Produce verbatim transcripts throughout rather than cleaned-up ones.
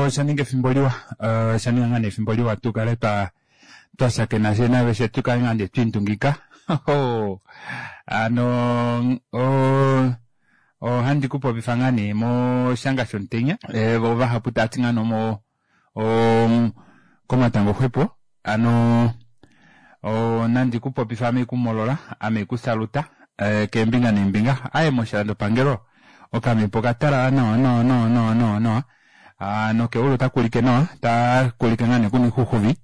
Osha ninga efimbo liwa, osha ninga ngaa nee efimbo liwa tukale twa twashakena fye naveshe tukale ngaa nee twiindungika. Hano ohandi kupopifa ngaa nee moshanga shomutenya, voo vahapu taati ngaa nee komatango xwepo. Hano nandi kupopife ame haikumolola ame haikusaluta keembinga neembinga. Aaye moshilandopangelo okamepo okatalala nawa nawa nawa nawa nawa nawa nokeulu otakuulike nawa otakuulike ngoo nee kuna oixuxuvi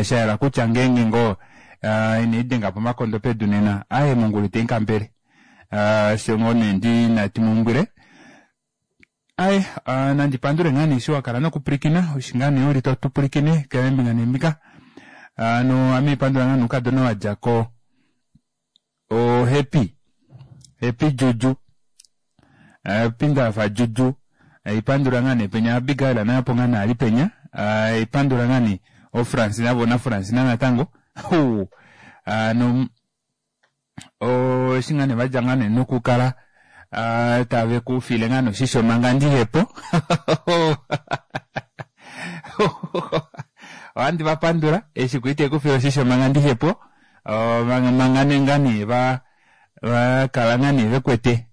shayela kutya ngeenge ngoo inaidenga omakondo pedu nena aaye mongula itaikambele osho ngoo nee ndina timulumbwile. Aaye nandi pandule ngaa nee eshi wakala nokupwilikina eshi ngaa nee uli totupwilikine keembinga neembinga. Hano ame haipandula ngaa nee oukadona wadjako o happy happy juju happy ndahafa juju haipandula ngaa nee penya Abigail naye opo ngaa nee ali penya haipandula ngaa nee oo Francina voo naFrancina natango hano eshi ngaa nee vadja ngaa nee nokukala tave kufile ngaa nee oshisho manga ndihepo. Ohandi vapandula eshi kwali tavekufile oshisho manga ndihepo manga ngaa nee vakala ngaa nee vekwete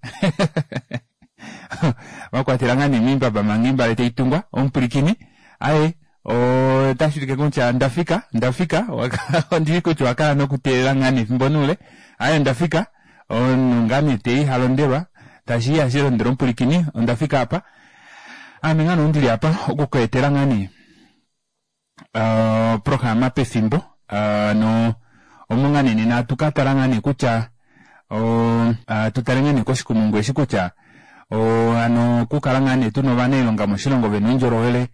vakwatela ngaa nee moimbaba manga oimbale taitungwa omupwilikini. Aaye otashuulike kutya ndafika ndafika ondishi kutya owakala nokuteelela ngaa nee efimbo noule. Aaye ondafika omunhu ngaa nee teya ihalondelwa tashi ihashi londelwa omupwilikini ondafika aapa. Aame ngaa nee oundili apa okukweetela ngaa nee oprograma pefimbo hano omo ngaa nee nena hatukatala ngaa nee kutya tutale ngaa nee koshikumungu eshi kutya hano okukala ngaa nee tuna ovanailonga moshilongo vena oundjolowele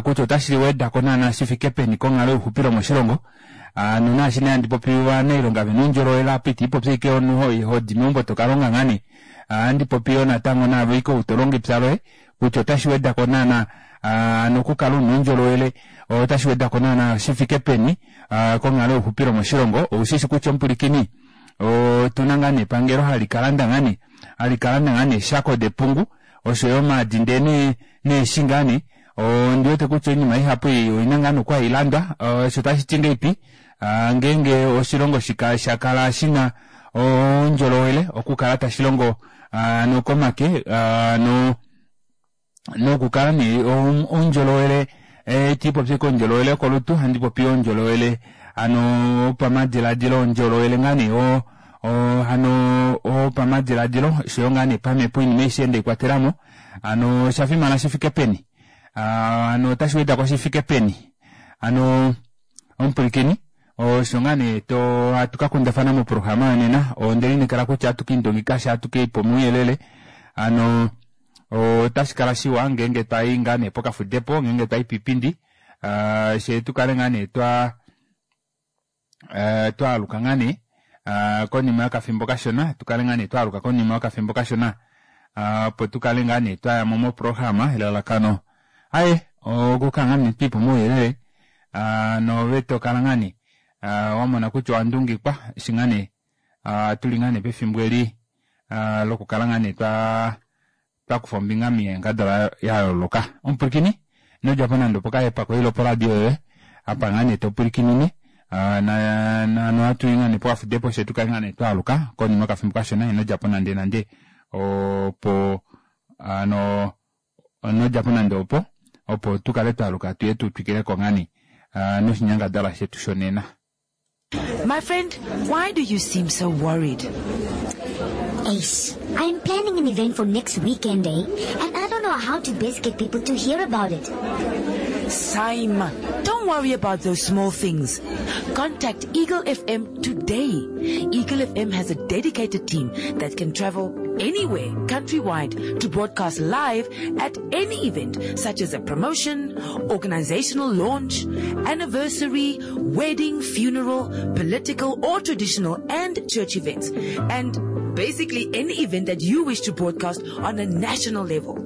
kutya otashi wedako naana shifike peni konghalo youxupilo moshilongo. Hano naashi nee handi popi ovanailonga vena oundjolowele apa itiipopi ashike omunhu hodi meumbo tokalonga ngaa nee, ohandi popi yoo natango naave ashike ou tolongo epya loye kutya otashi wedako naana hano okukala una oundjolowele otashi wedako naana shifike peni konghalo youxupilo moshilongo. Oushishi kutya omupwilikini otuna ngaa nee epangelo hali kalanda ngaa nee hali kalanda ngaa nee eeshako depungu oshoyo omaadi ndee neeshi ngaa nee ondiwete kutya oinima ihapu ei oina ngaa nee oku hailandwa osho tashiti ngahelipi ngeenge oshilongo shakala shina oundjolowele okukala tashilongo hano komake hano nokukala nee oundjolowele itiipopi ashike oundjolowele wokolutu ohandipopi oundjolowele hano wopamadilaadilo oundjolowele ngaa nee hano wopamadilaadilo oshoyo ngaa nee pamepo oinima aishe ndeikwatelamo. Hano oshafimana shifike peni, hano otashi wedako shifike peni. Hano omupwilikini osho ngaa nee hatu kakundafana moprograma yonena. Ondelineekela kutya ohatu kiindungika sha ohatu kiipa omauyelele. Hano otashikala shiwa ngeenge twayi ngaa nee pokafudepo ngeenge twayi piipindi fyee tukale ngaa nee twa twaaluka ngaa nee konima yokafimbo kashona tukale ngaa nee twaaluka konima yokafimbo kashona opo tukale ngaa nee twayamo moprograma elalakano aaye okukala ngaa nee twiipa omauyelele noove tokala ngaa nee wamona kutya owandungikwa eshi ngaa nee tuli ngaa nee pefimbo eli lokukala ngaa nee twa twakufa ombinga moinyangadalwa yayooloka. Omupwilikini inodjapo nande opokahepa koye ile oporadio yoye apa ngaa nee topwilikinine hano ohatuyi ngaa nee pokafudepo fyee tukale ngaa nee twaaluka konima yokafimbo kashona. Inodjapo nande nande opo hano inodjapo nande opo opo tukale twaaluka tuye tutwikileko ngaa nee noshinyangadalwa shetu shonena. My friend, why do you seem so worried? Ace, I'm planning an event for next weekend, eh? And I don't know how to best get people to hear about it. Saima, don't worry about those small things. Contact Eagle F M today. Eagle F M has a dedicated team that can travel anywhere, countrywide, to broadcast live at any event, such as a promotion, organizational launch, anniversary, wedding, funeral, political or traditional and church events, and basically any event that you wish to broadcast on a national level.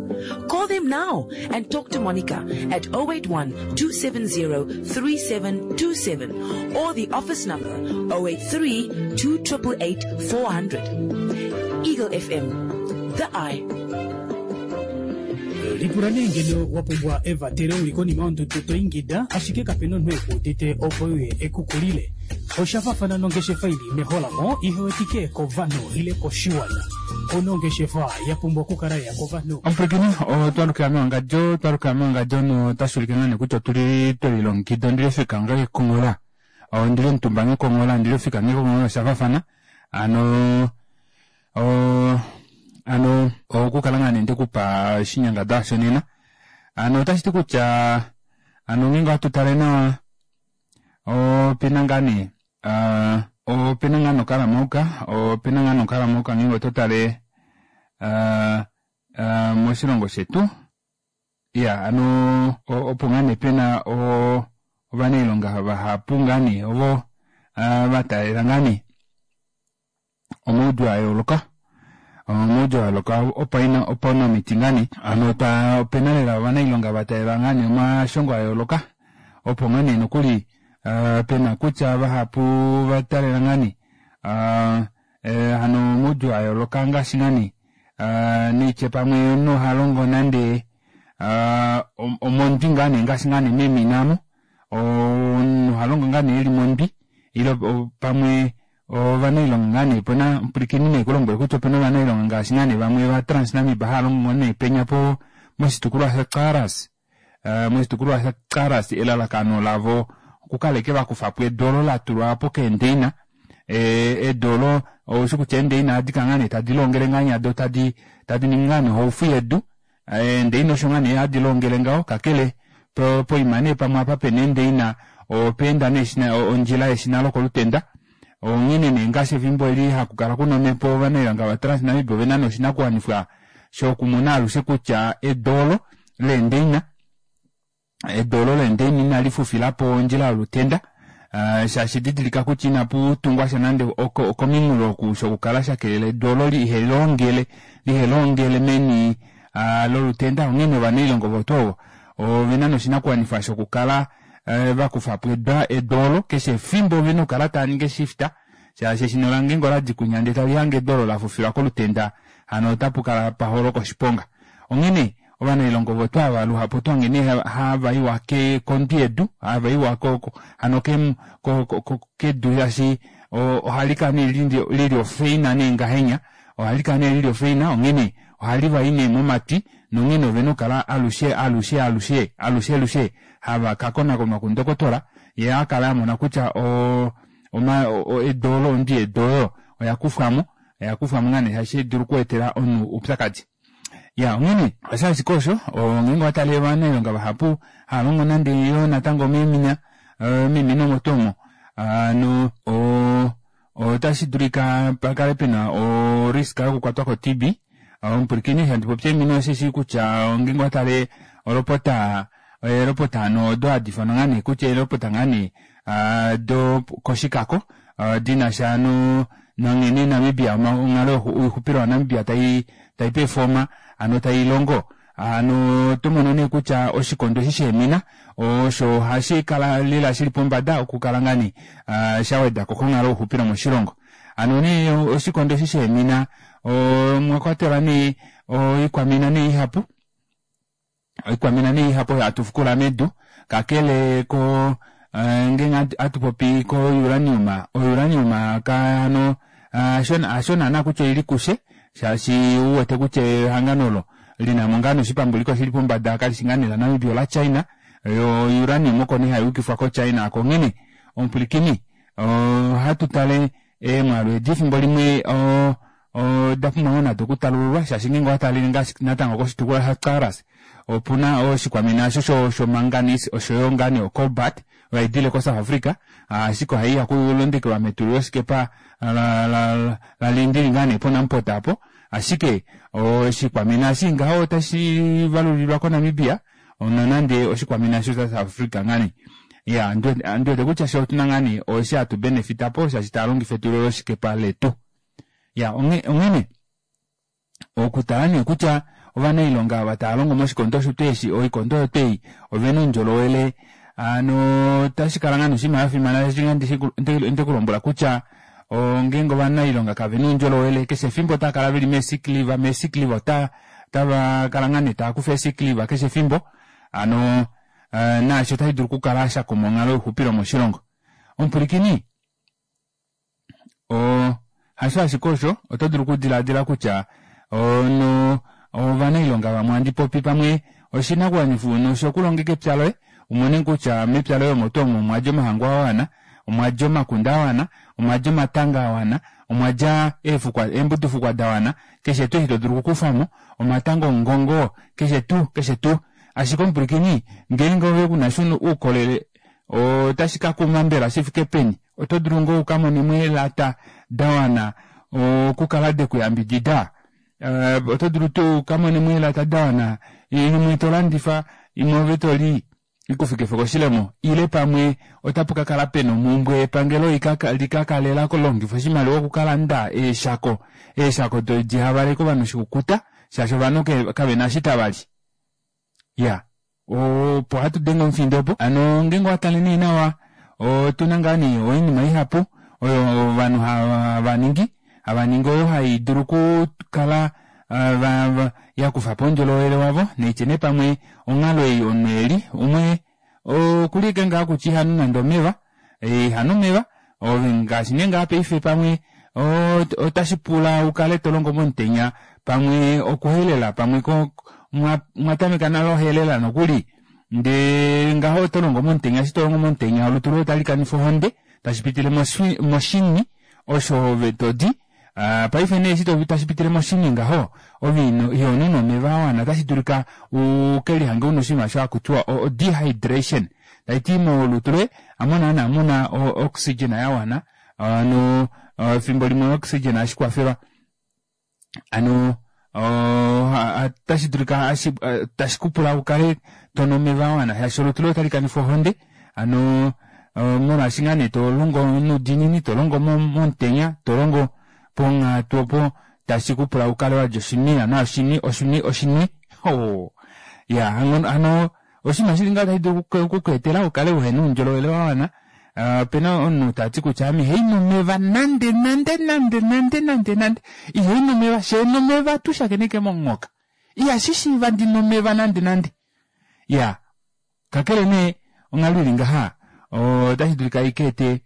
Call them now and talk to Monica at oh eight one, two seven zero, three seven two seven or the office number oh eight three, two triple eight, four hundred. Eagle F M, the eye. Lipula nee ngeno wa pumbwa evatelo uli konima yondudu to ingida, ashike kapena omunhu ekuudite opo uye ekukulile. Osha faafana nongeshefa ili meholamo ihewetike kovanhu ile koshiwana. Ouna ongeshefa ya pumbwa okukala ya kovanhu. Omupwilikini otwalukila mewangadjo twalukila mewangadjo notashi ulike ngaa nee kutya otuli twelilongekida ondili ofika nga kekonghola ondili omutumba ngekonghola ondili ofika ngekonghola oshafafana hano oo hano okukala ngaa nee ndekupa oshinyangadalwa shonena hano otashiti kutya hano ngeenge ohatutale nawa opena ngaa nee opena ngaa nokalamauka opena ngaa nokalamauka ngeenge ototale aa moshilongo shetu iya hano opo ngaa nee pena oo ovanailonga vahapu ngaa nee ovo vataalela ngaa nee omaudjuu ayooloka omaudjuu ayooloka opaunamiti ngaa nee hano opena lela ovanailonga vataalela ngaa nee omashongo ayooloka opo ngaa nee nokuli pena kutya vahapu vataalela ngaa nee hano omaudjuu ayooloka ngaashi ngaa nee naitye pamwe omunhu ohalongo nande omondwi ngaa nee ngaashi ngaa nee meemina aamo omunhu ohalongo ngaa nee eli mondwi ile pamwe ovanailonga ngaa nee opena omupwilikini nekulombwele kutya opena ovanailonga ngaashi ngaa nee vamwe va TransNamib haalongo nee penya po moshitukulwa sha Caras moshitukulwa sha Caras elalakano lavo okukala ashike vakufapo edu olo latulwapo keendeina edu olo oushi kutya eendeina ohadikala ngaa nee tadi longele ngahenya doo tadi tadi ningi ngaa nee ohaufu yedu eendeina osho ngaa nee hadi longele ngaho kakele poima nee pamwe apa pena eendeina opeenda nee ondjila yeshina lokolutenda onghene nee ngaashi efimbo eli hakukala kuna omhepo ovanailonga va TransNamib ovena nee oshinakuwanifwa shokumona alushe kutya edu olo leendeina edu olo leendeina inalifufilapo ondjila yolutenda shaashi didilika kutya inaputungwa sha nande okominghulo oku shokukala shakelela edu olo lihelongele lihelongele meni lolutenda onghene ovanailonga ovo tuu ovo ovena noshinakuwanifwa shokukala vakufapo edu olo keshe efimbo ovena okukala taaningi eshifta shaashi eshina lange oladi kunya ndee talihange edu olo lafufilwa kolutenda hano otapukala paholoka oshiponga onghene ovanailonga ovo tuu ava luhapu otohange nee havaiwa kondwi yedu havaiwa hano kedu shaashi ohalikala nee lili ofeina nee ngahenya ohalikala nee lili ofeina onghene ohali nee momatwi nonghene ovena okukala alushe alushe alushe alushe alushe hava kakonakonwa kundokotola yee akala amona kutya oo edu olo ondwi yedu oyo oyakufwamo oyakufwamo ngaa nee shaashi otaidulu okweetela omunhu oupyakadi ya onghene osho ashike osho ngeenge owatale ovanailonga vahapu haalongo nande yoo natango meemina meemina omo tuu omo hano otashi dulika pakale pena o risk yokukwatwa ko T B omupwilikini eshi handi popi eemina osheshi kutya ngeenge owatale olopota eelopota hano odo hadi ifanwa ngaa nee kutya eelopota ngaa nee do koshikako dinasha no nanghene Namibia onghalo yoixupilo ya Namibia tai tai performa hano tailongo hano otomono nee kutya oshikondo eshi sheemina osho hashi kala lela shili pombada okukala ngaa nee shawedako konghalo youxupilo moshilongo hano nee oshikondo eshi sheemina omwakwatelwa nee oikwamina nee ihapu oikwamina nee ihapu oyo hatu fukula medu kakele ko ngeenge hatupopi ko uranium o uranium hano hasho naana kutya oili kushe shaashi uwete kutya ehangano olo linamo ngaa nee oshipambuliko shili pombada kalishi ngaa nee la Namibia ola China yo uranium oko nee hayuukifwa ko China oko onghene omupwilikini ohatu tale eemwaalu edi efimbo limwe oda pumbwa ngoo nado okutalululwa shaashi ngeenge owatalele ngaashi natango koshitukulwa sha Caras opuna oshikwamina osho shomanganese oshoyo ngaa nee ocobalt oyo haidile ko South Africa ashike ohaiya okulondekelwa metulilo losikepa lalindili ngaa nee poNamport aapo ashike oshikwamina eshi ngaho otashi valulilwa koNamibia nonande oshikwamina osho sha South Africa ngaa nee iya ndiwete kutya fye otuna ngaa nee eshi hatu benefitapo shaashi taalongifa etulilo losikepa letu ya onghene okutala nee kutya ovanailonga ava taalongo moshikondo osho tuu eshi oikondo oyo tuu ei ovena oundjolowele hano otashikala ngaa nee oshinima shafimana shaashi ndekulombwela kutya ngeenge ovanailonga kavena oundjolowele keshe efimbo otaakala veli mee sick leave mee sick leave ota Otava kala ngaa nee tava kufa ee-sick leave keshe efimbo hano naasho otashi dulu okukala shakuma onghalo youxupilo moshilongo. Omupwilikini oo hasho ashike osho oto dulu okudilaadila kutya ono ovanailonga vamwe handi popi pamwe oshinakuwanifwa noshokulongeka epya loye umone kutya mepya loye omo tuu omo omwadja omahangu awana, omwadja omakunde awana, omwadja omatanga awana, omwadja eefukwa eembudufukwa dawana, keshe tuu eshi to dulu okukufamo, omatanga omungongo, keshe tuu keshe tuu. Ashike omupwilikini ngeenge ove kunasha oukolele otashi kakuma mbela shifike peni? Oto dulu ngoo ukamonemo eelata dawana okukala dekuyambidida? Oto dulu tuu ukamonemo eelata dawana imwe tolandifa imwe ove toli ikufikife koshilemo ile pamwe otapu kakala pena omumbwe yepangelo likakale lalongifa oshimaliwa okukalanda eeshako eeshako dihavaleke ovanhu oshikukuta shaashi ovanhu kavena eshi tavali. Iya opo hatu denge omufindo opo hano ngeenge owatale nee nawa otuna ngaa nee oinima ihapu oyo ovanhu hava ningi hava ningi oyo haidulu okukala yakufapo oundjolowele wavo naitye nee pamwe onghalo ei omunhu eli umwe okuli ashike ngaha kutya ihanu nande omeva ihanu omeva ove ngaashi nee ngaha paife pamwe otashi pula ukale tolongo momutenya pamwe okuhelela pamwe mwatameka nale ohelela nokuli ndee ngaho otolongo momutenya eshi tolongo momutenya olutu loye otali kanifa ohonde tashi pitile moshini osho ove todi paife nee eshi tashi pitile moshini ngaho ove ihonu nomeva awana otashi dulika ukelihange una oshinima osho hakutiwa o dehydration taiti molutu loye hamo naana muna oxygen yawana hano efimbo limwe oxygen ohashi kwafelwa hano otashi dulika tashi kupula ukale tonu omeva awana shaashi olutu loye otali kanifa ohonde hano molwaashi ngaa nee tolongo noudiinini tolongo momutenya tolongo ponghatu opo tashi kupula ukale walya oshini na oshini oshini oshini ya hano oshinima shili ngaho tashi dulu okukweetela ukale uhena oundjolowele wawana. Opena omunhu tati kutya ame ihainu omeva nande nande nande nande nande nande ihainu omeva sheena omeva tushakeneke momunghoka ihashi shiiva ndina omeva nande nande. Ya kakele nee onghalo ili ngaha otashi dulika ikeete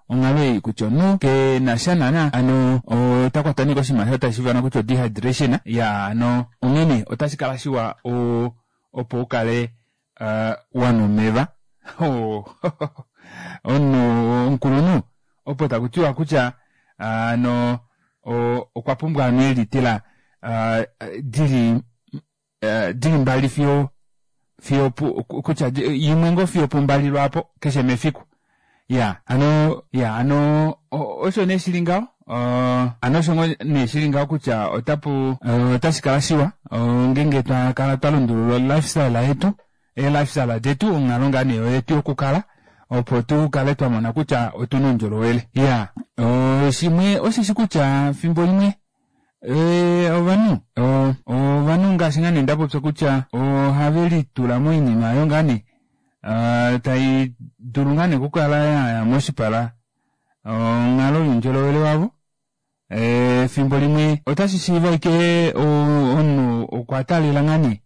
onghalo ei kutya omunhu kenasha naana hano otakwatwa nee koshinima osho tashi ifanwa kutya dehydration. Ya hano onghene otashi kala shiwa opo ukale wanwa omeva. Omunhu omukulunhu opo takutiwa kutya hano okwa pumbwa anwe eelitela dili dili mbali fiyo fiyo kutya imwe ngoo fiyo pumbali lwaapo keshe mefiku. Ya hano ya hano osho nee shili ngaho hano osho nee shili ngaho kutya otapu otashi kala shiwa ngeenge twakala twalundulula lifestyle yetu ee-lifestyle detu onghalo ngaa nee yetu yokukala opo tukale twamona kutya otuna oundjolowele. Ya shimwe osheshi kutya fimbo limwe ovanhu ovanhu ngaashi ngaa nee ndapopya kutya ohave litula moinima oyo ngaa nee tai dulu ngaa nee okukala yaya moshipala onghalo youndjolowele wavo. Efimbo limwe otashi shiiva ashike omunhu okwa taalela ngaa nee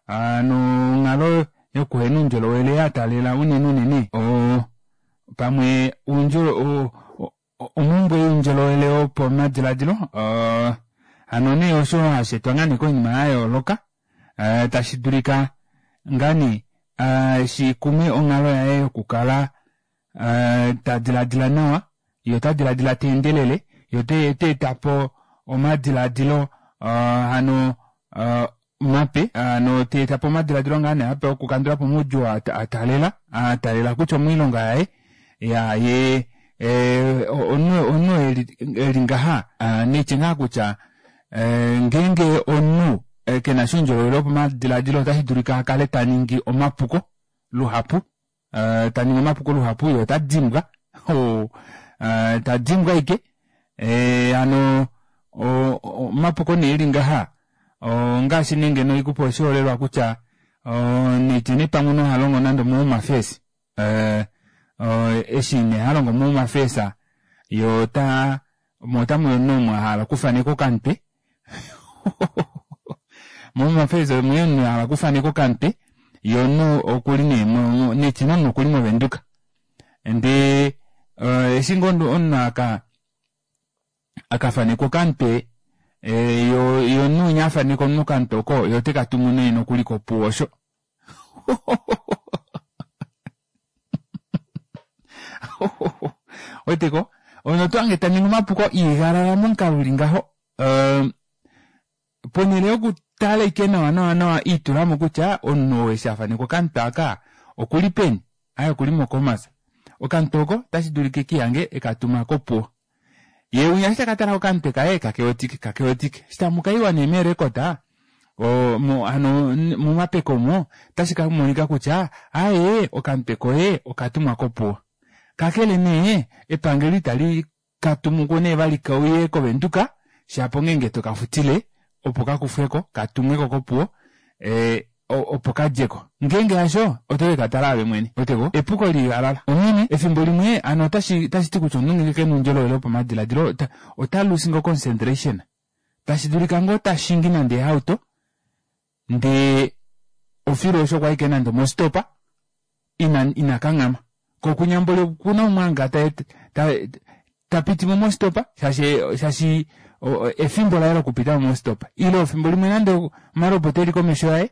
hano onghalo yokuhena oundjolowele yataalela unene unene pamwe omumbwe youndjolowele wopamadilaadilo hano nee osho hashi etwa ngaa nee koinima yayooloka tashi dulika ngaa nee shikume onghalo yaye yokukala tadilaadila nawa ye ota dilaadila teendelele ye oteetapo omadilaadilo hano mape hano teetapo omadilaadilo ngaa nee ape okukandulapo omaudjuu ataalela ataalela kutya omoilonga yaye ya ye omunhu eli ngaha naitye ngaa kutya ngeenge omunhu kenasha oundjolowele wopamadilaadilo otashi dulika akale taningi omapuko luhapu taningi omapuko luhapu ye ota dimbwa tadimbwa ashike hano omapuko nee eli ngaha ongaashi nee ngeno haikupe oshiholelwa kutya naitye nee pamwe omunhu ohalongo nande omo-home affairs eshi nee halongo mo-home affairs ye ota mo otamuya omunhu omu ahala okufaneka okamutwe Mo Home Affairs omwe omunhu ahala okufaneka okamutwe yee omunhu okuli nee netine omunhu okuli movenduka ndee eshi ngoo omunhu aka akafanekwa okamutwe yee omunhu winya afaneka omunhu okamutwe oko yee otekatumu nee nokuli kopuwo osho ouweteko omunhu otohange taningi omapuko iigalala momukalo uli ngaho ponele yokutala ashike nawa nawa nawa iitulamo kutya omunhu ou eshi afanekwa okamutwe aaka okuli peni aaye okuli mo khomas okamutwe oko otashidulika ekiihange ekatuma kopuwo yee winya eshi takatala kokamutwe kaye kakewetike kakewetike eshi tamukaiwa nee mee record hano momapeko omo otashi kamonika kutya aaye okamutwe koye okatumwa kopuwo kakele nee epangelo itali katumuko nee vali kauye kovenduka shapo ongenge tokafutile opo kakufweko katumweko kopuwo opo kadjeko ngeenge hasho oto kekatala ove mwene ouweteko epuko liigalala onghene efimbo limwe hano otashiti kutya omunhu ngeenge kena oundjolowele wopamadilaadilo ota loose ngoo concentration tashidulika ngoo tashingi nande eehauto ndee ofilu osho okwali ashike nande omostopa ina ina kanghama koo kunya mboli okuna umwe hanga ta tapitimo mostopa shaashi shaashi efimbo laye lokupitamo mostopa ile efimbo limwe nande omalobota eli komesho yaye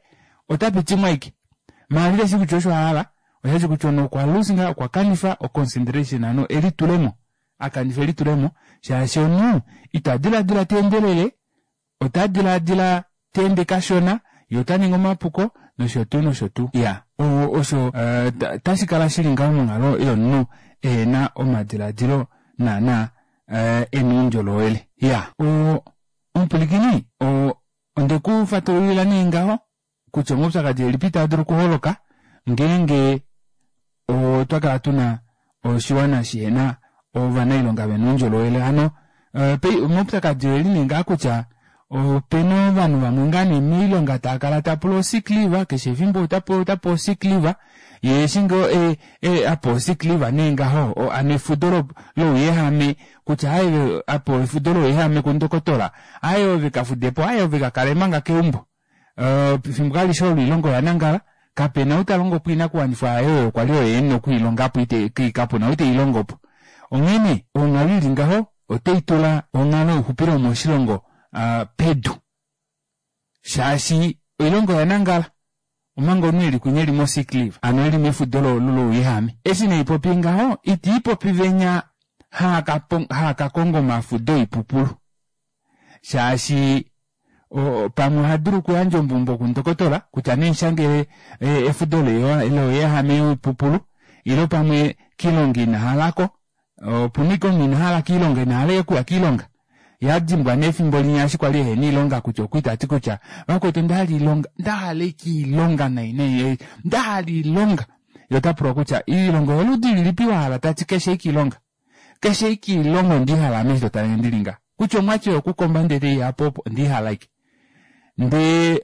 otapitimo ashike maala iteshi kutya osho ahala osheshi kutya omunhu okwa loose okwa kanifa o concentration hano elitulemo akanifa elitulemo shaashi omunhu ita dilaadila teendelele ota dilaadila teende kashona yee otaningi omapuko nosho tuu nosho tuu iya osho otashi kala shili ngaho monghalo yomunhu ehena omadilaadilo naana ena oundjolowele iya omupwilikini ondeku fatululila nee ngaho kutya omaupyakadi elipi taa dulu okuholoka ngeenge otwa kala tuna oshiwana shihena ovanailonga vena oundjolowele hano omaupyakadi oeli nee ngaa kutya opena ovanhu vamwe ngaa nee moilonga taakala tapula o sick leave keshe efimbo otapewa otapewa o sick leave yee eshi ngoo apewa o sick leave nee ngaho hano efudo louyehame kutya aaye apewa efudo louyehame kundokotola aaye ove kafudepo aaye ove kakale manga keumbo efimbo alishe olo oilonga oyanangala kapena ou talongopo oinakuwanifwa yaye oyo kwali oye ena okwiilongapo kapuna ou teilongopo onghene onghalo ili ngaho otaitula onghalo youxupilo moshilongo pedu shaashi oilonga oyanangala omanga omunhu eli kwinya eli mo sick leave hano eli mefudo louyehame eshi neipopi ngaho itiipopi venya haakakonga omafudo oipupulu shaashi pamwe ohadulu okuyandja ombumbo kundokotola kutya nemushangele efudo louyehame woipupulu ile pamwe kiilonga inahalako opuna ashike omunhu inahala kiilonga inahala okuya kiilonga yee adimbwa nee efimbo linya eshi kwali ehena oilonga kutya okwali tati kutya vakwetu ondahala oilonga ndahala ashike oilonga nai nai ndahala oilonga yee otapulwa kutya oilonga oyoludi lilipi wahala tati keshe ashike oilonga keshe ashike oilonga ondiihala ame eshi totalenge ndili ngaha kutya omwatye yokukomba ndee teiyapo opo ondiihala ashike ndee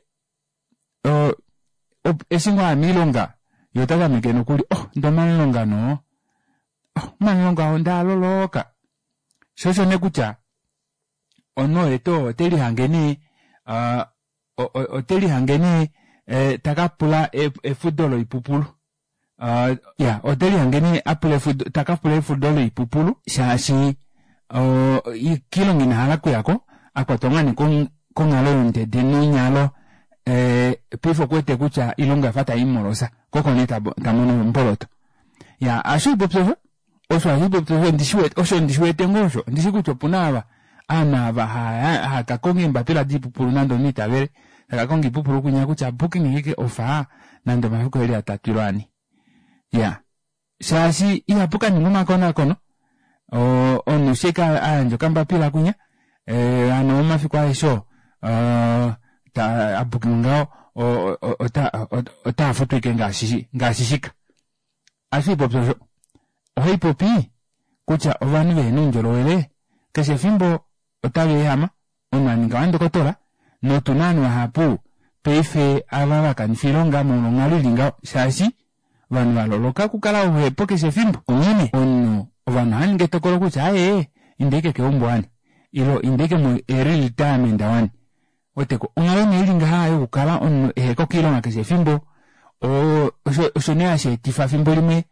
eshi ngoo aya moilonga yee otatameke nokuli oh ndee omanilonga noo oh omanilonga ondaaloloka shoo osho nee kutya omunhu oye tuu oo otelihange nee otelihange nee takapula efudo loipupulu iya otelihange nee apula efudo takapula efudo loipupulu shaashi kiilonga inahala okuyako akwatwa ngaa nee konghalo youndede nonyalo paife okuwete kutya oilonga oyafa taimumolosa koo oko nee tamono omboloto iya ohashiipopi osho osho ohashiipopi osho ondishiwete osho ndishiwete ngoo osho ondishi kutya opuna ava ovanhu ava haakakonga eembapila doipupulu nande omunhu itavele takakonga oipupulu kunya kutya booking ashike ofa nande omafiku eli atatu ile ane iya shaashi ihapu kaningwa omakonakono omunhu eshi ashike ayandja okambapila kunya hano omafiku aeshe oo abukinga ngaho otaafutwa ashike ngaashi ngaashi shika ohashiipopi osho ohaipopi kutya ovanhu vehena oundjolowele keshe efimbo otaveehama omunhu aninga wandokotola notuna ovanhu vahapu paife ava vakanifa oilonga molwa onghalo ili ngaho shaashi ovanhu valoloka okukala oluhepo keshe efimbo onghene omunhu ovanhu ohavaningi etokolo kutya aaye inda ashike keumbo wani ile inda ashike mo early retirement wani Weteko onghalo nee ili ngaha yokukala omunhu eheko koilonga keshe efimbo oo osho nee hasheetifa efimbo limwe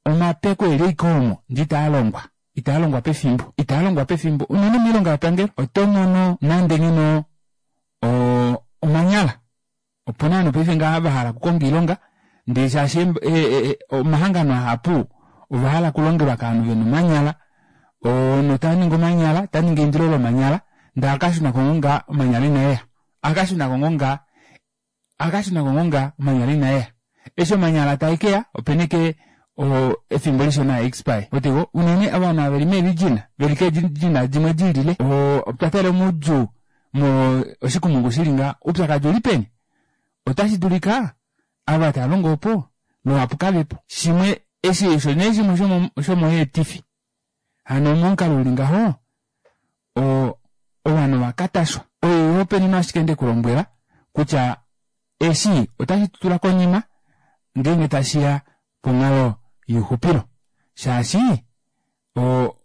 omapeko eli ashike omo ndee itaalongwa itaalongwa pefimbo itaalongwa pefimbo unene moilonga yepangelo otomono nande ngeno oo omanyala opena ovanhu paife ngaha vahala okukonga oilonga ndee shaashi omahangano ahapu ovahala okulongelwa kovanhu vena omanyala omunhu otaningi omanyala otaningi eindilo lomanyala ndee ohakashunako ngoo ngaa omanyala inaeya ohakashunako ngoo ngaa ohakashunako ngoo ngaa omanyala inaeya eshi omanyala taekeya opena ashike efimbo lishona a expire ouweteko unene ovanhu ava veli mee region veli kee region dimwe dilile oo otwa taalela moudjuu mo oshikumungu shili ngaha oupyakadi oulipeni otashi dulika ava tavalongo opo luhapu kavepo shimwe eshi osho nee shimwe shomoyeetifi hano momukalo uli ngaho oo ovanhu ovakatashwa oyo ashike ndekulombwela kutya eshi ota shitutula konima ngeenge tashiya ponghalo youxupilo shaashi oo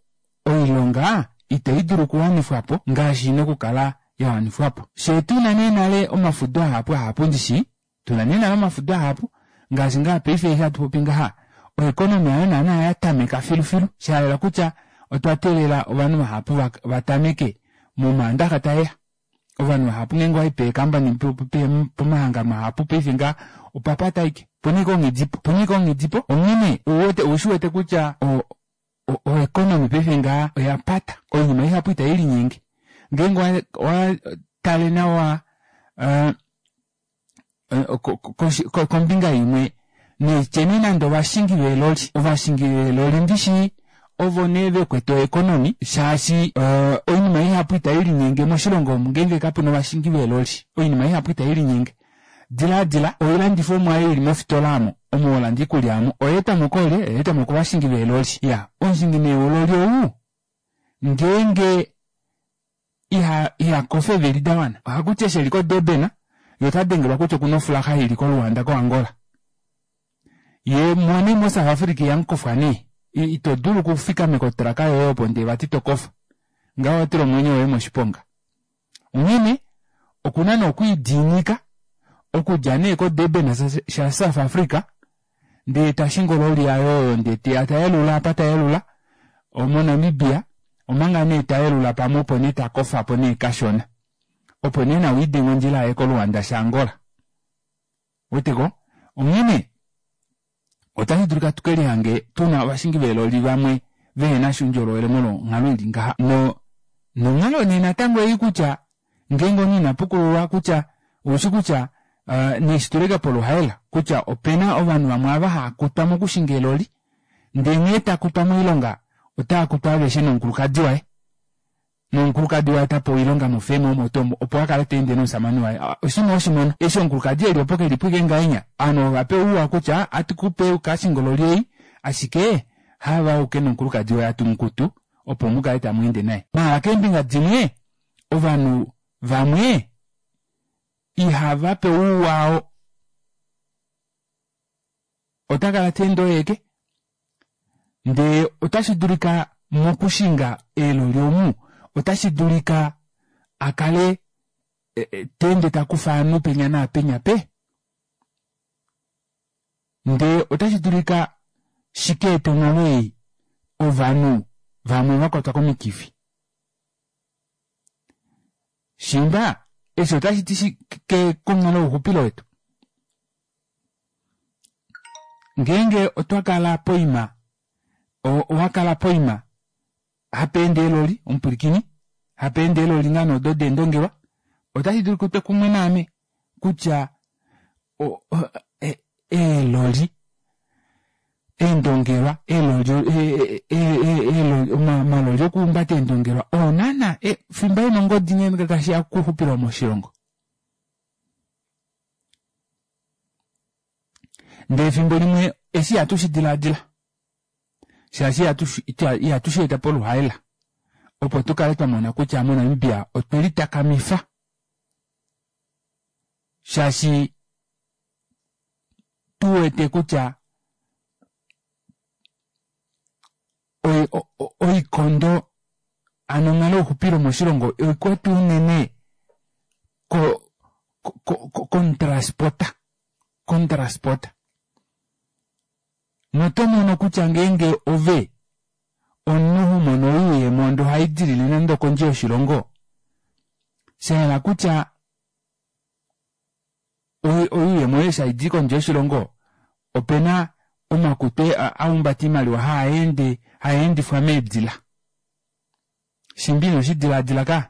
oilonga ita idulu okuwanifwapo ngaashi ina okukala yawanifwapo fyee tuna nee nale omafudo ahapu ahapu ndishi tuna nee nale omafudo ahapu ngaashi ngaha paife eshi hatupopi ngaha o economy hayo naana yatameka filufilu shahala kutya otwa teelela ovanhu vahapu vatameke momandaxa taeya ovanhu vahapu ngeenge owayi peecompany pomahangano mahapu paife ngaha opapata ashike opena ashike onghedipo opena ashike onghedipo onghene ouwete oushiwete kutya o o economy paife ngaha oyapata oinima ihapu ita ilinyenge ngeenge owatale nawa aa kombinga imwe naityeni nande ovashingi veeloli ovashingi veeloli ndishi ovo nee vekwete o economy shaashi oinima ihapu ita ilinyenge moshilongo omu ngeenge kapena ovashingi veeloli oinima ihapu ita ilinyenge dilaadila oilandifomwa aayo ili mofitola aamo omo holanda oikulya aamo oyaetwamo koolye oyaetwamo kovashingi veeloli iyaa omushingi nee wololi ou ngeenge iha ihakofa eevili dawana ohakuti eshi eli ko durban yee otadengelwa kutya okuna ofulaxa ili ko luanda ko angola yee moo mo south africa ihamukofwa nee ito dulu okufikameka otraka yoye opo ndee vati tokofa ngaho owatula omwenyo woye moshiponga onghene okuna nee okwiidiinika okudja nee ko durban sha south africa ndee tashingi ololi yaye oyo ndee teya tayelula apa tayelula mo namibia omanga nee tayelula pamwe opo nee takofapo nee kashona opo nee nawa lidenge ondjila aye ko luanda sha angola ouweteko onghene ota shidulika tukelihange tuna ovashingi veeloli vamwe vehenasha oundjolowele molwo onghalo ili ngaha no nonghalo nee natango ei kutya ngeenge omunhu inapukululwa kutya oushi kutya neshitulike poluhaela kutya opena ovanhu vamwe ava haakutwa mokushinga eeloli ndee nghee takutwa moilonga otaakutwa aveshe nomukulukadi waye nomukulukadi waye otapewa oilonga mofeema omo tuu omo opo akale taende nomushamane waye oshinima weshimono eshi omukulukadi eli opo kelipo ashike ngahenya ovanhu ovapewa ouwa kutya atukupe ukashinge ololi ei ashike haave auke nomukulukadi woye hatumukutu opo mukale tamweende naye maala keembinga dimwe ovanhu vamwe ihavapewa ouwa oo otakala teende oyeeke ndee otashi dulika mokushinga eeloli omu otashi dulika akale teende takufa ovanhu penya naapenya pe ndee otashi dulika shikaete onghalo ei ovanhu vamwe vakwatwa komikifi shiimba eshi otashiti shike konghalo youxupilo wetu ngeenge otwakala poima owakala poima hapeende eeloli omupwilikini hapeende eeloli ngoo nee odo deendongelwa ota shidulika utwe kumwe naame kutya eeloli eendongelwa eeloli omaloli okuhumbata eendongelwa oo naana fimba ena ongodi ngee tashiya kouxupilo moshilongo ndee efimbo limwe eshi ihatu shidilaadila shaashi ihatu sheeta poluhaela opo tukale twamona kutya mo namibia otwelitakamifa shaashi tuwete kutya oikondo hano onghalo youxupilo moshilongo oikwete unene Kontransporta kontransporta noto mono kutya ngeenge ove omunhu homono oyuuyemo ndee ohaidilile nande okondje yoshilongo shahala kutya oyuuyemo yoye eshi haidi kondje yoshilongo opena omakutu ahumbata oimaliwa haende haendifwa meedila shimba ino shidilaadila kaa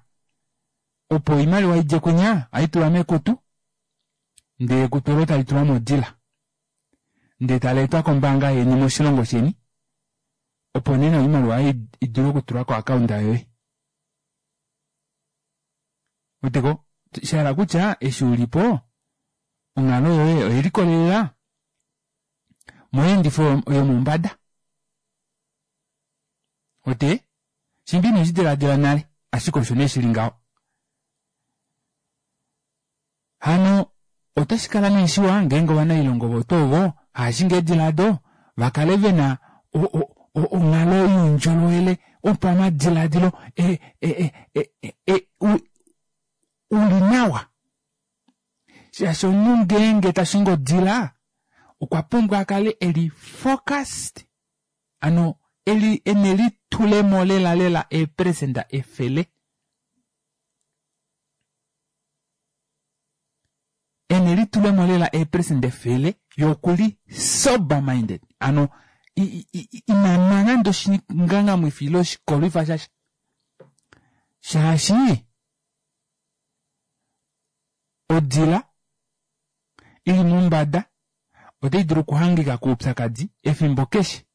opo oimaliwa idje kunya ohaitulwa mekutu ndee ekutu olo talitulwa modila ndee taleetwa kombaanga yeni moshilongo sheni opo nee oimaliwa idule okutulwa ko account yoye ouweteko shahala kutya eshi ulipo onghalo yoye oyelikolelela moyeendifo yomombada wete shimba ino shidilaadila nale ashike osho nee shili ngaho hano otashikala nee shiwa ngeenge ovanailonga ovo tuu ovo haashingi eedila aado vakale vena onghalo youndjolowele wopamadilaadilo e- e- e- uli nawa shaashi omunhu ngeenge tashingi odila okwa pumbwa akale eli focused hano eli enelitulemo lela lela eeperecenta efele enelitulemo lela eeperecenta efele yee okuli sober minded hano inanwa nande oshingangamwifi ile oshikolwifa shasha shaashi odila ili mombada otaidulu okuhangika koupyakadi efimbo keshe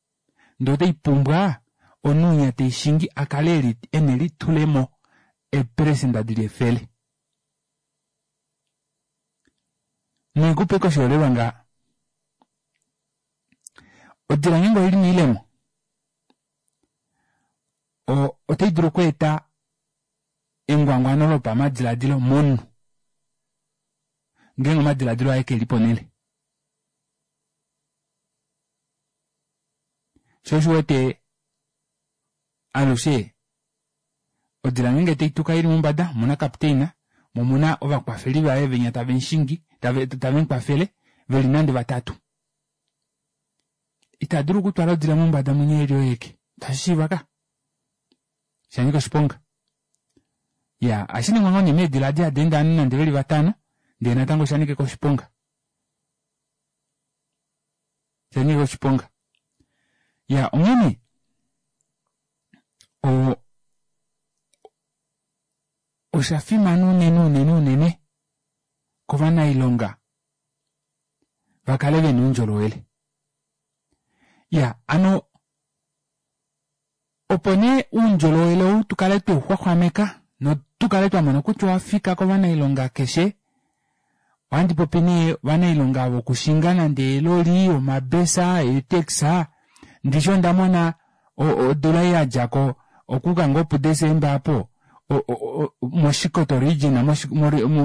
ndee otaipumbwa omunhu winya teishingi akale ena elitulemo eeperecenta dili efele naikupe ashike oshiholelwa ngaha odila ngeenge oili moilemo otaidulu okweeta engwangwano lopamadilaadilo momunhu ngeenge omadilaadilo aye keli ponele shoo osho uwete alushe odila ngeenge taituka ili mombada omuna captain moo omuna ovakwafeli vaye venya tavemushingi tavemukwafele veli nande vatatu itadulu okutwala odila mombada munya eli oye aeke itashishiiva kaa shanyika oshiponga iyaa ohashiningwa ngoo nee meedila edi hadi ende ovanhu nande veli vatano ndee natango oshanika ashike oshiponga oshanyika oshiponga iyaa onghene oo oshafimana unene unene unene kovanailonga vakale vena oundjolowele iyaa hano opo nee oundjolowele ou tukale tweuxwaxwameka notukale twamona kutya owafika kovanailonga keshe ohandi popi nee ovanailonga vokushinga nande eeloli omabesa eetaxi ndishi ondamona odula ei yadjako okuuka ngoo pu december aapo moshikoto region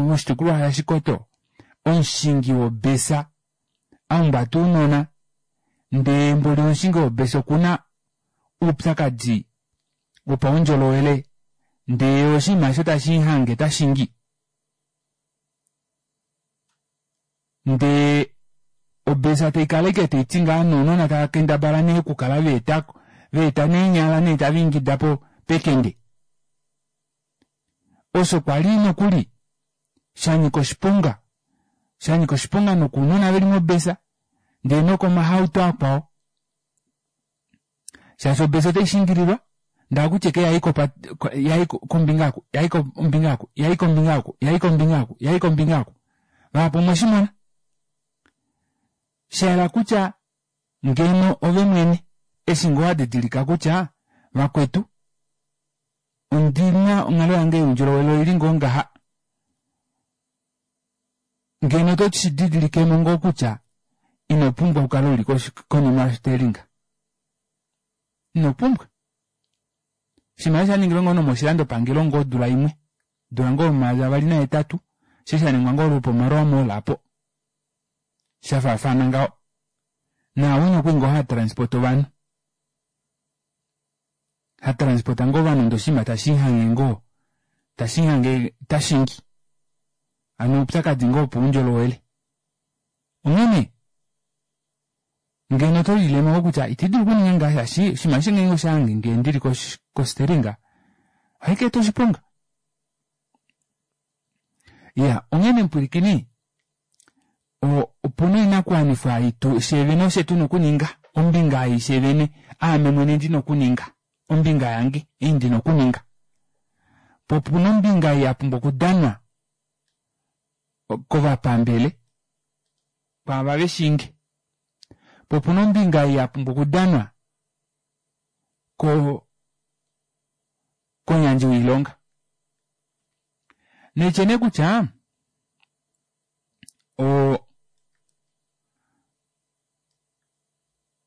moshitukulwa shashikoto omushingi wobesa ahumbata ounona ndee mboli omushingi wobesa okuna oupyakadi wopaundjolowele ndee oshinima aasho tashimuhange tashingi ndee obesa taikala ashike taiti ngaha nounona tava kendabala nee okukala vaetako vaeta neenyala nee tavaingida pekende osho kwali nokuli shanyika oshiponga shanyika oshiponga nokounona veli mobesa ndee nokomahauto akwao shaashi obesa otaishingililwa ndee ohakutiwa ashike yayi kopate yayi kombinga oku yayi kombinga oku yayi kombinga oku yayi kombinga oku yayi kombinga oku vahapu omweshimona shayela kutya ngeno ove mwene eshi ngoo wadidilika kutya vakwetu ondina onghalo yange youndjolowele oili ngoo ngaha ngeno oto shididilikemo ngoo kutya ino pumbwa okukala uli konima yoshitelinga ino pumbwa oshinima eshi oshaningilwe ngoo nomoshilando pangelo ngoo odula imwe odula ngoo yomayovi avali nahetatu eshi shaningwa ngoo lwopo maroa mall aapo shafaafana ngaho naawinya okwali ngoo hatransport ovanhu hatransport ngoo ovanhu ndee oshinima tashiihange ngoo tashiihange tashingi Ano oupyakadi ngoo wopaundjolowele. Onghene ngeno otolilemo kutya iti dulu okuninga ngaha shaashi oshinima eshi ngeenge oshahange ndili kosteringa ohaikaeta oshiponga. Iyaa onghene mupwilikini opena oinakuwanifwa fyee ofye tuna okuninga ombinga ei fyee aame mwene ndina okuninga ombinga yange ei ndina okuninga poo opuna ombinga ei yapumbwa okudanwa kovapambele kwaava veshiinge poo opena ombinga ei yapumbwa okudanwa koo komuyandji woilonga naitye nee kutya oo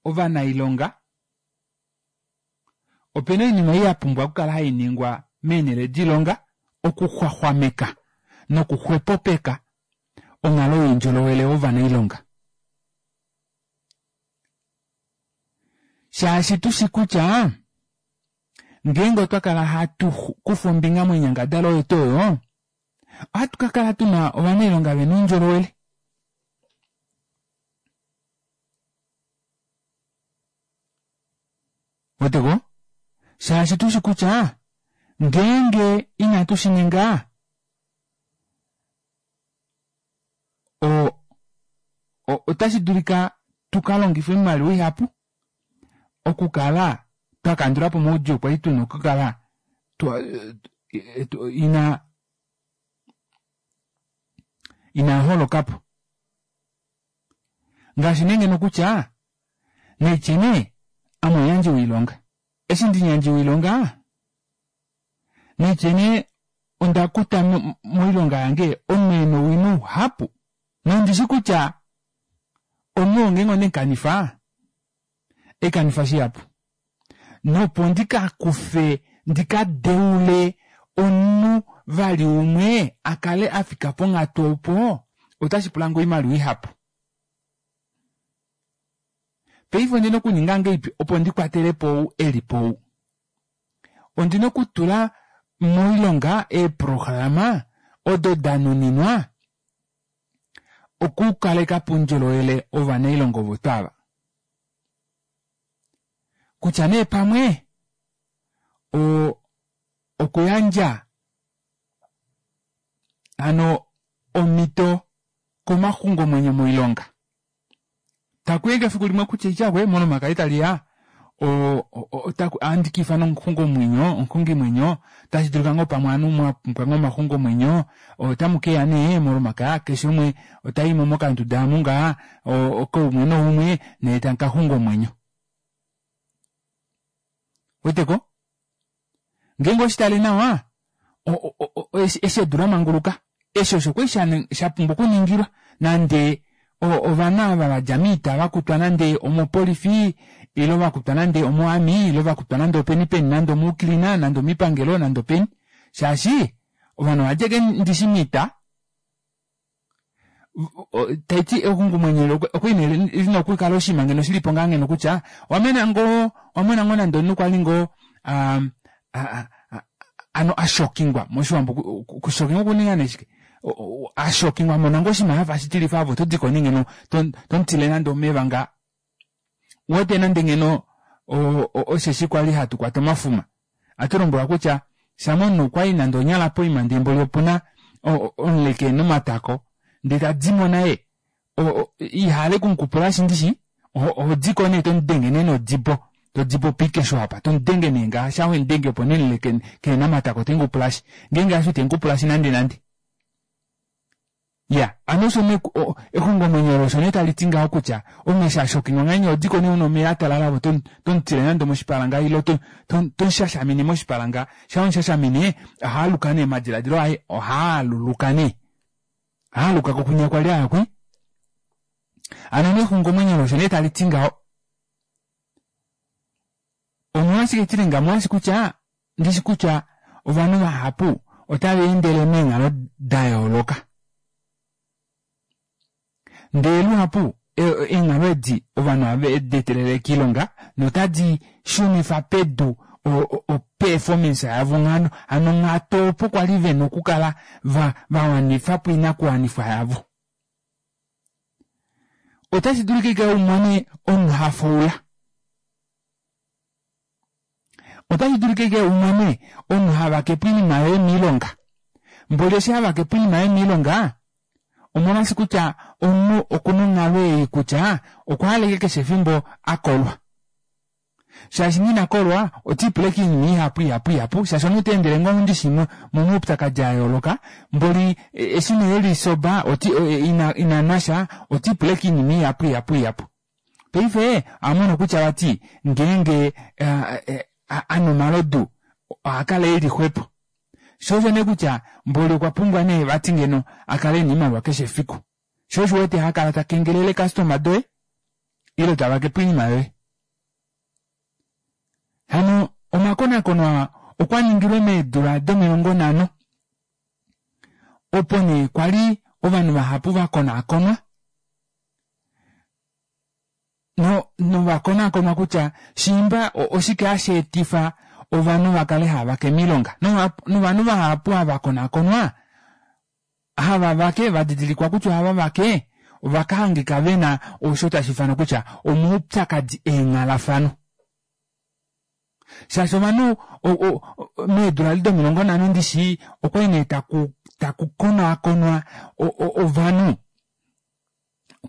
ovanailonga opena oinima ei yapumbwa okukala hainingwa meenele doilonga okuxwaxwameka noku xwepopeka onghalo youndjolowele wovanailonga shaashi tushi kutya ngeenge otwa kala hatu kufa ombinga moinyangadalwa oyo tuu oyo ohatu kakala tuna ovanailonga vena oundjolowele ouweteko shaashi tushi kutya ngeenge inatu shininga o otashi dulika tukalongife oimaliwa ihapu okukala twakandulapo omaudjuu kwali tuna okukala ina inaaholokapo ngaashi nee ngeno kutya naitye nee ame omuyandji woilonga eshi ndimuyandji woilonga naitye nee ondakuta moilonga yange omunhu ena owino uhapu nondishi kutya omunhu oo ngeenge ondemukanifa haikanifa shihapu nopo ndikakufe ndikadeule omunhu vali umwe akale afika ponghatu opo otashi pulange oimaliwa ihapu paife ondina okuninga ngahelipi opo ndikwatelepo ou elipo ou ondina okutula moilonga eeprograma odo danuninwa okukalekapo oundjolowele wovanailonga ovo tuu ava kutya nee pamwe oo okuyandja hano omito komaxungomwenyo moilonga takuya efiku limwe kutya ityakwe molomakaya taliya ohandi kaifana omuxungomwenyo omuxungimwenyo otashi dulika ngoo pamwe ovanhu mwapumbwa ngoo omaxungomwenyo otamukeya nee molomakaya keshe umwe otaimo mokanduda amu ngaha koumwe noumwe ndee tamukaxunga omwenyo ouweteko ngeenge oweshitale nawa eshi edu lamanguluka eshi osho kwali shapumbwa okuningilwa nande ovanhu ava vadja moita vakutwa nande omopolifi ile vakutwa nande omo army ile vakutwa nande openi peni nande omuucleaner nande omoipangelo nande openi shaashi ovanhu ovadja ashike ndishi moita taiti exungomwenyo okwali nee lina okukala oshinima ngeno shilipo ngaa ngeno kutya owamona ngoo owamona ngoo nande omunhu kwali ngoo hano ashokingwa moshiwambo okushokingwa okuninga nee shike ashokingwa amona ngoo oshinima shafa shitilifa ove otodiko nee ngeno tomutile nande omeva ngaa uwete nande ngeno osheshi kwali hatu kwata omafuma ohatulombwelwa kutya shama omunhu okwayi nande onyala poima ndee mboli opuna omuleke ena omatako ndee tadimo naye ihaale okumukupulashi ndishi ohodiko nee tomudenge nee nodibo todibo poikesho apa tomudenge nee ngaha shaa wemudenge opo nee omuleke kehena omatako temukupulashi ngeenge hasho itemukupulashi nande nande iya hano osho nee exungomwenyo olo osho nee taliti ngaho kutya omunhu eshi ashokingwa ngahenya ohodiko nee una omeva atalala ove tomutile nande omoshipala ngaha ile tomushashamine moshipala ngaha shaa wemushashamine ohaaluka nee omadilaadilo aye ohaaluluka nee ohaaluka kwinya kwali aya kwi hano nee exungomwenyo olo osho nee taliti ngaho omolwashike tili ngaho omolwaashi kutya ndishi kutya ovanhu vahapu otava endele meenghalo dayooloka ndee luhapu eenghalo edi ovanhu ohave deetelele koilonga notadi shunifa pedu o performance yavo ngano hano onghatu opo kwali vena okukala vawanifapo oinakuwanifwa yavo. Otashi dulika ike umone omunhu hafaula, otashi dulika ike umone omunhu havakepo oinima yoye moilonga, mboli eshi havakepo oinima yoye moilonga omolwaashi kutya omunhu okuna onghalo ei kutya okwahala ashike keshe efimbo akolwa, shaashi ngee inakolwa otiipula ashike oinima ihapu ihapu ihapu shaashi omunhu oteendele ngoo ndishi momaupyakadi ayooloka mboli eshi nee eli sober inanwasha otiipula ashike oinima ihapu ihapu ihapu. Paife ohamono kutya vati ngeenge anwa omalodu ohakala eli xwepo, shoo osho nee kutya mboli okwa pumbwa nee vati ngeno akale ena oimaliwa keshe efiku, shoo osho uwete hakala takengelele eecustomer doye ile tavakepo oinima yoye. Hano omakonakono aa okwaningilwe meedula domilongo nhano opo nee kwali ovanhu vahapu vakonaakonwa novakonaakonwa kutya shiimba oshike hasheetifa ovanhu vakale haavake moilonga novanhu vahapu ava vakonaakonwa hava vake vadidilikwa kutya ohava vake ovakahangika vena osho tashiifanwa kutya omaupyakadi eenghalafano, shaashi ovanhu meedula domilongo nhano ndishi okwali nee taku taku konaakonwa ovanhu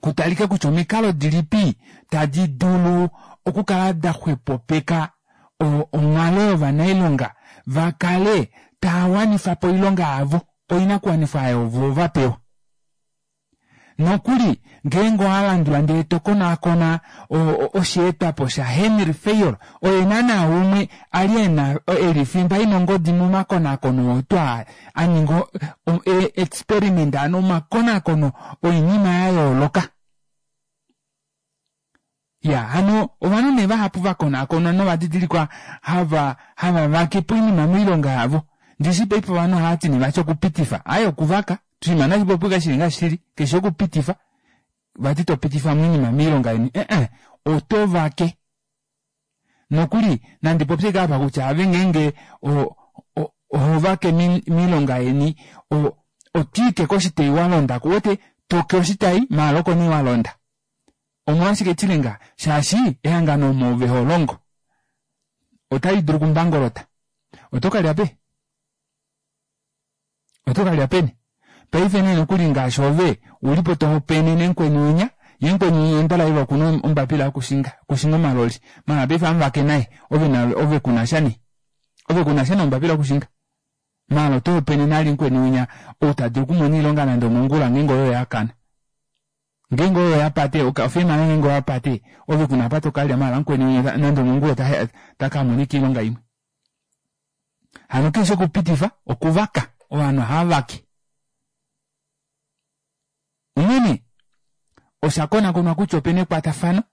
kutalike kutya omikalo dilipi tadi dulu okukala daxwepopeka onghalo yovanailonga vakale taawanifapo oilonga yavo oinakuwanifwa aayo vo vapewa. Nokuli ngeenge owalandula ndee tokonaakona osheetwapo sha Henry Fayol oye naana umwe ali ena eli fimba ina ongodi momakonaakono oo twaa aninga experiment hano omakonaakono oinima yayooloka. Iya hano ovanhu nee vahapu vakonaakonwa novadidilikwa hava hava vakepo oinima moilonga yavo ndishi paife ovanhu ohavati nee vati okupitifa aaye okuvaka oshinima nashipopiwe shili ngaashi shili keshi okupitifa vati topitifamo oinima moilonga yeni ee oto vake nokuli nandi popye ashike apa kutya ave ngeenge ohovake moilonga yeni otwiike koshitayi walondako ouwete toke oshitayi maala oko nee walonda omolwashike chilenga shaashi ehangano omo ove holongo otalidulu okumbangolota otokalya pe otokalya peni paife nee nokuli ngaashi ove ulipo tohopaenene mukweni winya yee mukweni winya endalaiva okuna ombapila yokushinga okushinga omaloli maala paife amuvake naye ove ove kunasha nee ove kunasha nombapila yokushinga maala otohopaenene ali mukweni winya ou tadulu okumona oilonga nande omongula ngeenge oyo yakana ngeenge oyo yapate ofeema ngeenge oyapate ove kuna apa tokalya maala mukweni winya nande omongula otakamona ashike oilonga imwe. Hano keshe okupitifa okuvaka ovanhu ohavavake. Onghene osha konakonwa kutya opena ekwatafano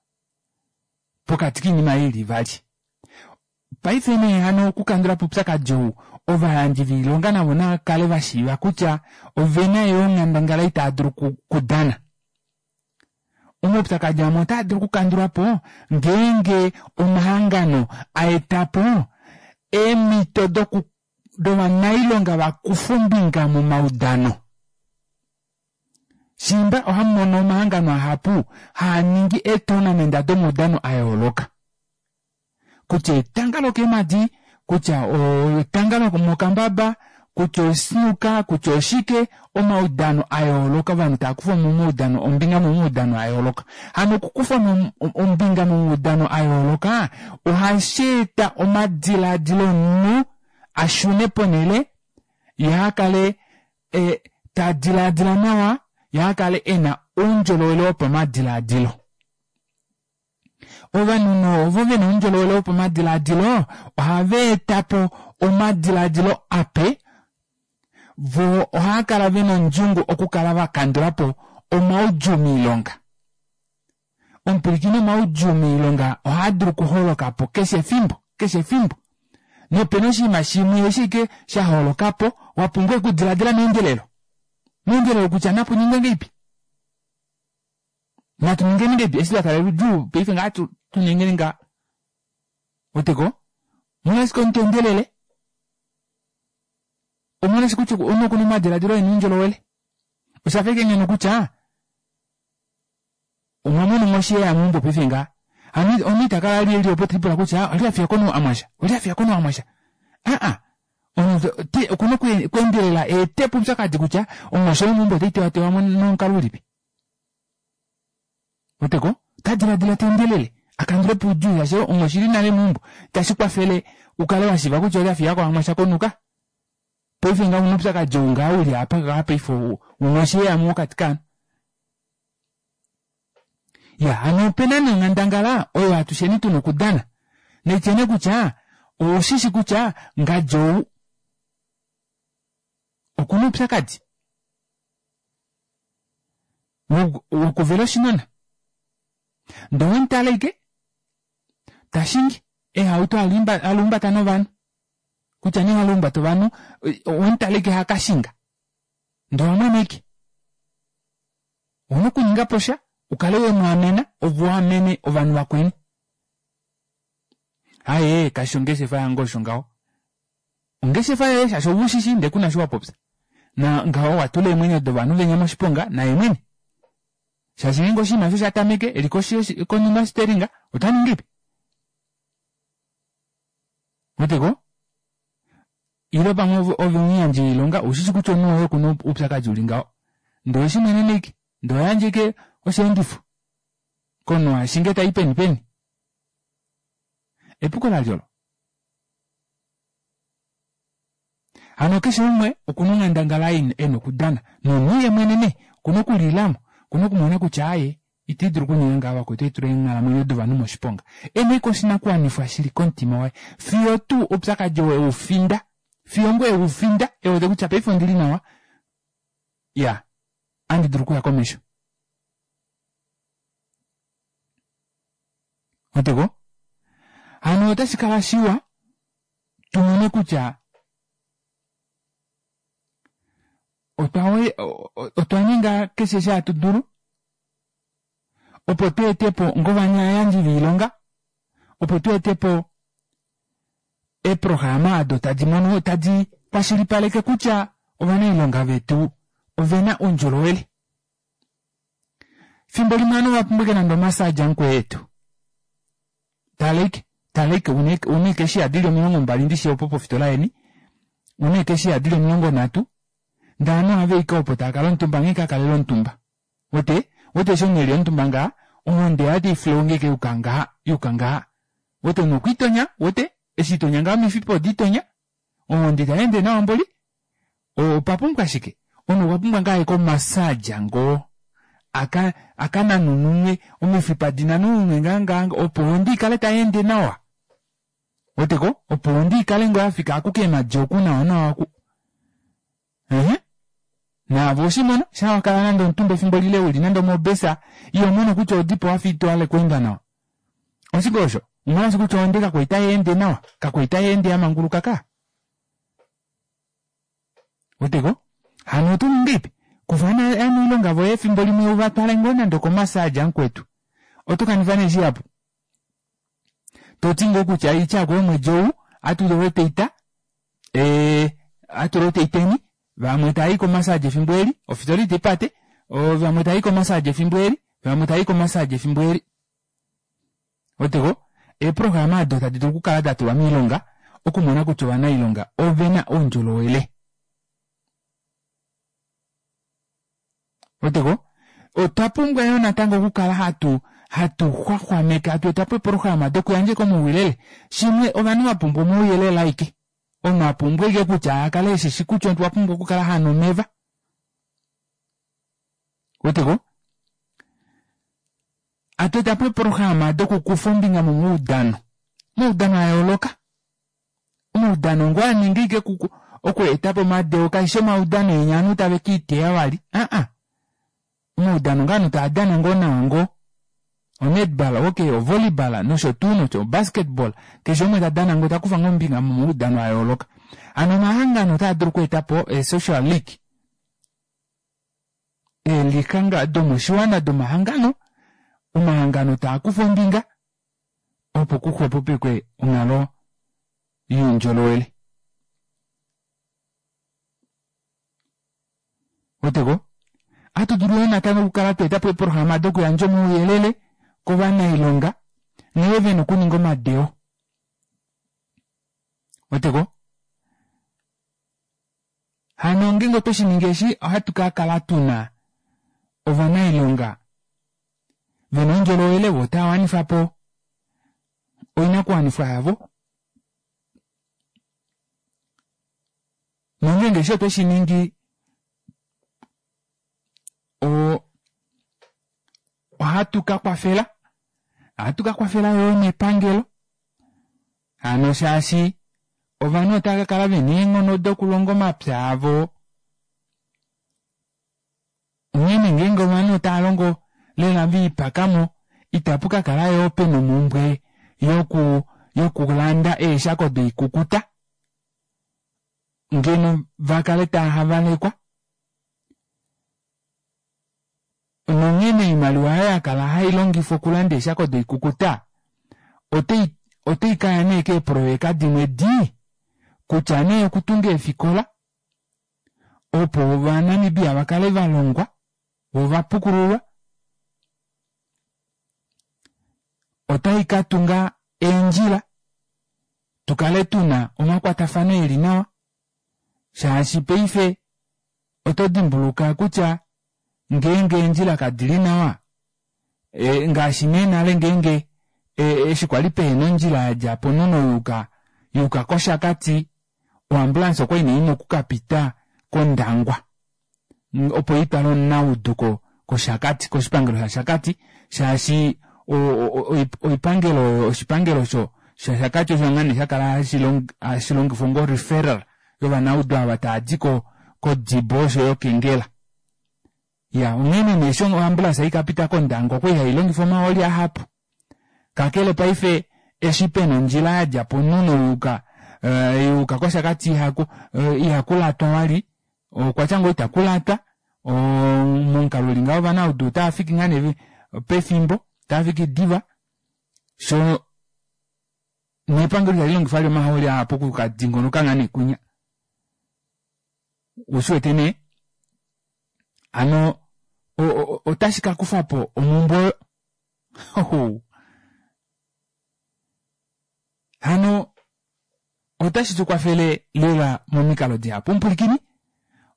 pokati koinima ei ili ivali. Paife nee hano okukandulapo oupyakadi ou ovayandji voilonga navo navakale vashiiva kutya ovena yoo onghandangala ei taadulu okudana. Omaupyakadi amwe otaadulu okukandulwapo ngeenge omahangano aetapo eemito doku dovanailonga vakufe ombinga momaudano. Shiimba ohamumono omahangano ahapu haaningi eetournament domaudano ayooloka kutya etanga lokeemadi kutya etanga lomokambaba kutya osnooker kutya oshike omaudano ayooloka ovanhu taakufa momaudano ombinga momaudano ayooloka. Hano okukufa ombinga momaudano ayooloka ohasheeta omadilaadilo omunhu ashune ponele yee akale tadilaadila nawa yee akale ena oundjolowele wopamadilaadilo. Ovanhu nee ovo vena oundjolowele wopamadilaadilo ohavaetapo omadilaadilo ape voo ohaakala vena ondjungu okukala vakandulapo omaudjuu moilonga. Omupwilikini omaudjuu moilonga ohaadulu okuholokapo keshe efimbo keshe efimbo nopena oshinima shimwe eshi ashike shaholokapo wapumbwa okudilaadila meendelelo meendelelo kutya napuningwe ngahelipi natu ningeni ngahelipi eshi twataalela oudjuu paife ngaha tuningeni ngaha ouweteko Molwashike omuntu endelele? Omolwashike kutya omunhu okuna omadiladilo ena oundjolowele? Oshafa ashike ngeno kutya omwa mona onghoshi yeya meumbo paife ngaha. Hano omunhu ita kala ali eli opo telipula kutya oli afiyako amwasha, oli afiyako amwasha. Aa, omunhu okuna okweendelela eetepo oupyakadi kutya onghoshi oyo meumbo otai tewatewa nomukalo ulipi. Weteko? Ota diladila teendelele akandulepo oudjuu shaashi onghoshi ili nale meumbo. Itashi kwafele ukale washiiva kutya oli afiyako amwasha konuka. Paife ngaha una oupyakadi ou ngaha uli apa ngaha paife onghoshi yeya mokati kovanhu. Ya hano opena nee onghandangala oyo atusheni tuna okudana. Naitye nee kutya oushishi kutya ngadi ou okuna oupyakadi wokuvela oshinona. Ndee owemutala ashike tashingi eehauto haluumbata novanhu kutya nee haluumbata ovanhu owemutala ashike hakashinga ndee owamwena ashike. Ouna okuningapo sha ukale wemwaamena ove uamene ovanhu vakweni. Aaye kashi ongeshefa yange osho ngaho. Ongeshefa yoye shaashi ove ushishi ndee kuna eshi wapopya. Na ngaho watula eemwenyo dovanhu venya moshiponga naye mwene. Shaashi ngeenge oshinima eshi osha tameke eli koshi konima yosteeringa otaningi ngahelipi? Ouweteko? Ile pamwe ove omuyandji woilonga ushishi kutya omunhu woye okuna oupyakadi uli ngaho ndee oweshimwenena ashike ndee ohoyandje ashike osheendifo komunhu ashinge tai peni peni. Epuko lalye olo? Hano keshe umwe okuna onghandangala ena okudana nomunhu yeemwene nee okuna okulilamo okuna okumona kutya aaye ita dulu okuninga ngaha vakwetu ohaitula eenghalamwenyo dovanhu moshiponga. Ena ashike oshinakuwanifwa shili komutima waye fiyo tuu oupyakadi oo eufinda fiyo ngoo eufinda ewete kutya paife ondili nawa iya ohandi dulu okuya komesho. Ouweteko? Hano otashi kala shiwa tumone kutya otwa otwa ninga keshe eshi hatu dulu opo tweetepo ngovayandji voilonga opo tweetepo eeprograma odo tadi mono tadi kwashilipaleke kutya ovanailonga vetu ovena oundjolowele. Fimbo limwe ovanhu ovapumbwa ashike nande omassage mukwetu. Tala ashike, tala ashike una eekeshiya dili omilongo mbali ndishi opo pofitola yeni, una eekeshiya dili omilongo nhatu ndee ovanhu ohava ashike opo taakala omutumba nghee kakalele omutumba. Wete? Wete eshi omunhu eli omutumba ngaha ohonde yaye otaiflow ngoo ashike yuka ngaha yuka ngaha. Wete omunhu okwiitonya wete eshi itonya ngaha omifipa odiitonya ohonde itayeende nawa mboli. Otwa pumbwa shike? Omunhu okwa pumbwa ngoo aye komassage ngoo aka akananununwe omifipa dinanununwe ngaa ngaa opo ohonde ikale tayeende nawa. Ouweteko? Opo ohonde ikale ngoo yafika aku keemadi oku nawa nawa oku. Ehe naave oweshimono shaa wakala nande omutumba efimbo lile uli nande omobesa ihomono kutya odipo wafa itohale okweenda nawa. Oshike osho? Omolwaashi kutya ohonde kakwali tayeende nawa kakwali tayeende yamanguluka kaa. Ouweteko? Hano otoningi ngahelipi? Kufa ovanailonga voye efimbo limwe uvatwale ngoo nande okomassage mukwetu. Oto kanifa nee shihapu. Toti ngoo kutya oitya omwedi ou ohatu rotate ee ohatu rotateni vamwe tavai komassage efimbo eli ofitola itaipate vamwe tavai komassage efimbo eli vamwe tavai komassage efimbo eli. Ouweteko? Eeprograma odo tadi dulu okukala datulwa moilonga okumona kutya ovanailonga ovena oundjolowele. Ouweteko? Otwa pumbwa yoo natango okukala hatu hatu xwaxwameke hatu etapo eeprograma dokuyandja ashike omauyelele. Shimwe ovanhu vapumbwa omauyelele aike. Omunhu apumbwa ashike kutya akale eshishi kutya okwa pumbwa okukala hanu omeva. Ouweteko? Hatu etapo eeprograma dokukufa ombinga momaudano. Omaudano ayooloka. Omaudano ngoo aninga ashike okweetapo omadeo kaishi omaudano enya ovanhu tave kiiteya vali aa omaudano ngoo ovanhu taadana ngoo nawa ngoo onetball okey ovolleyball nosho tuu nosho obasketball keshe umwe tadana ngoo takufa ngoo ombinga momaudano ayooloka. Hano omahangano otaa dulu okweetapo ee social league eelika domoshiwana domahangano omahangano taakufa ombinga opo kuxwepopekwe onghalo Youndjolowele. Weteko? Ohatu dulu yoo natango okukala twa etapo eeprograma dokuyandja omauyelele kovanailonga nghee vena okuninga omadeo. Weteko? Hano ngeenge otwe shiningi eshi ohatu kakala tuna ovanailonga vena oundjolowele voo otava wanifapo oinakuwanifwa yavo nongeenge eshi otwe shiningi oo ohatu kakwafela ohatu kakwafela yoo nepangelo hano shaashi ovanhu otava kakala vena eenghono dokulonga omapya avo onghene ngeenge ovanhu otaalongo lela viipakamo itapu kakala yoo pena omumbwe yoku yokulanda eeshako doikukuta ngeno vakale taahavalekwa nonghene oimaliwa aayo yakala hailongifwa okulanda eeshako doikukuta otai otaikaya nee keeprojeka dimwe dii kutya nee okutunga eefikola opo ovanamibia vakale valongwa voo ovapukululwa otai katunga eendjila tukale tuna omakwatafano eli nawa shaashi paife oto dimbuluka kutya ngeenge eendjila kadili nawa e, ngaashi nee nale ngeenge eshi kwali pehena ondjila yadja poNono yuuka yuuka kOshakati oambulance okwali nee ina okukapita kOndangwa opo itwale omunaudu kOshakati koshipangelo shaShakati shaashi oipangelo oyo oshipangelo sho shaShakati osho ngaa nee shakala hashi longifwa onga referral yovanaudu ava taadi ko kOdibo oshoyo kEngela. Ya onghene nee eshi oambulance ikapita kOndangwa okwali hailongifa omahooli ahapu kakele paife eshi pena ondjila yadja poNono yuuka yuuka kOshakati ihaku ihakulatwa vali okwatya ngoo itakulatwa momukalo uli ngaho ovanaudu otaafiki ngaa nee pefimbo otaafiki diva sho nepangelo itali longifa vali omahooli ahapu okukadingonoka ngaa nee kunya ushiwete nee hano otashi kakufapo omumbwe oyo hano otashi tukwafele lela momikalo dihapu mupulikini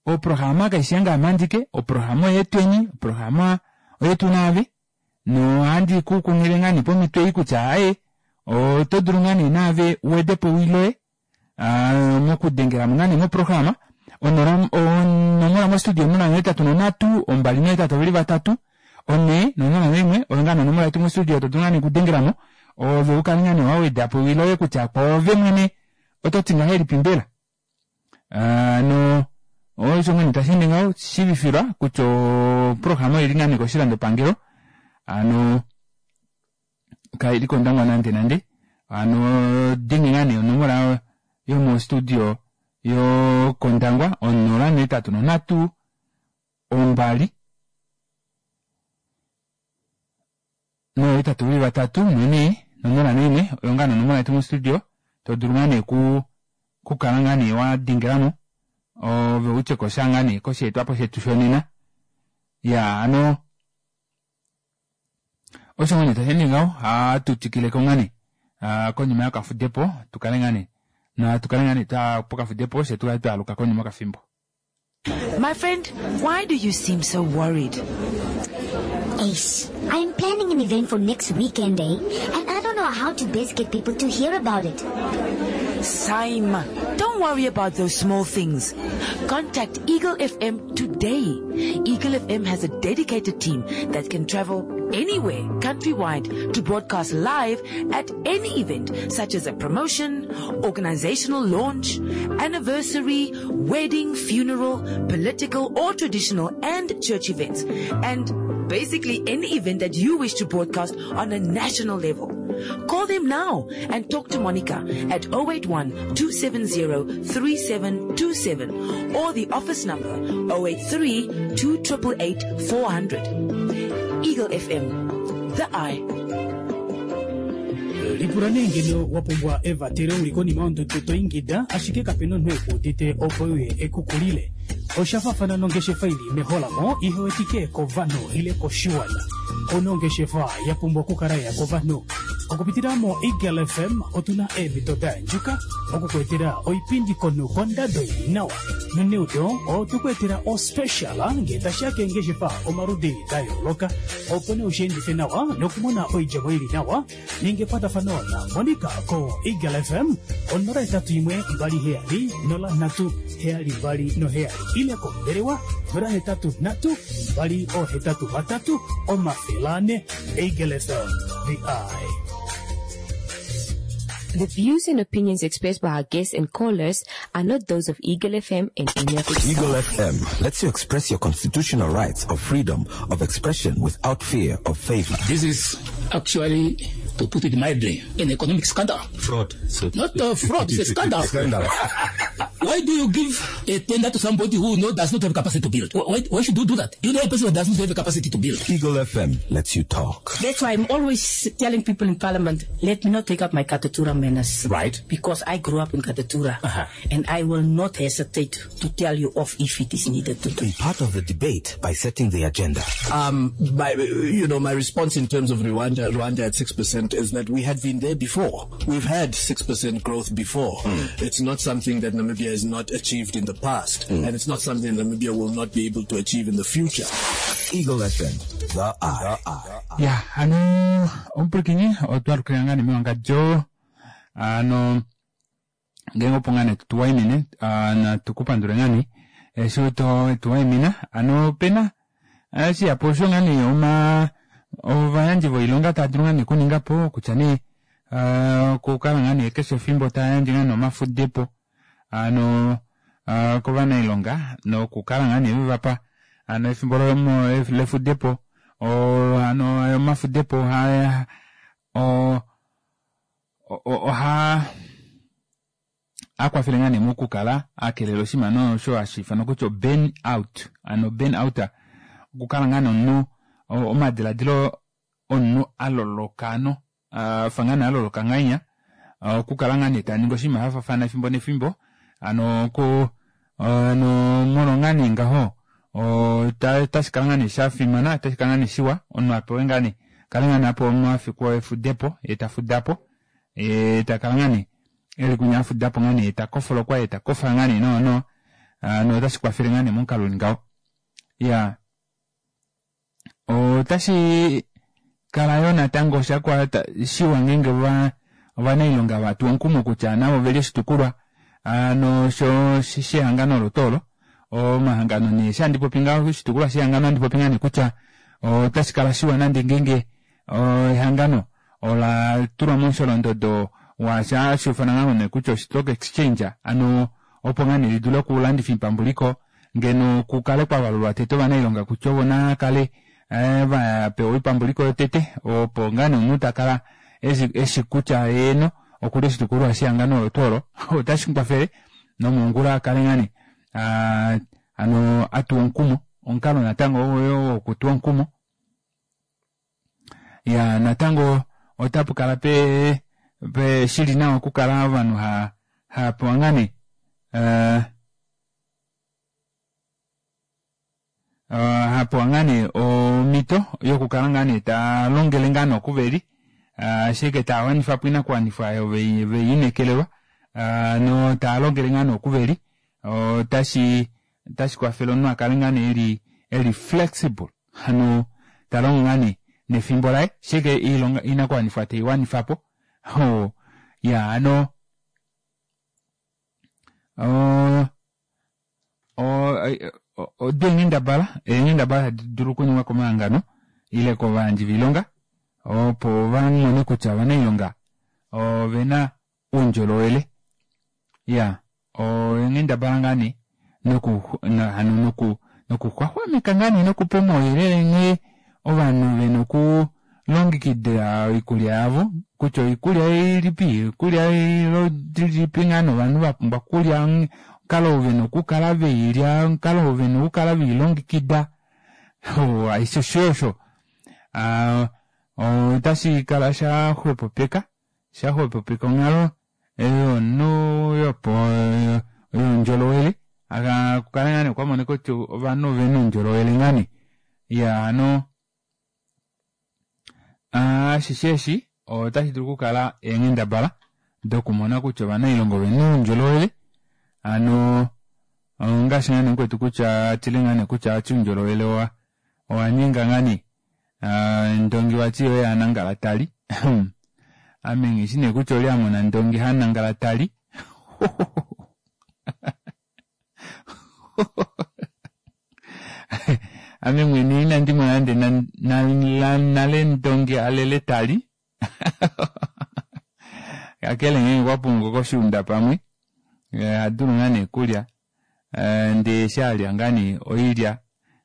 oprograma kaishi yange ame andike oprograma oyetweni oprograma oyetu naave nohandi kukunghile ngaa nee pomito ei kutya aaye oto dulu ngaa nee naave uwedepo ewi loye mokudengelamo ngaa nee moprograma onomola mostudio onola nohetatu nonhatu ombali nohetatu oveli vatatu onhee nonola noimwe oyo ngaa nee onomola yetu mostudio to dulu ngaa nee okudengelamo ove ukale ngaa nee wawedapo ewi loye kutya kwoove mwene ototi ngahelipi mbela no osho ngoo nee tasheende ngaho shiivifilwa kutya oprograma oili ngaa nee koshilandopangelo hano kaili kOndangwa nande nande hano denge ngaa nee onomola yomostudio yokOndangwa onola nohetatu nonhatu ombali nohetatu veli vatatu nonhee nonola noimwe oyo ngaa nee onomola yetu mostudio todulu ngaa nee kukala ngaa nee wadengelamo ove utyekosha ngaa nee kosheetwapo shetu shonena iyaa hano osho ngoo nee tasheende ngaho ohatu twikileko ngaa nee konima yokafudepo tukale ngaa nee natukale ngaa nee twaya pokafudepo fyee tukale twaaluka konima yokafimbo. My friend, why do you seem so worried? Ace, I'm planning an event for next weekend, eh? And I don't know how to best get people to hear about it. Saima, don't worry about those small things. Contact Eagle F M today. Eagle F M has a dedicated team that can travel anywhere countrywide to broadcast live at any event, such as a promotion, organizational launch, anniversary, wedding, funeral, political or traditional and church events, and basically any event that you wish to broadcast on a national level. Call them now and talk to Monica at oh eight one, two seven zero, three seven two seven or the office number oh eight three, two triple eight, four hundred. Eagle F M, the eye. Lipula nee ngeno wa pumbwa evatelo uli konima yondudu to ingida ashike kapena omunhu ekuudite opo uye ekukulile. Osha faafana nongeshefa ili meholamo ihewetike kovanhu ile koshiwana. Ono ongeshefa ya pumbwa okukala ya kovanhu. Okupitila mo Eagle F M otuna eemhito da yandjuka okukuetela oipindi komunhu kondado ili nawa. Noneudo otukuetela ospecial ngee tashiya keengeshefa omaludi da yooloka opo nee ushiendife nawa nokumona oidjemo ili nawa. Ninga ekwatafano na Monica ko Eagle F M onola hetatu imwe mbali heyali nola nhatu heyali mbali noheyali ile kombelewa nola hetatu nhatu mbali ohetatu vatatu omafele ane. Eagle F M, the eye. The views and opinions expressed by our guests and callers are not those of Eagle F M and any of its Eagle staff. F M lets you express your constitutional rights of freedom of expression without fear of favor. This is actually, to put it mildly, an economic scandal. Fraud. So Not a fraud, it's a scandal. Scandal. Why do you give a tender to somebody who know, does not have capacity to build? Why, why should you do that? You know a person who does not have the capacity to build. Eagle F M lets you talk. That's why I'm always telling people in parliament, let me not take up my Katutura manners. Right. Because I grew up in Katutura. Uh-huh. And I will not hesitate to tell you off if it is needed to do. Be part of the debate by setting the agenda. Um, my, you know, my response in terms of Rwanda, Rwanda at six percent is that we had been there before. We've had six percent growth before. It's not something that Namibia has not achieved in the past. And it's not something Namibia will not be able to achieve in the future. Eagle F M, the eye. Ya hano omupulakeni otwalukila ngaa nee mewangadjo ano ngeenge opo ngaa nee tuwaimine natu kupandule ngaa nee eshi tuwaimina ano opena shihapu osho ngaa nee oma ovayandji voilonga tava dulu ngaa nee okuningapo kutya nee okukala ngaa nee keshe efimbo tayandje ngaa nee omafudepo ano kovanailonga nokukala ngaa nee vevapa ano efimbo lefudepo ano omafudepo oha akwafele ngaa nee mokukala akelela oshinima osho hashi ifanwa kutya burn out ano burn out okukala ngaa nomunhu omadiladilo omunhu aloloka ano afa ngaa nee aloloka ngahenya okukala ngaa nee taningi oshinima shafaafana efimbo nefimbo ano ku ano molwo ngaa nee ngaho otashi kala ngaa nee shafimana otashi kala ngaa nee shiwa omunhu apewe ngaa nee kale ngaa nee apewa omafiku efudepo ye tafudapo ye takala ngaa nee eli kunya afudapo ngaa nee takofolokwa ye takofa ngaa nee nawa nawa ano otashi kwafele ngaa nee momukalo uli ngaho. Iya, otashi kala yoo natango shakwata shiwa ngeenge ovanailonga vatuwa omukumo kutya navo oveli oshitukulwa ano sho shehangano olo tuu olo omahangano nee eshi handi popi ngaho oshitukulwa shehangano ohandi popi ngaa nee kutya otashi kala shiwa nande ngeenge ehangano ola tulwa momusholondodo washa hashi ufanwa ngaa nee kutya stock exchange ano opo ngaa nee lidule okulandifa oipambuliko ngeno kukale kwavalulwa tete ovanailonga kutya ovo nakale vapewa oipambuliko yotete opo ngaa nee omunhu takala eshi kutya eeno okuli oshitukulwa shehangano olo tuu olo otashi mukwafele nomongula akale ngaa nee ano atuwa omukumo omukalo natango oyo wokutuwa omukumo. Ya natango otapukala pe pe shili nawa okukala ovanhu ha hapewa ngaa nee uh, hapewa ngaa nee omhito yokukala ngaa nee talongele ngaa nee okuveli ashike tawanifapo oinakuwanifwa oyo veiinekelelwa no talongele ngaa nee okuveli otashi otashi kwafele omunhu akale ngaa nee eli eli flexible hano talongo ngaa nee nefimbo laye ashike iilonga oinakuwanifwa teiwanifapo. Ya hano odo eenghendabala eenghendabala tadi dulu okuningwa komahangano ile kovayandji voilonga opo vamone kutya ovanailonga ovena oundjolowele. Iya, eenghendabala ngaa nee noku hano noku nokuxwaxwameka ngaa nee nokupa omauyelele nghee ovanhu vena okulongekida oikulya yavo kutya oikulya ilipi oikulya ilipi ngaa nee ovanhu vapumbwa okulya omukalo oo vena okukala veilya omukalo oo vena okukala veilongekida aishe osho otashi kala shaxwepopeka. Shaxwepopeka onghalo yomunhu yopo youndjolowele kukale ngaa nee kwamonika kutya ovanhu ovena oundjolowele ngaa nee iyaa hano ashishe eshi otashidulu okukala eenghendabala dokumona kutya ovanailonga ovena oundjolowele hano ongaashi ngaa nee mukwetu kutya atile ngaa nee kutya vati oundjolowele owa owanyenga ngaa nee ndongi vati oye hanangala tali ame nghishi nee kutya oli amona ndongi hanangala tali ame mwene inandi mona nande nale ndongi alele tali kakele ngeenge okwapumbwa koshuunda pamwe ohadulu ngaa nee okulya ndee eshi alya ngaa nee oilya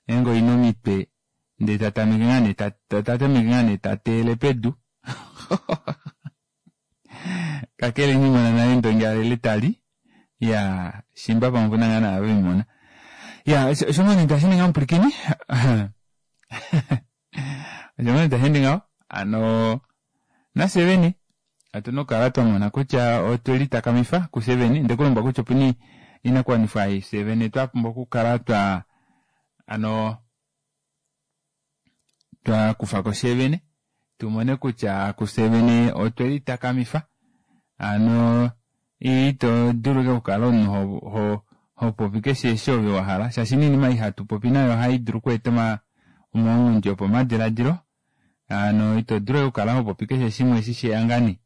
ngeenge oina omitwe ndee tatameke ngaa nee tatameke ngaa nee tateyele pedu kakele inandimona nale ndongi alele tali iyaa shimba pamwe opena ngaa naava vemumona iya osho ngoo nee tasheende ngaho mupwilikini osho ngoo nee tasheende ngaho hano nafye vene otuna okukala twamona kutya otwelitakamifa kufye vene ondekulombwela kutya opena oinakuwanifwa ei fyee vene twapumbwa okukala twa hano twakufako fyee vene tumone kutya kufye vene otwelitakamifa hano ito dulu ashike okukala omunhu ho hopopi keshe eshi ove wahala shaashi noinima ei hatupopi nayo ohaidulu okweeta omaunghundi opamadilaadilo hano ito dulu ashike okukala hopopi keshe shimwe eshi sheya ngaa nee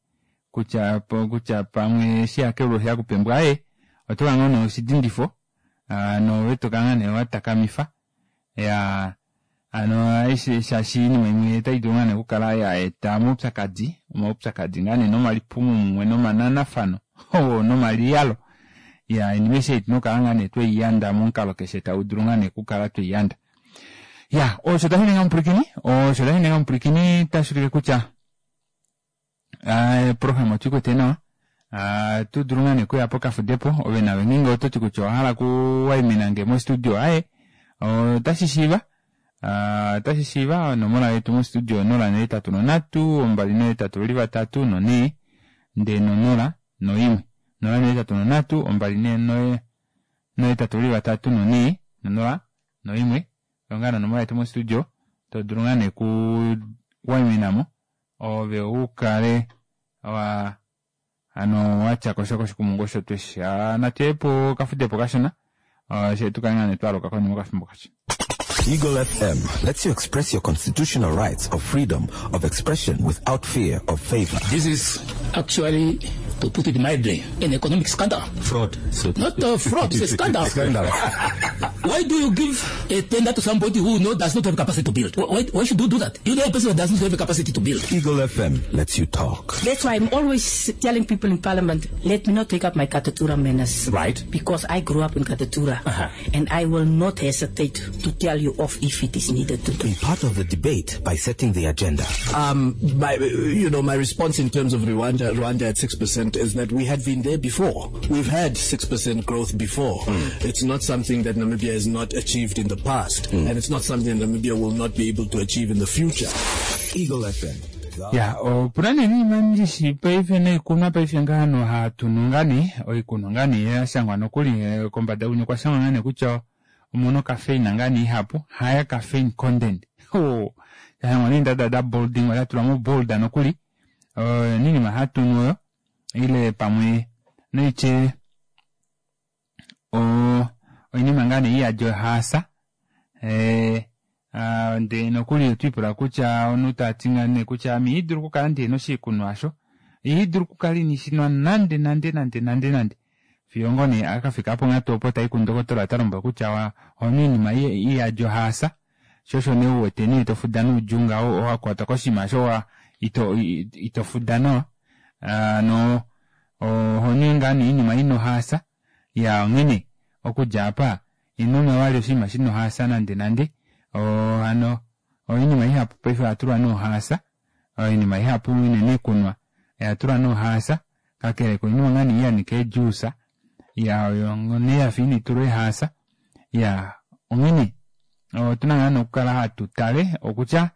kutya kutya pamwe osheya keulu osheya kupembwa aaye otokala ngoo nee oshidindifo hano ove tokala ngoo nee watakamifa iyaa hano shaashi oinima imwe otaidulu ngaa nee okukala yaeta omaupyakadi omaupyakadi ngaa nee nomalipumo mumwe nomananafano nomaliyalo iyaa oinima aishe ei otuna okukala ngaa nee tweiyanda momukalo keshe taudulu ngaa nee okukala tweiyanda iya osho tashininga mupwilikini osho tashininga mupwilikini tashuulike kutya oprograma otuikwete nawa otudulu ngaa nee okuya pokafudepo ove naave ngeenge ototi kutya owahala okuwaiminange mo studio aaye otashishiiva otashishiiva onomola yetu mo studio onola nohetatu nonhatu ombali nohetatu veli vatatu nonhee ndee nonola noimwe nola nohetatu nonhatu ombali nohetatu veli vatatu nonhee nonola noimwe oyo ngaa nee onomola yetu mo studio todulu ngaa nee okuu waiminamo ove ukale waa hano watyakosha koshikumungu osho tweshi natuye pokafudepo kashona fyee tukale ngaa nee twaaluka konima yokafimbo kashona. Eagle F M lets you express your constitutional rights of freedom of expression without fear of favor. This is actually, to put it mildly, an economic scandal. Fraud. So Not a fraud, it's a scandal. Scandal. Why do you give a tender to somebody who no, does not have capacity to build? Why, why should you do that? You know a person who does not have capacity to build. Eagle F M lets you talk. That's why I'm always telling people in Parliament, let me not take up my Katutura manners. Right. Because I grew up in Katutura. Uh-huh. And I will not hesitate to tell you off if it is needed to do. Be part of the debate by setting the agenda. Um, my, you know, my response in terms of Rwanda, Rwanda at six percent is that we had been there before. We've had six percent growth before. Mm. It's not something that Namibia has not achieved in the past, mm. and it's not something that Namibia will not be able to achieve in the future. Eagle F M. Ya, opuna nee oinima ndishi paife noikunwa paife ngaha hatu nu ngaa nee, oikunwa ngaa nee yashangwa nokuli kombada unya okwashangwa ngaa nee kutya omuna ocaffeine ngaa nee ihapu, higher caffeine content. Oh, yashangwa nee dada da bolding, oya mo bold nokuli. Oinima hatu nu oyo, ile pamwe noitye o oinima ngaa nee iyadi ohaasa. Eh, ndee nokuli otwiipula kutya omunhu tati ngaa nee kutya ame ihadulu okukala ndihena oshikunwa asho, ihadulu okukala inishinwa nande nande nande nande nande. Fiyo ngoo nee akafika ponghatu opo tai kundokotola ota lombwela kutya ohonu oinima iyadi ohaasa, sho osho nee uwete nee tofuda noudjuu ngaho owakwatwa koshinima osho wa ito ito fuda nawa. Hano ohonu ngaa nee oinima ina ohaasa, ya onghene okudja apa inonwa vali oshinima shina ohaasa nande nande. Hano oinima ihapu paife oyatulwa nohaasa, oinima ihapu unene ikunwa oyatulwa nohaasa, kakele koinima ngaa nee yanika eejuice, ya oyo nee yafa initulwa ehaasa. Ya onghene otuna ngaa nee okukala hatu tale okutya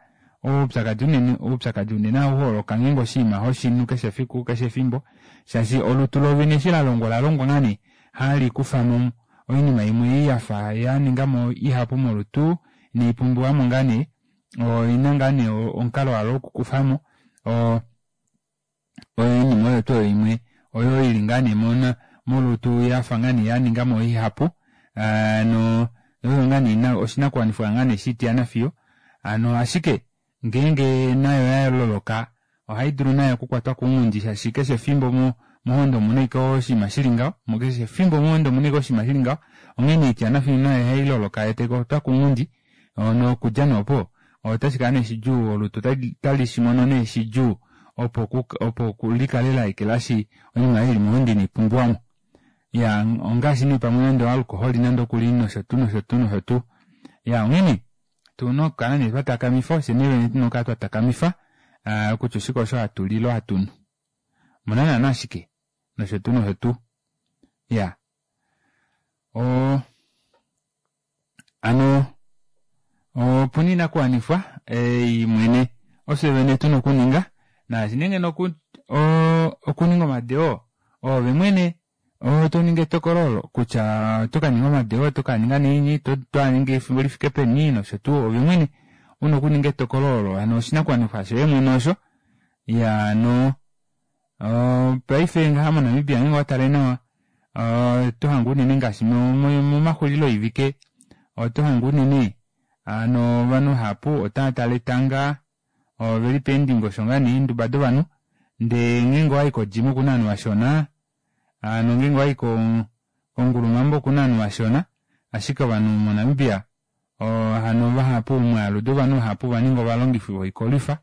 Oupyakadi unene oupyakadi unene ohauholoka ngeenge oshinima hoshinu keshe efiku keshe efimbo shaashi olutu loovene eshi lalongwa olalongwa ngaa nee halikufamo oinima imwe ei yafa yaningamo ihapu molutu inaipumbiwamo ngaa nee oina ngaa nee omukalo walo wokukufamo oo oinima oyo tuu imwe oyo ili ngaa nee mona molutu yafa ngaa nee yaningamo ihapu hano oyo ngaa nee ina oshinakuwanifwa ngaa nee shitiyana fiyo hano ashike ngeenge nayo yaloloka ohaidulu nayo okukwatwa kounghundi shaashi keshe efimbo mohonde omuna ashike oshinima shili ngaho keshe efimbo mohonde omuna ashike oshinima shili ngaho onghene oitiyanafiyo nayo ohailoloka yoo taikwatwa kounghundi nokudja nee opo otashikala nee shidjuu olutu otalishimono nee shidjuu opo opo likale laekelashi oinima oyo ili mohonde inaipumbiwamo iyaa ongaashi nee pamwe nande oalcohol nande okuli noshotuu noshotuu noshotuu iyaa onghene otuna okukala nee twatakamifa fyee vene tuna okukala twatakamifa kutya oshike osho hatuli ile hatunu omuna naana shike noshotuu noshotuu iyaa oo hano opuna oinakuwanifwa ei mwene ofye vene tuna okuninga naashi nee ngeno okuninga omadeo oove mwene toningi etokolo olo kutya otokaninga omadeo otokaninga naini otoaningi efimbo lifike peni noshotuu ove mwene una okuninga etokolo olo hano oshinakuwanifwa shoye mwene osho iyaa hano paife ngaha mo Namibia ngeenge owatale nawa otohange unene ngaashi momaxulilo shivike otohange unene hano ovanhu vahapu otaatale etanga oveli peendingosho ngoo nee eenduba dovanhu ndee ngeenge owayi ko gym okuna ovanhu vashona hano ngeenge owayi kongulumambo okuna ovanhu vashona ashike ovanhu mo Namibia hano vahapu omwaalu dovanhu vahapu ovaninga ovalongifi voikolwifa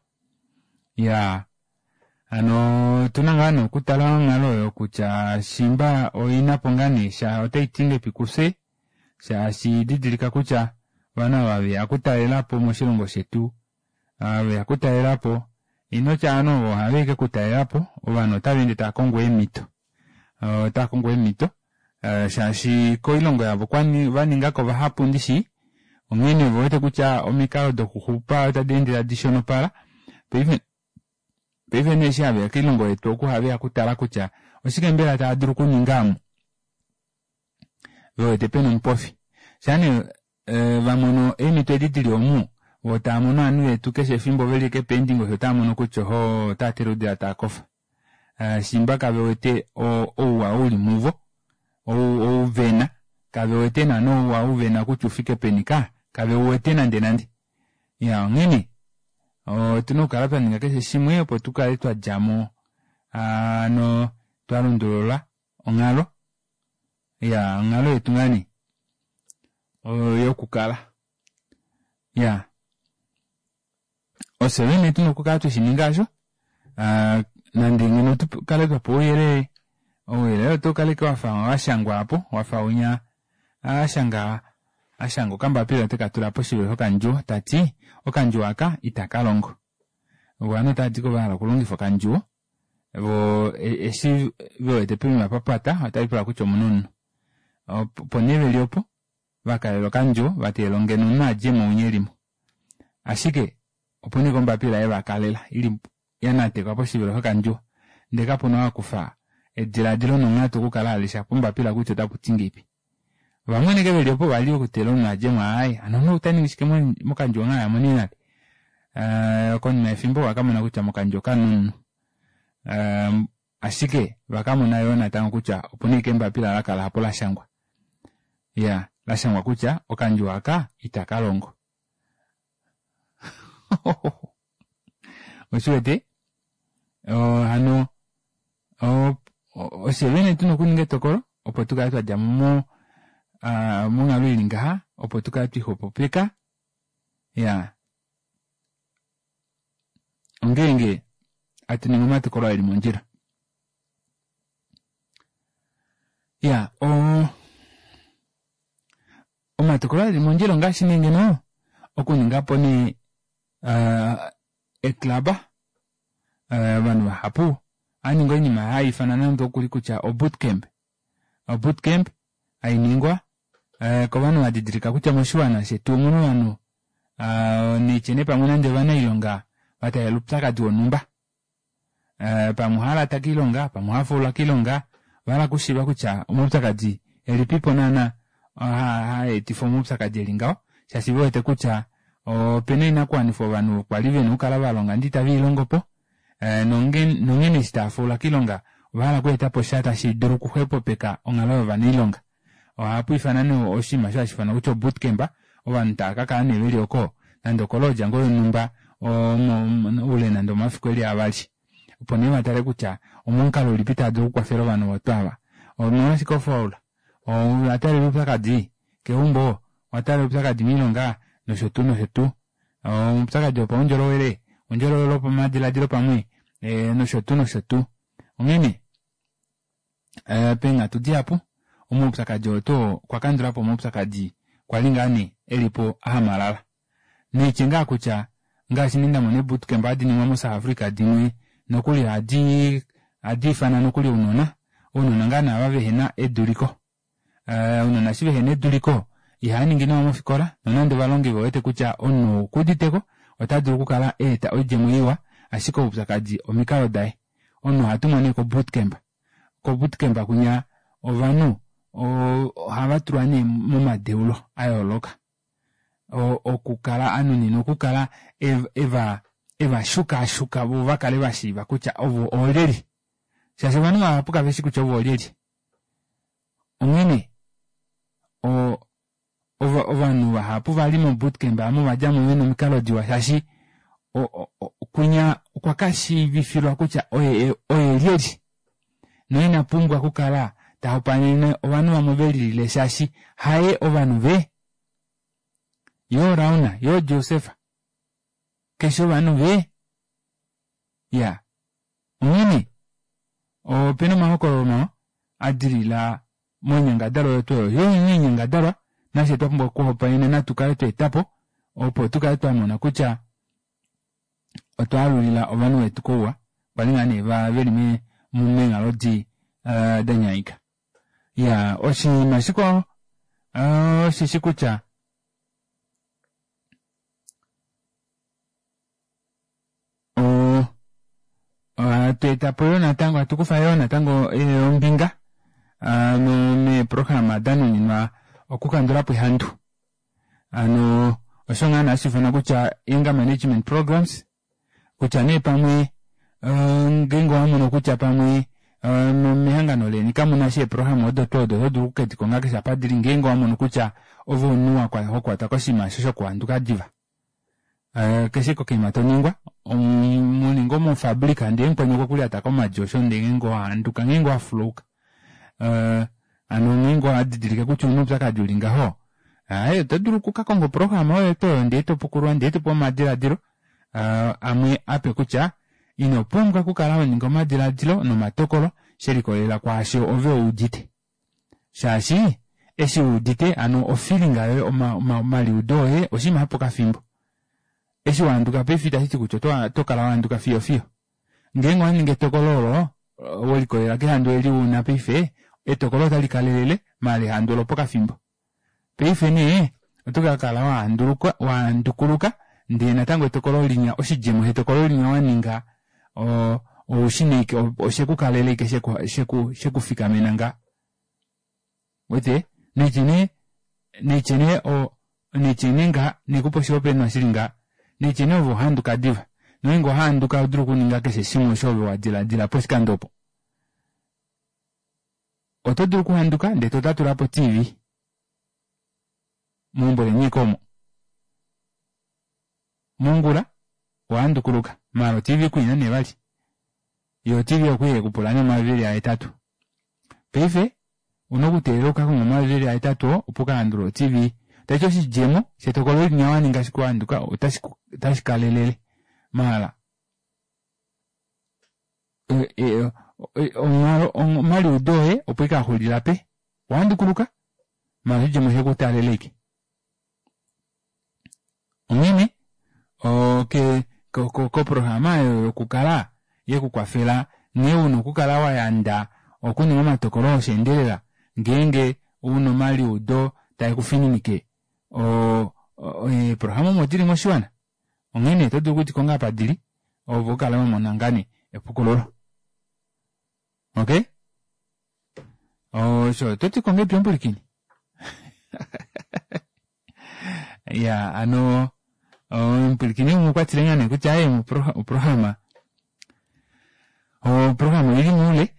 iyaa hano otuna ngaa nee okutala onghalo oyo kutya shimba oinapo ngaa nee sha otaiti ngahelipi kufye shaashi didilika kutya ovanhu ava veya okutalelapo moshilongo shetu veya okutalelapo inotya ovanhu ovo ohaveya ashike okutalelapo ovanhu otavaende taakongo eemito otaakongo eemito shaashi koilongo yavo vaningako vahapu ndishi onghene ovewete kutya omikalo dokuxupa otadi ende tadi shonopala paife paife nee eshi haveya koilongo yetu oku ohaveya okutala kutya oshike mbela taadulu okuninga omu vewete pena omupofi shaa nee vamono eemito edi dili omu voo taamono ovanhu vetu keshe efimbo veli ashike peendingosho otaamono kutya ohoo otaatele oudila taakofa shimba kavewete ouwa uli muvo ou vena kavewete naana ouwa ou vena kutya ufike peni ka kaveuwete nande nande iyaa onghene otuna okukala twaninga keshe shimwe opo tukale twadjamo hano twalundulula onghalo iyaa onghalo yetu ngaa nee yokukala iyaa ofye vene tuna okukala tweshininga aasho nande ngeno tukale twapewa ouyelele ouyelele otaukala ashike wafa washangwa aapo wafa winya ashanga ashanga okambapila tekatula poshivelo shokandjuwo tati okandjuwo aka itakalongo ovanhu otavati vahala okulongifa okandjuwo voo eshi vewete poima papata otavipula kutya omuna omunhu opo nee veli opo vakalela okandjuwo vateelela ngeno omunhu adjemo winya elimo ashike opuna ashike ombapila yevakalela ili yanatekwa poshivelo shokandjuwo ndee kapuna ou akufa edilaadilo nonghatu okukala alesha pombapila kutya otaputi ngahelipi vamwe ashike veli opo vali okuteelela omunhu adjemo aaye hano omunhu otaningi shike mokandjuwo nghee ayamo nee nale konima yefimbo ovakamona kutya mokandjuwo kamuna omunhu ashike vakamona yoo natango kutya opuna ashike embapila lakala apo lashangwa iya lashangwa kutya okandjuwo aka itakalongo oshiwete hano ofye vene tuna okuninga etokolo opo tukale twadjamo monghalo ili ngaha opo tukale twixwepopeka iyaa ongeenge hatuningi omatokolo eli mondjila iyaa oo omatokolo eli mondjila ongaashi nee ngeno okuningapo nee eclub ovanhu vahapu ohaaningi oinima hayiifanwa nande okuli kutya o bootcamp o bootcamp hainingwa kovanhu vadidilika kutya moshiwana shetu omuna ovanhu Neitye nee pamwe nande ovanailonga vataalela oupyakadi wonhumba, pamwe ohalata koilonga, pamwe ohafaula koilonga, ovahala okushiiva kutya omaupyakadi elipipo naana haetifa omaupyakadi eli ngaho shaashi vewete kutya opena oinakuwanifwa ovanhu kwali vena okukala valonga ndee itaveilongopo nonghene eshi taafaula koilonga ovahala okweetapo sha tashi dulu okuxwepopeka onghalo yovanailonga. Ohapu ifana nee oshinima osho hashi ifanwa kutya bootcamp, ovanhu tava kakala nee veli oko nande okolodja ngoo yonhumba oule nande omafiku eli avali opo nee vatale kutya omomukalo ulipi tava dulu okukwafela ovanhu ovo ava. Omolwashike hofaula? Owataalela oupyakadi keumbo, owataalela oupyakadi moilonga noshotuu noshotuu, oupyakadi wopaundjolowele, oundjolowele wopamadilaadilo pamwe noshotuu noshotuu. Onghene peenghatu dihapu omaupyakadi oo tuu okwa kandulapo omaupyakadi kwali ngaa nee elipo ahamalala. Naitye ngaa kutya ngaashi nee ndamona ee bootcamp hadi ningwa mo South Africa dimwe nokuli ohadi ohadi ifana nokuli ounona, ounona ngaa nee ava vehena eduliko, ounona eshi vehena eduliko ihaaningi nawa mofikola nonande ovalongi vewete kutya omunhu ou okuuditeko otadulu okukala aeta oidjemo iwa, ashike oupyakadi omikalo daye. Omunhu ohatumwa nee ko bootcamp, ko bootcamp kwinya ovanhu ohavatulwa nee momadeulo ayooloka okukala anuninwa okukala eva evashukaashuka voo vakale vashiiva kutya ovo oolyelye, shaashi ovanhu vahapu kaveshi kutya ovo oolyelye. Onghene ovanhu vahapu vali mo bootcamp aamo ovadjamo vena omikalo diwa shaashi kwinya okwa kashiivifilwa kutya oye oye lyelye noina pumbwa okukala tahopaenene ovanhu vamwe velilile shaashi haye ovanhu ve yoo Rauna yoo Joseph keshe ovanhu ve ya. Onghene opena omahokololo mawa adilila moinyangadalwa oyo tuu oyo yoo oinyangadalwa nafye twapumbwa okuhopaenena natukale twaetapo opo tukale twamona kutya otwaalulila ovanhu vetu kouwa kwali ngaa nee veli meenghalo dii danyaika. Iyaa oshinima shikwao osheshi kutya ohatu etapo yoo natango hatukufa yoo natango ombinga meeprograma danuninwa okukandulapo ehandu, hano osho ngaa nee hashi ifanwa kutya anger management programs, kutya nee pamwe ngeenge owamono kutya pamwe mehangano leni kamunasha eeprograma odo tuu odo, oto dulu okukedikonga keshe apa dili ngeenge owamono kutya ove omunhu hokwatwa koshinima osho shokuhanduka diva. Keshe kokaima toningwa muli ngoo mofabrika ndee mukweni okwekulyata komadi osho ndee ngeenge owahanduka ngeenge wafulauka hano ngeenge owadidilike kutya ouna oupyakadi uli ngaho, aaye oto dulu okukakonga oprograma oyo tuu oyo ndee topukululwa ndee topewa omadilaadilo amwe ape kutya ino pumbwa okukala honingi omadilaadilo nomatokolo shelikolelela kwaasho ove uudite, shaashi eshi wuudite hano ofeeling yoye omaliudo oye oshinima shopokafimbo. Eshi wahanduka paife itashiti kutya otokala wahanduka fiyo fiyo. Ngeenge owaningi etokolo olo welikolelela kehandu eli una paife, etokolo otali kalelele maala ehandu olopokafimbo. Paife nee oto kakala wahanduluka wahandukuluka ndee natango etokolo linya oshidjemo shetokolo linya waninga oushina ashike oshekukalela ashike sheku shekufikamena ngaa. Uwete? Naitye nee naitye nee naitye nee ngaha naikupe oshihopaenenwa shili ngaha, naitye nee ove ohohanduka diva nongeenge owahanduka ohodulu okuninga keshe shimwe osho ove wadilaadila poshikando opo. Oto dulu okuhanduka ndee totatulapo o T V meumbo leni ashike omo. Mongula owahandukuluka maala o T V kuina nee vali, yoo o T V okwali yekupula nee omayovi eli ahetatu. Paife ouna okuteelela ukakonge omayovi eli ahetatu oo opo ukalandulule o T V. Tashiti oshidjemo shetokolo linya waninga ashike wahanduka otashi kalelele maala omaliudo oye opo ashike axulila pe owahandukuluka maala oshidjemo oshekutaalela ashike. Onghene koprograma oyo yokukala yekukwafela nghee una okukala wayanda okuninga omatokolo osheendelela ngeenge una omaliudo taekufininike Eeprograma omo dili moshiwana, onghene oto dulu okudikonga apa dili opo ukale wamona ngaa nee epukululo. Okay, osho ototi ngahelipi omupulikini? Ya ano omupulikini umwe okwatile ngaa nee kutya aye oprograma oprograma oili moule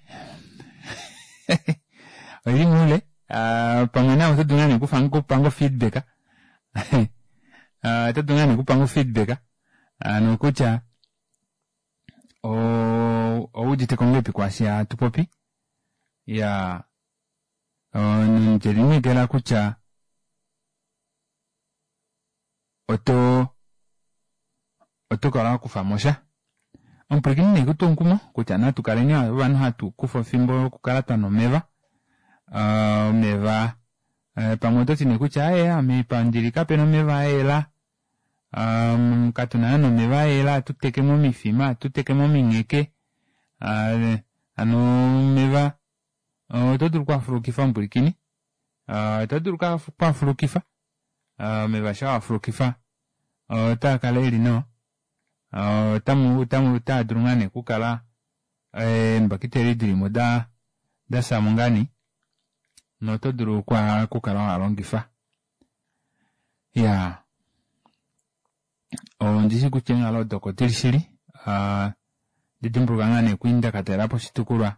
oili moule. Pamwe nawe oto dulu ngaa nee okupanga feedback, oto dulu ngaa nee okupanga feedback ano kutya owuuditeko ngahelipi kwaashi hatu popi. Ya, ndelineekela kutya oto oto kala wakufamo sha. Omupwilikini nee kutwa omukumo kutya natu kaleni ovanhu hatu kufa efimbo lokukala twanwa omeva. Omeva pamwe ototi nee kutya aaye ame pandili kapena omeva ayela, katuna naana omeva ayela, ohatu teke momifima, ohatu teke momingheke. Hano omeva oto dulu okwaafulukifa omupwilikini, oto dulu okwaafulukifa omeva, shaa wafulukifa otaakala eli nawa, otamu otaadulu ngaa nee okukala eembakiteli dilimo da dafyamo ngaa nee noto dulu okukala waalongifa. Iyaa, ondishi kutya eenghalo odo oko dili shili. Ndidimbuluka ngaa nee kwali ndakatalelapo oshitukulwa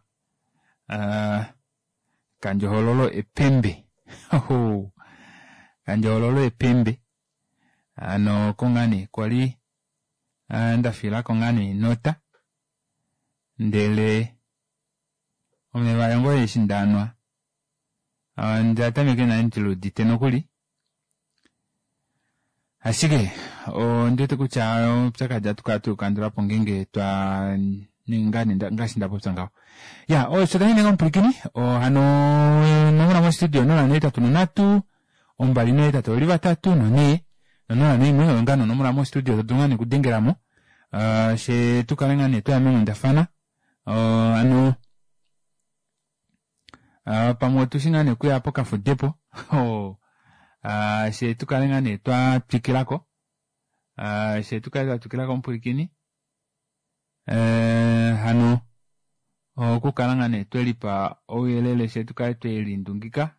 kandjohololo Epembe, kandjohololo Epembe, hano oko ngaa nee kwali ndafilako ngaa nee enota, ndele omeva ayo ngoo eshi ndaanwa onda tameka nale ndiluudite nokuli, ashike ondiwete kutya oupyakadi ohatu kala tweukandulapo ngeenge twa ninga ngaashi ndapopya ngaho. Ya, osho tashi omupwilikini hano onomola mostudio onola nohetatu nonhatu ombali nohetatu oveli vatatu nonhee nonola noimwe oyo ngaa nonomola mostudio todulu ngaa nee okudengelamo fye tukale ngaa nee twaya meenghundafana. Hano pamwe otushi ngaa nee okuya pokafudepo fye tukale ngaa nee twatwikilako, fye tukale twatwikilako omupwilikini. Hano okukala ngaa nee twelipa ouyelele fye tukale twelindungika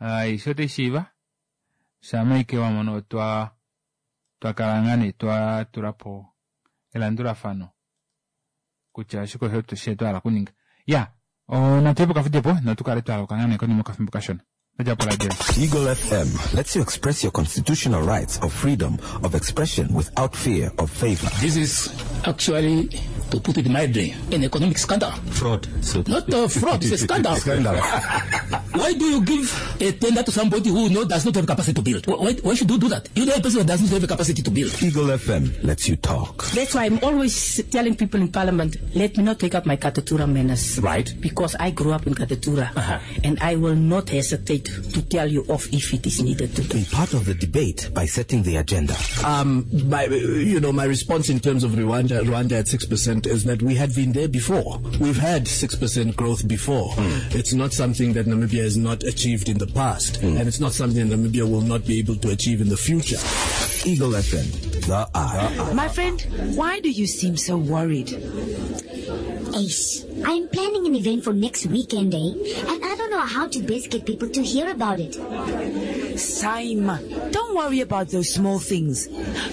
aishe otaishiiva shama ashike wamono otwa twakala ngaa nee twatulapo elandulafano kutya oshike osho twahala okuninga. Ya, natuye pokafudepo notukale twaluka ngaa nee konima yokafimbo kashona. Eagle F M lets you express your constitutional rights of freedom of expression without fear of favor. This is actually, to put it mildly, an economic scandal. Fraud. So Not a fraud, it's a scandal. Scandal. Why do you give a tender to somebody who no, does not have capacity to build? Why, why should you do that? You know a person who does not have the capacity to build. Eagle F M lets you talk. That's why I'm always telling people in Parliament, let me not take up my Katutura manners. Right. Because I grew up in Katutura. Uh-huh. And I will not hesitate to tell you off if it is needed to do. Be part of the debate by setting the agenda. Um, my, you know, my response in terms of Rwanda, Rwanda at six percent is that we had been there before. We've had six percent growth before. Mm. It's not something that Namibia has not achieved in the past, mm. and it's not something that Namibia will not be able to achieve in the future. Eagle F M, the eye. My friend, why do you seem so worried? Ace, I'm planning an event for next weekend, eh? And I don't know how to best get people to hear about it. Saima, don't worry about those small things.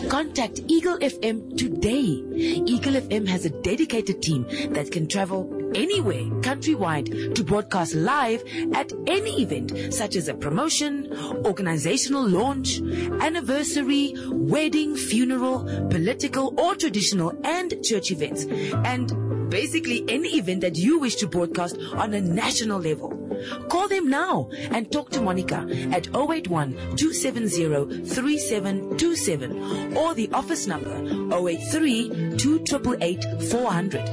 Contact Eagle F M today. Eagle F M has a dedicated team that can travel anywhere, countrywide, to broadcast live at any event, such as a promotion, organizational launch, anniversary, wedding, funeral, political or traditional and church events, and basically any event that you wish to broadcast on a national level. Call them now and talk to Monica at oh eight one, two seven zero, three seven two seven or the office number oh eight three, two triple eight, four hundred.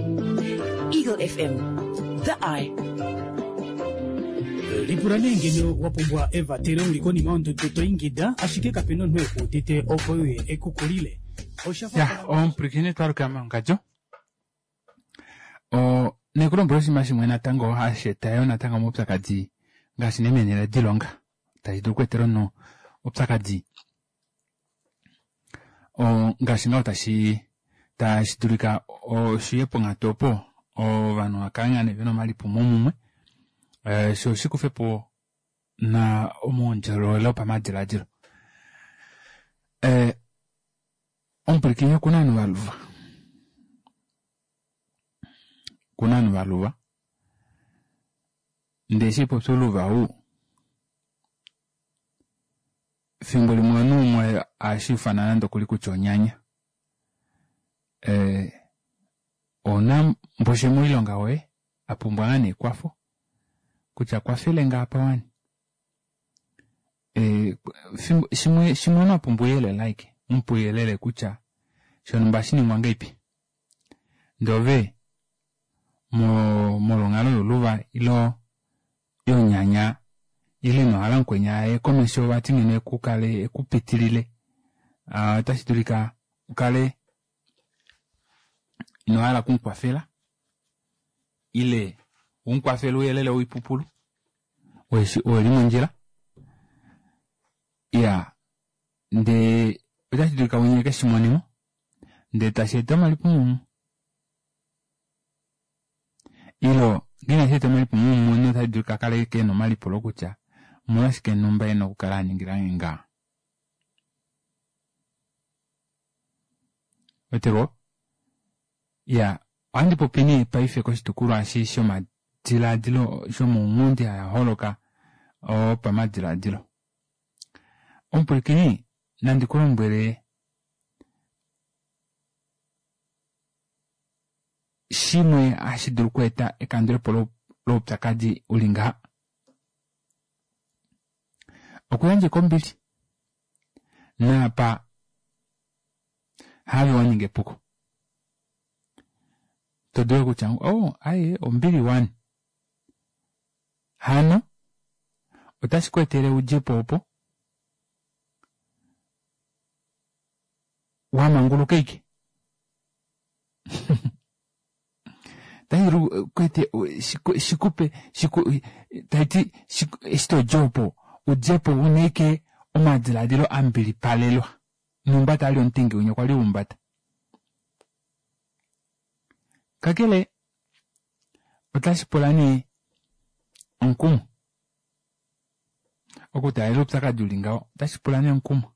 Eagle F M, the eye. Lipula nee ngeno wapumbwa evatelo uli konima yondudu to ingida, ashike kapena omunhu ekuudite opo uye ekukulile. Ya, omupwilikini twaluka mongadjo. O nekulombwela oshinima shimwe natango hashi eta yo natango omaupyakadi ngaashi nemenele dilonga tashi dulu okweetela omunhu Oupyakadi ngaashi ngaho tashi tashi dulika oshiye ponghatu opo ovanhu vakale ngaa nee vena omalipumomumwe shoo shikufepo na omaundjolowele wopamadilaadilo. Omupwilikini okuna ovanhu valuva, okuna ovanhu valuva ndee eshi haipopi ouluva ou efimbo limwe omunhu umwe ohashuufana nande okuli kutya onyanya. Ouna mboshe moilonga woye apumbwa ngaa nee ekwafo kutya kwafelenge apa wani. Shimwe shimwe omunhu apumbwa ouyelele ashike umupe ouyelele kutya shonumba ohashiningwa ngahelipi ndee ove molwa onghalo youluva ile yonyanya ile inohala mukweni aye komesho vati ngeno ekukale ekupitilile ota shidulika ukale inohala okumukwafela ile umukwafele ouyelele woipupulu oo uli mondjila iyaa ndee otashidulika winya ekeshimonemo ndee tasheeta omalipumomumwe ile ngee inasheeta omalipumomumwe omunhu otadulika akale ashike ena omalipulo kutya omolwashike numba ena okukala aningilange ngaha. Ouweteko iyaa ohandi popi nee paife koshitukulwa eshi shomadilaadilo shomaunghundi haaholoka opamadilaadilo. Omupwilikini nandi kulombwele shimwe hashi dulu okweeta ekandulepo loupyakadi uli ngaha. Okuyandja ashike ombili naapa haave waninga epuko todulu ashike kutya oo aaye ombili wani hano otashi kweetele udjepo opo wamanguluka ashike otashidulu shikupe tashiti eshi todi opo udjepo una ashike omadilaadilo ambilipalelwa numba taali omutengi winya kwali wahumbata. Kakele otashipula nee omukumo okutaalela oupyakadi uli ngaho otashipula nee omukumo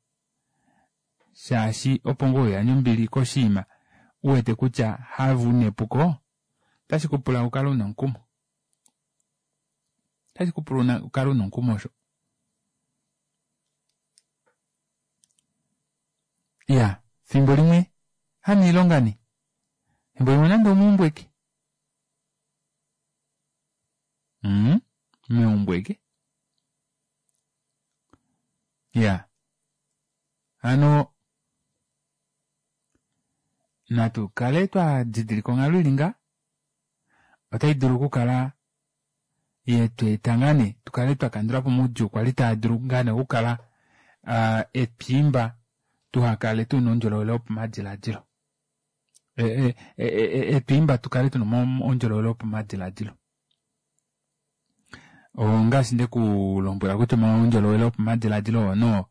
shaashi opo ngoo uyandje ombili koshinima uwete kutya haave una epuko otashi kupula ukale una omukumo. Otashi kupula ukale una omukumo osho. Iyaa fimbo limwe hanoilonga nee fimbo limwe nande omeumbo ashike mmm meumbo ashike iyaa hano natu kale twadidilika onghalo ili ngaha otaidulu okukala yetweeta ngaa nee tukale twakandulapo omaudjuu kwali taadulu ngaa nee okukala etwiimba tuhakale tuna oundjolowele wopamadilaadilo etwiimba tukale tuna oundjolowele wopamadilaadilo. Ongaashi ndekulombwela kutya omaundjolowele wopamadilaadilo oo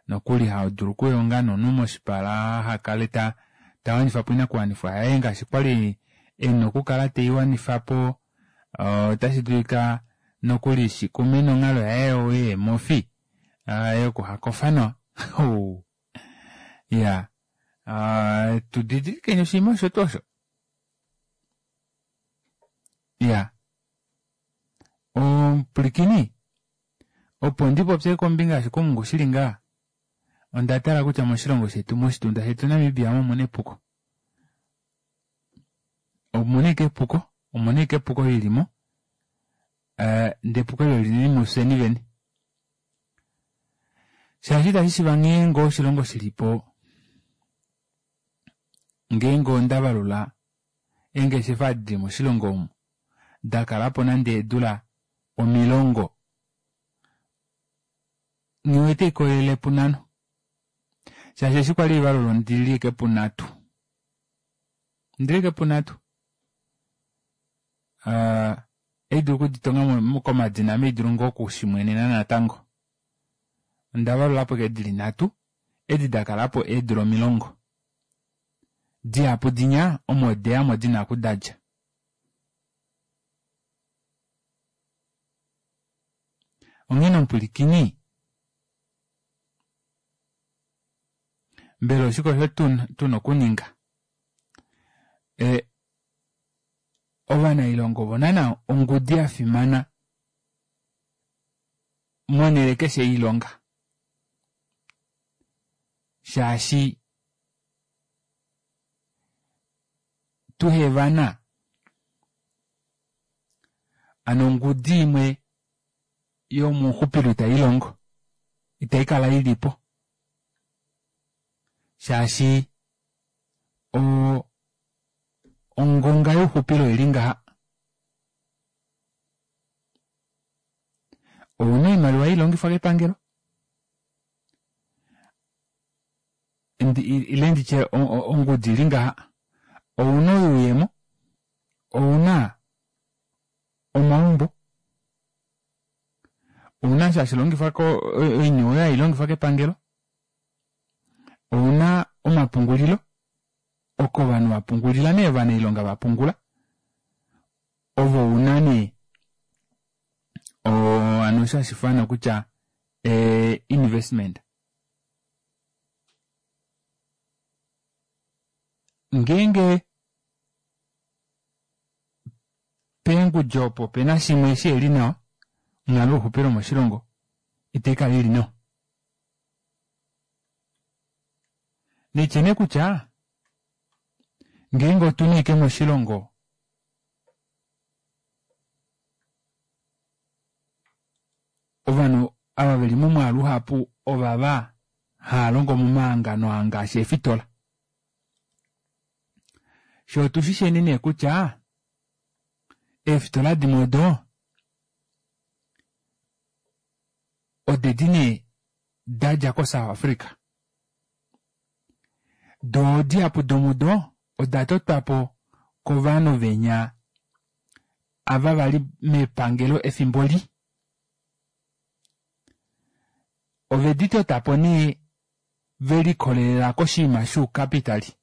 nokuli haadulu okuyonga nomunhu moshipala hakale tawanifapo oinakuwanifwa yaye ngaashi kwali ena okukala teiwanifapo otashi dulika nokuli shikume nonghalo yaye yeemofi yokuhakofa nawa iyaa tudidilikeni oshinima osho tuu osho. Iyaa omupwilikini opo ndipopye kombinga yoshikumungu shili ngaha onda tala kutya moshilongo shetu moshitunda shetu Namibia omuna epuko. Omuna ashike epuko omuna ashike epuko lilimo ndee epuko eli olili mufyeni vene shaashi itashishiiva nghee ngoo oshilongo shilipo ngeenge ondavalula eengeshefa edi dili moshilongo omu dakalapo nande eedula omilongo nghiwete haikolelele punhano shaashi eshi kwali haivalula ondili ashike punhatu ondili ashike punhatu ohaidulu okuditonga komadina ame haidulu ngoo okushimwenena natango Onda valulapo ke dili nhatu edi dakalapo eedula omilongo. Dihapu dinya omo deyamo dina okudadja. Onghene omupwilikini mbela oshike osho tuna okuninga? E, ovanailonga ovo naana ongudi yafimana monhele keshe yoilonga. Shaashi tuhevana ano ongudi imwe yomuxupilo itailongo itaikala ilipo shaashi o ongonga youxupilo oili ngaha ouna oimaliwa ilongifwa kepangelo ile nditye ongudi ili ngaha ouna oyuuyemo ouna omaumbo ouna osho hashi longifwa oiniwe oyo hailongifwa kepangelo ouna omapungulilo oko ovanhu vapungulila nee ovanailonga vapungula ovo una nee hano osho hashifana kutya investment. Ngeenge peengudi opo pena shimwe shiheli nawa onghalo youxupilo moshilongo itaikala ili nawa. Naitye nee kutya ngeenge otuna ashike moshilongo ovanhu ava veli momwaalu uhapu ovava haalongo momahangano aa ngaashi eefitola. Shoo otushisheni nee kutya eefitola dimwe odo odedi nee dadja ko South Africa. Doo dihapu domudo oda totwapo kovanhu venya ava vali mepangelo efimbo li. Ovedi totapo nee velikolelela koshinima shoucapitali.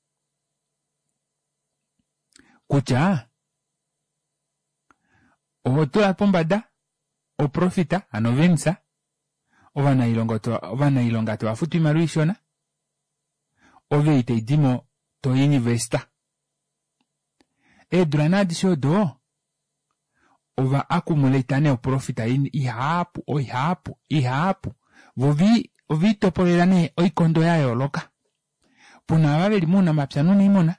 Kutya oho tula pombada oprofita ano venisa ovanailonga ovanailonga tovafutu oimaliwa ishona ove itaidimo to investa. Eedula nee adishe odo ova accumulate nee oprofita ihapu oihapu ihapu vo oviitopolela nee oikondo ya yooloka. Puna ava veli mounamapya nouniimuna,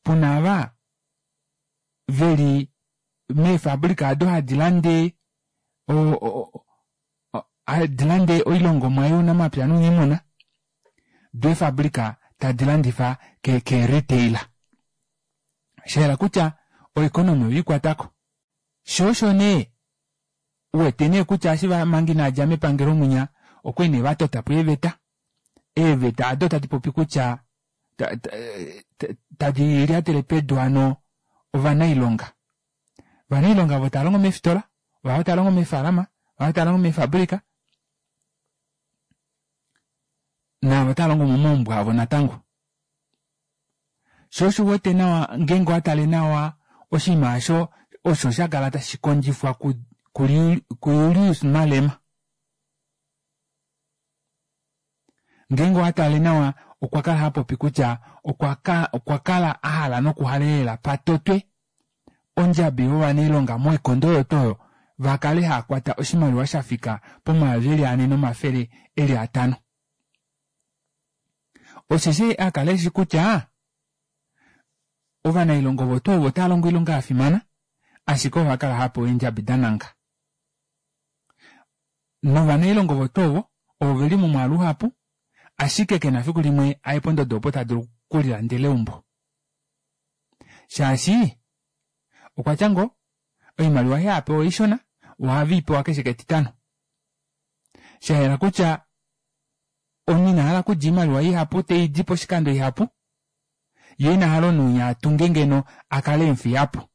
puna ava veli meefabrika ado hadi lande hadi lande oilongomwa younamapya nouniimuna doo eefabrika tadi landifa ke retailer. Shayela kutya oeconomy oyiikwatako. Shoo osho nee uwete nee kutya eshi manga inadja mepangelo mwinya okwali nee vatotapo eeveta. Eeveta ado tadi popi kutya tadi lyatele pedu hano ovanailonga. Ovanailonga ovo tava longo meefitola, ovavo tava longo meefalama, ovavo tava longo meefabrika naavo tava longo momaumbo avo natango. Shoo osho uwete nawa ngeenge owatale nawa oshinima osho osho shakala tashi kondjifwa kuJulius Malema. Ngeenge owatale nawa okwa kala hapopi kutya okwa kala ahala nokuhalelela patotwe ondjabi yovanailonga moikondo oyo tuu oyo vakale haakwata oshimaliwa shafika pomayovi eli ane nomafele eli atano. Osheshi akala eshi kutya ovanailonga ovo tuu ovo otava longo oilonga yafimana ashike ovakala hapewa eendjabi dananga. Novanailonga ovo tuu ovo ovo veli momwaalu uhapu ashike kena efiku limwe aye pondodo opo tadulu okulilandela eumbo. Shaashi okwatya ngoo oimaliwa ei hapewa oishona ohave keshe ketitano. Shayela kutya omunhu ina hala okulya oimaliwa ihapu teidi poshikando ihapu yee ina hala omunhu atunge ngeno akale emufiyapo.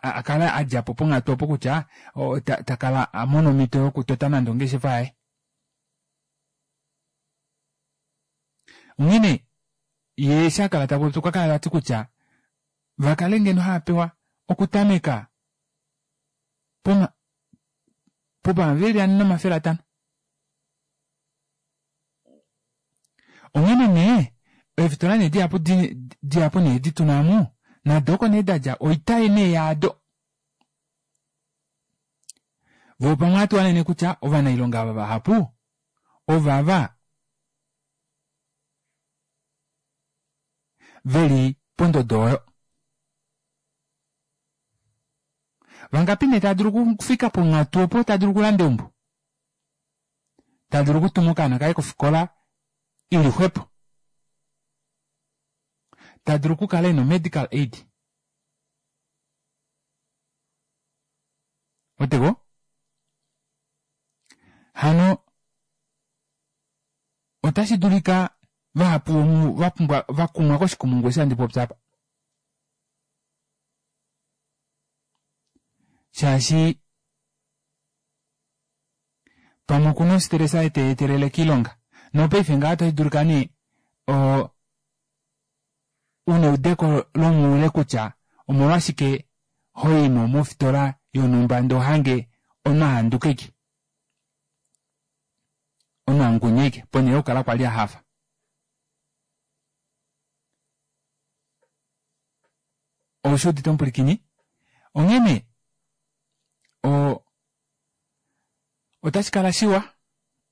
Akale adjapo ponghatu opo kutya takala amona omhito yokutota nande ongeshefa yaye. Onghene ye shakala tapopi okwa kala tati kutya vakale ngeno haapewa okutameka poma pomayovi ane nomafele atano. Onghene nee eefitola nee dihapu dihapu nee dituna omu nado oko nee dadja oitai nee yaado. Voo pamwe ohatuhanene kutya ovanailonga ava vahapu ovava veli pondodo oyo. Vangapi nee tadulu okufika ponghatu opo tadulu okulanda eumbo, tadulu okutuma okaana kaye kofikola ili xwepo, tadulu okukala ena medical aid. Otego hano otashi dulika vahapu vapumbwa vakumwa koshikumungu eshi handi popi apa. Shaashi pamwe okuna ostress teetelele kiilonga nopaife ngaha otashi dulika nee o una eudeko lomoule kutya omolwashike hoimo mofitola yonhumba ndee ohange omunhu ahanduka ashike omunhu angunya ashike ponhele yokukala kwali ahafa. Oushi udite omupulikini? Onghene o otashi kala shiwa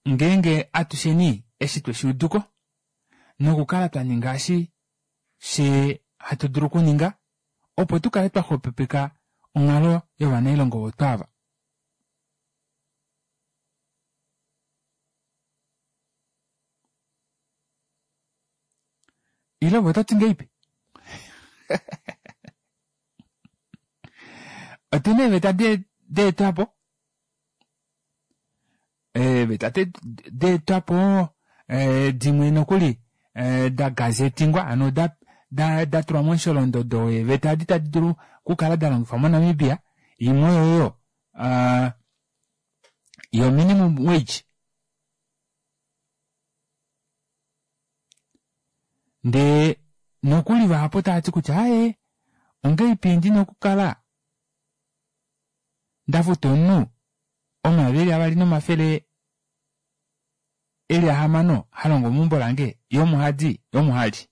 ngeenge atusheni eshi tweshuuduko nokukala twaninga eshi she hatu dulu okuninga opo tukale twaxwepopeka onghalo yovanailongo ovo twaava. Ile ove ototi ngahelipi? Otuna eeveta deetwapo eeveta deetwapo dimwe nokuli da gazetingwa hano datulwa momusholondodo weeveta edi tadi dulu okukala dalongifwa mo Namibia. Imwe oyoyo yo minimum wage ndee nokuli vahapu otavati kutya aaye ongahelipi ndina okukala ndafuta omunhu omayovi eli avali nomafele eli ahamano halongo meumbo lange yee omo hadi yee omo hali.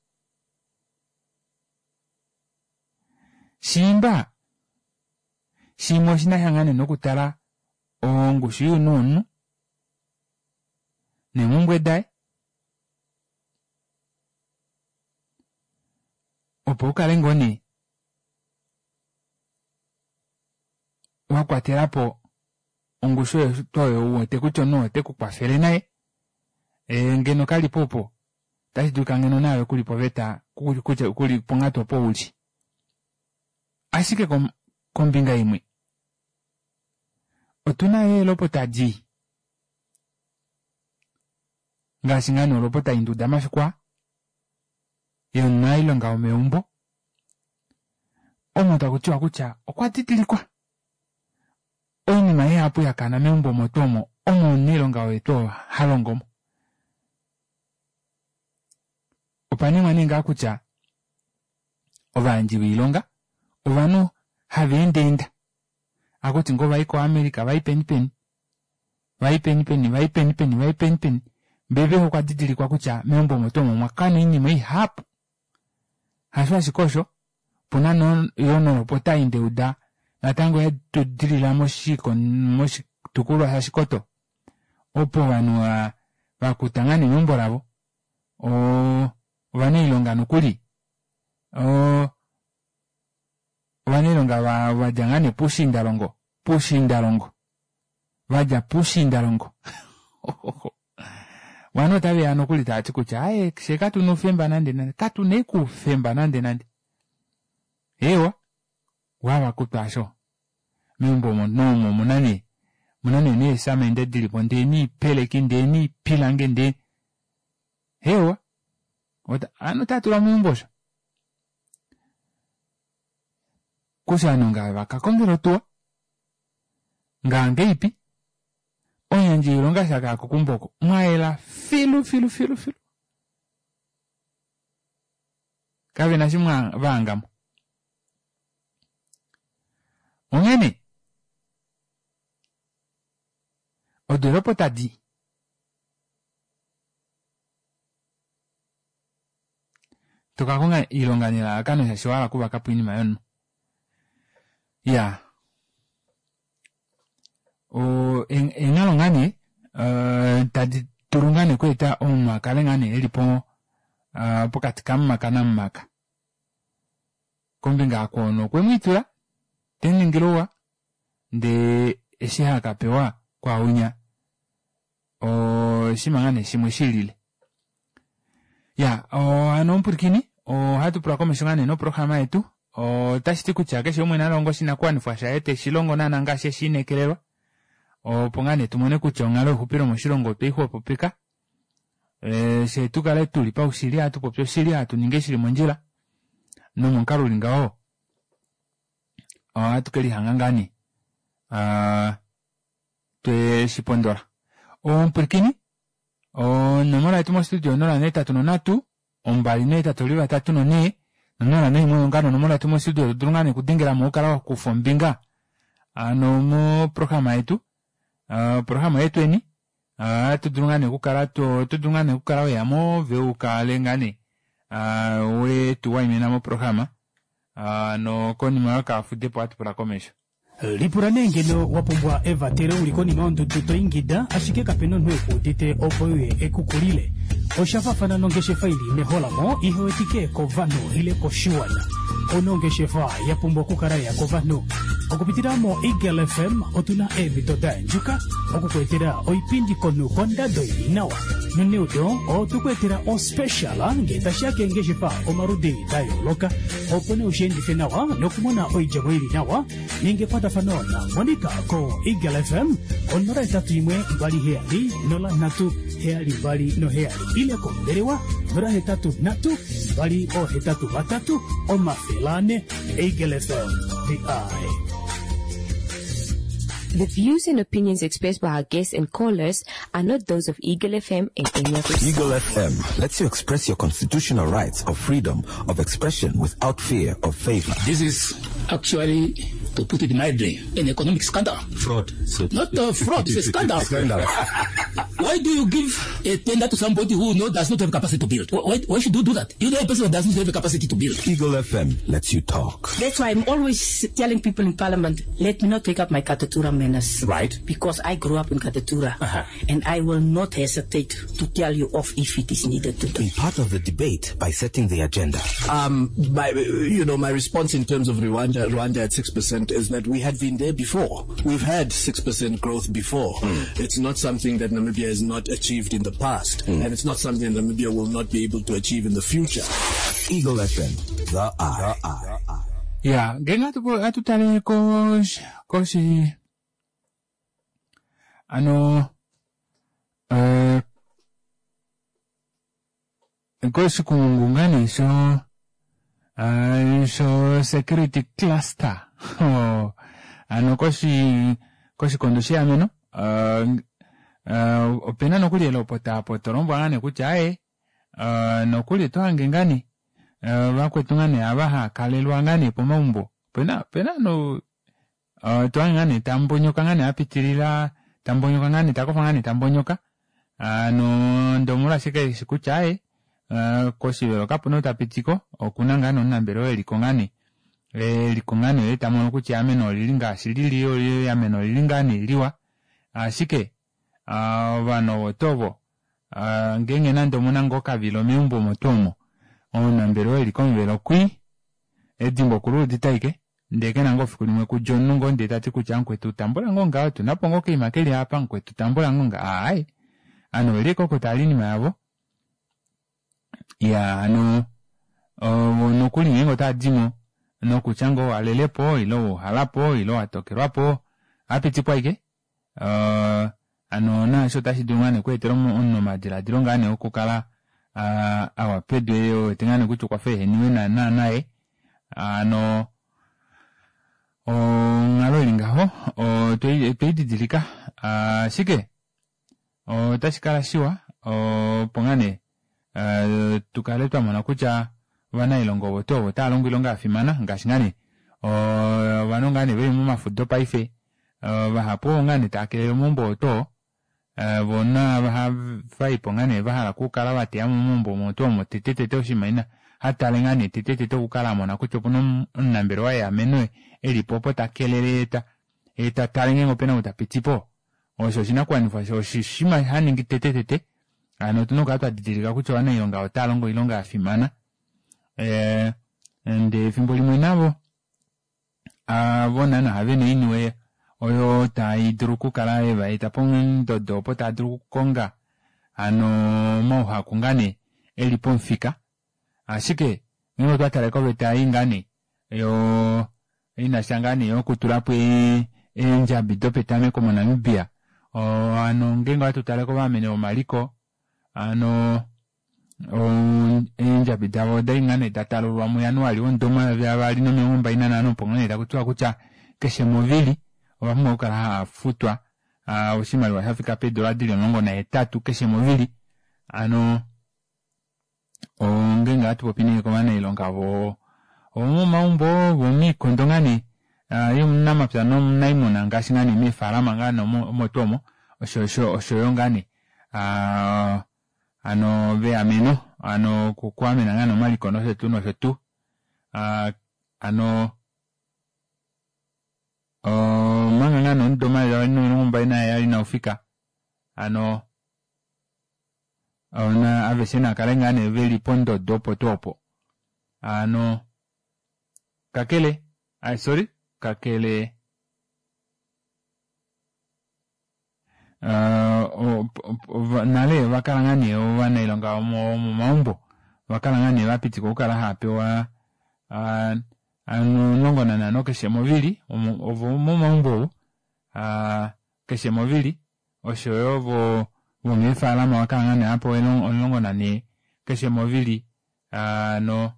Shiimba shimwe oshinasha ngaa nee nokutala ongushu younhu womunhu neemumbwe daye opo ukale ngoo nee wakwatelapo ongushu oyo uwete kutya omunhu ote kukwafele naye e ngeno kalipo opo otashi dulika ngeno naave kuli poveta kutya kuli ponghatu opo uli. Ashike kombinga imwe otuna yo eelopota dii ngaashi ngaa nee olopota induda mafiku aa yomunailonga womeumbo omo takutiwa kutya okwa didilikwa oinima ihapu yakana meumbo omo tuu omo omo omunailonga oye tuu halongomo. Opa ningwa nee ngaa kutya ovayandji voilonga ovanhu hava endaenda akuti ngoo vayi ko America vayi peni peni vayi peni peni vayi peni peni vayi peni peni mbee okwa didilikwa kutya meumbo omo tuu omo omwakana oinima ihapu. Hasho ashike osho opuna yoo nolopota ei ndeuda natango yatudilila moshitukulwa shaShikoto opo ovanhu vakuta ngaa nee meumbo lavo oo ovanailonga nokuli oo ovanailonga vadja ngaa nee puushiindalongo puushiindalongo vadja puushiindalongo ovanhu otaveya nokuli tavati kutya aaye fyee katuna oufemba nande nande katuna ashike oufemba nande nande. Eewa wavakutwa aasho meumbo omo omo omuna nee omuna nee neesamende dilipo ndee noipeleki ndee noipilangi ndee hewa ovanhu otaatulwa momaumbo osho kutya ovanhu ngave vakakongela otuwa ngaangeipi omuyandji woilonga eshi akaya keumbo oko mwayela filu filu filu filu. Kavena shimwe vahangamo. Onghene odoolopa tadi tokakonga iilonga nelalakano shaashi owahala okuvakapo oinima yomunhu. Iyaa oo eenghalo ngaa nee tadi dulu ngaa nee okweeta omunhu akale ngaa nee elipo pokati kamumaka namumaka. Kombinga hakwao omunhu okwemwiitula temuningile ouwa ndee eshi hakapewa kwaaunya oshinima ngaa nee shimwe shilile. Iyaa hano omupwilikini ohatu pula komesho ngaa nee noprograma yetu otashiti kutya keshe umwe nalonge oshinakuwanifwa shaye teshilongo naana ngaashi eshiinekelelwa opo ngaa nee tumone kutya onghalo youxupilo moshilongo otweixwepopeka fyee tukale tuli paushili hatupopi oshili hatuningi shili mondjila nomomukalo uli ngaho ohatu kelihanga ngaa nee tweshipondola. Omupwilikini onomola yetu mo studio onola nohetatu nonhatu ombali nohetatu oli vatatu nonhee nonola noimwe oyo ngaa onomola yetu mo studio todulu ngaa nee okudengelamo ukale wakufa ombinga hano moprograma yetu oprograma oyetweni ohatudulu ngaa nee okukala otodulu ngaa nee okukala weyamo ove ukale ngaa nee wetuwaimina moprograma nokonima yokafudepo ohatu pula komesho. Lipula nee ngeno wa pumbwa evatelo uli konima yondudu to ingida ashike kapena omunhu ekuudite opo uye ekukulile. Osha faafana nongeshefa ili meholamo ihewetike kovanhu ile koshiwana. Onongeshefa ya pumbwa okukala ya kovanhu. Okupitila mo Eagle F M otuna eemhito da yandjuka okukweetela oipindi komunhu kondado ili nawa. Noneudo otukuetela ospecial ngee tashiya keengeshefa omaludi da yooloka opo nee ushiendife nawa nokumona oidjemo ili nawa ninga ekwatafano na Monica ko Eagle F M onola hetatu imwe mbali heyali nola nhatu heyali mbali noheyali ile kombelewa nola hetatu nhatu mbali ohetatu vatatu omafele ane. Eagle F M, the eye. The views and opinions expressed by our guests and callers are not those of Eagle F M and any of its Eagle F M lets you express your constitutional rights of freedom of expression without fear of favor. This is actually, to put it mildly, an economic scandal. Fraud. So Not a fraud, it's a scandal. Scandal. Why do you give a tender to somebody who no, does not have capacity to build? Why, why should you do that? You know a person who does not have the capacity to build. Eagle F M lets you talk. That's why I'm always telling people in Parliament, let me not take up my Katutura manners. Right. Because I grew up in Katutura. Uh-huh. And I will not hesitate to tell you off if it is needed to do. Be part of the debate by setting the agenda. Um, my, you know, my response in terms of Rwanda, Rwanda at six percent is that we had been there before. We've had six percent growth before. Mm. It's not something that Namibia has not achieved in the past, mm. and it's not something that Namibia will not be able to achieve in the future. Eagle F M, the eye. The eye. Yeah, ngenga atutale koshi koshi ano eh koshi kungungani sho uh, sho security cluster oh, ano koshi koshikondo sheameno uh, uh, opena nokuli elopota apo tolombwa ngane kutya aye uh, nokuli tohange ngani uh, vakwetu ngane ava hakalelwa ngane pomaumbo pena pena no uh, tohange ngane tambonyoka ngane apitilila tambonyoka ngane takofa ngane tambonyoka ano ndomolwa ashike eshi kutya aye uh, koshivelo kapuna outapitiko okuna ngane omunambelewa eliko ngane eliko ngane ye tamono kutya ameno olili ngaashi lili oli ameno olili ngane liwa ashike ovanhu ovo tovo ngeenge nande omuna ngoo okavilo meumbo omo tuu omo omunambelewa eli komuvelo kwi edimbo okuluudita aike ndee kena ngoo fiku limwe kudja omunhu ngoo ndee tati kutya mukwetu tambula ngoo ngaho tunapo ngoo okaima keli apa mukwetu tambula ngoo nga aaye ano oveli koko tali oinima yavo ya ano nokuli ngeenge otadimo nokutya ngoo walelepo ile wauhalapo ile watokelwapo apitikwa aike uh, ano naasho otashi dulu ngaa nee okweetela omunhu omadiladilo ngaa nee okukala uh, awa pedu ewete ngaa nee kutya okwafa eheniwe naana naye ano onghalo ili ngaho otweididilika ashike otashi kala shiwa opo ngaa nee tukale twamona kutya Ovanailonga ovo tuu ovo otava longo oilonga yafimana ngaashi ngaa nee ovanhu ngaa nee veli momafudo paife vahapu ovo ngaa nee tava kelele omaumbo oo tuu oo voo naava havaipo ngaa nee vahala okukala vateyamo momaumbo omo tuu omo tete tete oshinima ina hatale ngaa nee tete tete okukala amona kutya opuna omunambelewa weameno elipo opo takelele yetatale ngeenge opena ou tapitipo osho oshinakuwanifwa osho oshinima haningi tete tete hano otuna okukala twadidilika kutya ovanailonga otalongo oilonga yafimana ee ndee efimbo limwe navo avo naana vena oiniwe oyo taidulu okukala yevaeta pondodo opo taadulu okukonga hano omauhaku ngaa nee eli pomufika ashike ngeenge otwatale koveta ei ngaa nee yoo inasha ngaa nee nokutulapo eendjabi dopetameko mo namibia oo hano ngeenge ohatu tale kovameni vomaliko hano eendjabi davo odali ngaa nee datalululwa mu januali womudo omayovi avaali nomilongo mbali nanhano opo ngoo nee takutiwa kutya keshe movili ovapumbwa okukala haafutwa oshimaliwa shafika peedora dili omulongo nahetatu keshe movili hano ongenge ohatupopi nee kovanailonga voo vomomaumbo vomoikondo ngaa nee younamapya nounayimuna ngaashi ngaa nee meefalama ngaa nee omo tuu omo oshoyo ngaa nee aa hano veameno hano okwaamena ngaa nee omaliko noshotuu noshotuu hano omanga ngaa nee omudo omayovi avali nomilongo mbali naheyali inaufika hano aveshe naakale ngaa nee veli pondodo opo tuu opo hano kakele sorry kakele nale ovakala ngaa nee ovanailonga vomomaumbo ovakala ngaa nee vapitikwa okukala haapewa omulongo nanhano keshe movili ovomomaumbo ovo keshe movili oshoyo vomefalama ovakala ngaa nee haapewa omulongo nanhee keshe movili hano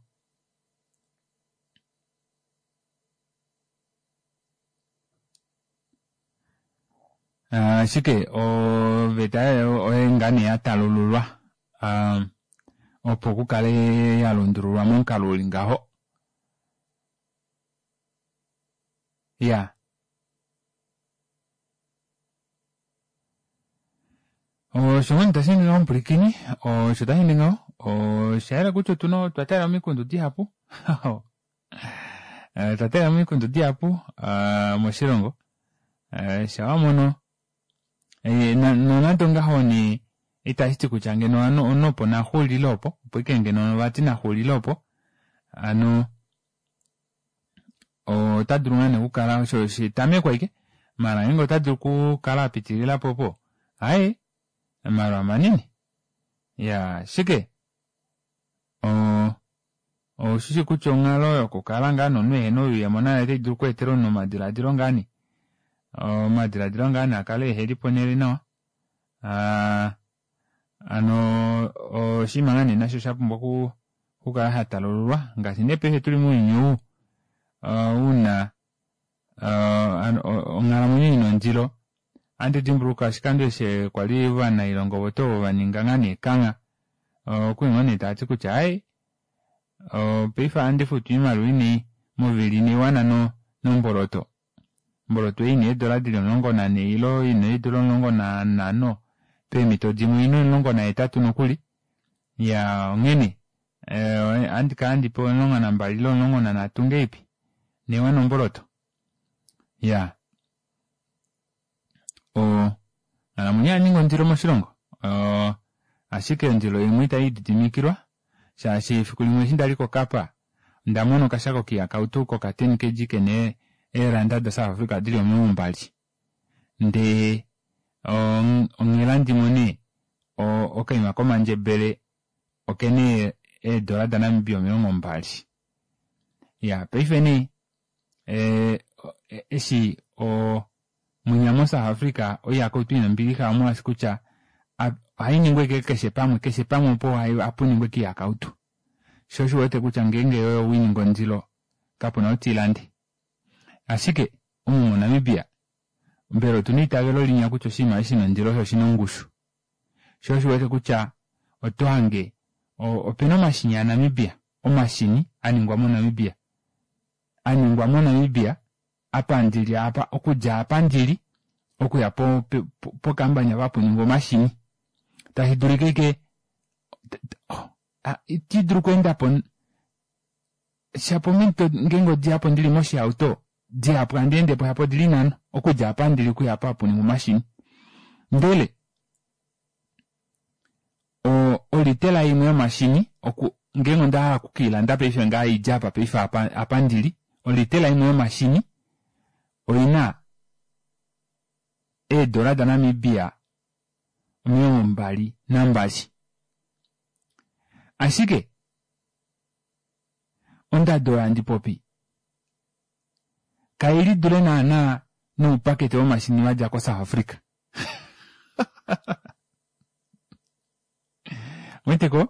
ashike oveta oyo ngaa nee yatalululwa opo kukale yalundululwa momukalo uli ngaho iyaa osho ngoo nee tasheende ngaho omupwilikini osho tasheende ngaho oshayela kutya otuna otwa taalela omikundu dihapu otwa taalela omikundu dihapu moshilongo shaa wamono nonande ongaho nee itashiti kutya ngeno omunhu opo naxuulile opo opo ashike ngeno vati naxuulile opo hano otadulu ngaa nee okukala osho etameko ashike maala ngeenge otadulu okukala apitililapo opo aaye omalwa manini iyaa ashike oo oushishi kutya onghalo yokukala ngaa nee omunhu ehena oyuuyemo nayo otaidulu okweetela omunhu omadilaadilo ngaa nee omadilaadilo ngaa nee akale eheli ponele nawa aa hano oshinima ngaa nee nasho shapumbwa okukala shatalululwa ngaashi nee paife tuli mounyuni ou una onghalamwenyo ina ondilo ohandi dimbuluka oshikando eshi kwali ovanailonga ovo tuu ovo vaninga ngaa nee ekangha okwali ngoo nee taati kutya aaye paife ohandi futwa oimaliwa inai movili inaiwana nomboloto omboloto ei ina eedora dili omulongo nanhee ile ina eedora omulongo nanhano peemito dimwe oina omulongo nahetatu nokuli iyaa onghene ohandikala handi pewa omulongo nambali ile omulongo nanhatu ngahelipi inaiwana omboloto iyaa onghalamwenyo oyaninga ondilo moshilongo ashike ondilo imwe itayiididimikilwa shaashi efiku limwe eshi ndali ko kapa ondamona okashako koihakautu koka ten kg kena eeranda da south Africa dili omilongo mbali ndee onghela ndimone okaima komandjebele okena eedora da Namibia omilongo mbali iyaa paife nee eshi munya mo south Africa oihakautu ina ombilixa omolwaashi kutya ohainingwa ashike keshe pamwe keshe pamwe opo hapuningwa ashike oihakautu shoo osho uwete kutya ngeenge yoye oweiningi ondilo kapuna ou teilande ashike omu mo Namibia mbela otuna eitavelo linya kutya oshinima eshi shina ondilo shoo oshina ongushu shoo osho uwete kutya otohange opena omashini a Namibia omashini aningwa moNamibia aningwa moNamibia apa ndili apa okudja apa ndili okuya po, po, pokambanya vapuningwa omashini tashi dulika ike iti dulu okweendapo shapo ominute ngeenge odihapo ndili moshihauto dihapu handi endepo shapo odili nhano okudja apa ndili okuya apa hapuningwa omashini ndele olitela imwe yomashini oku ngeenge ondahala okukiilanda paife ngaa idje apa paife apa, apa ndili olitela imwe yomashini oina eedola daNamibia omilongo mbali nambali ashike ondado oyo handi popi kaili dule naana noupakete womashini wadja koSouth Africa weteko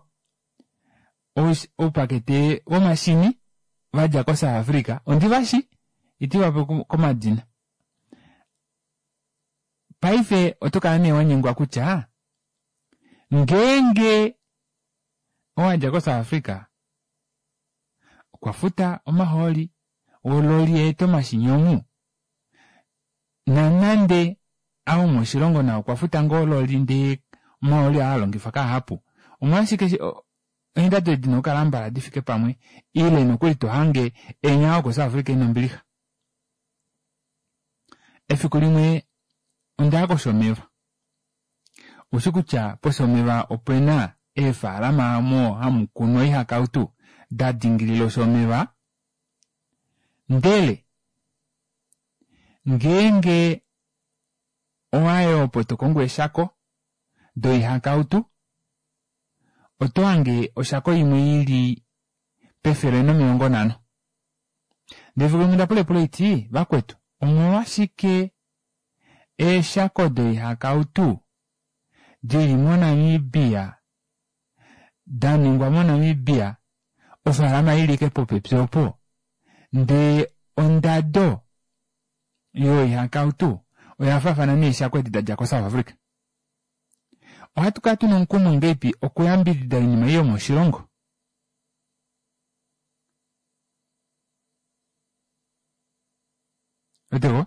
oupakete womashini vadja koSouth Africa ondivashi itivape komadina paife oto kala nee wanyengwa kutya ngeenge owadja koSouth Africa okwa futa omahooli ololi yeeta omashini omu nanande ao moshilongo nao okwa futa ngoo ololi ndee omahooli aa alongifwa kahapu omolwashike eendado edi okukala mbala difike pamwe ile nokuli tohange enya oko South Africa ina ombilixa. Efiku limwe ondaya koshomeva ushi kutya poshomeva opena eefalama omo hamu kunwa oihakautu da dingilila oshomeva ndele ngeenge owaye opo tokongo eshako doihakautu oto hange oshako imwe ili pefele nomilongo nhano ndele efiku limwe ondapula epulo iti vakwetu omolwashike eeshako doihakautu dili moNamibia daningwa moNamibia ofaalama ili ike popepi opo ndee ondado yoihakautu oya faafana neeshako edi dadja koSouth Africa. Ohatu kala tuna omukumo ngeipi okuyambidida oinima ei yomoshilongo weteko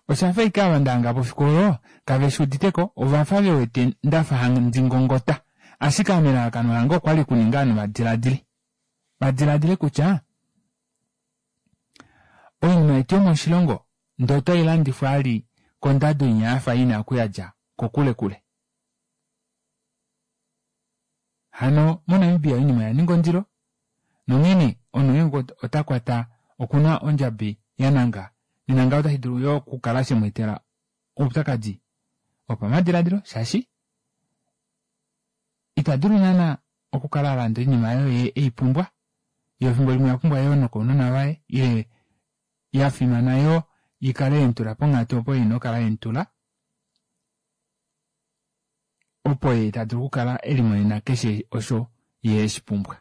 oshafa ike ava ndahanga pofiku olo kave uditeko ovafa vewete ndafa handi ngongota ashike ame elalakano lange okwali kuninga ovanhu vadiladile vadiladile kutya oinima yetu yomoshilongo ndee otailandifwa ali kondado inya yafa ina okuyadja kokule kule. Hano moNamibia oinima oya ninga ondilo nonghene omunhu ota kwata okuna ondjabi yananga nenanga otashi dulu yo okukala shemweetela oupyakadi wopamadiladilo shaashi ita dulu naana okukala alanda oinima oyo eipumbwa yo efimbo limwe oya pumbwa yoo nokounona vaye ile yafimana yoo ikale yemutula ponghatu opo ina okukala yemutula opo ye ta dulu okukala elimonena keshe osho ye eshipumbwa.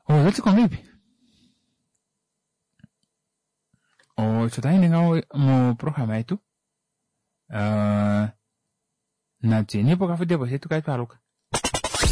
Ototi kongeipi osho tayi ngaho moprograma yetu uh, natuyeni pokafudepo shetu kale twaluka.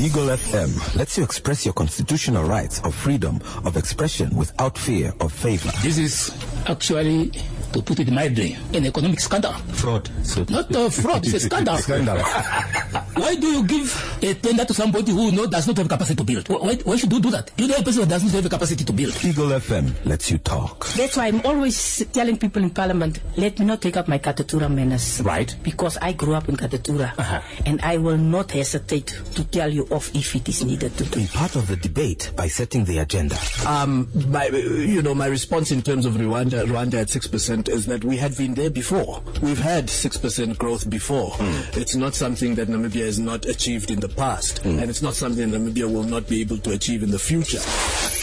Eagle F M lets you express your constitutional rights of freedom of expression without fear of favor. This is actually, to put it mildly, an economic scandal. Fraud. So Not a fraud, it's a scandal. Scandal. Why do you give a tender to somebody who no, does not have capacity to build? Why, why should you do that? You know a person who does not have capacity to build. Eagle F M lets you talk. That's why I'm always telling people in Parliament, let me not take up my Katutura manners. Right. Because I grew up in Katutura. Uh-huh. And I will not hesitate to tell you off if it is needed to do. Be part of the debate by setting the agenda. Um, my, you know, my response in terms of Rwanda, Rwanda at six percent is that we had been there before. We've had six percent growth before. Mm. It's not something that Namibia has not achieved in the past, mm. and it's not something that Namibia will not be able to achieve in the future.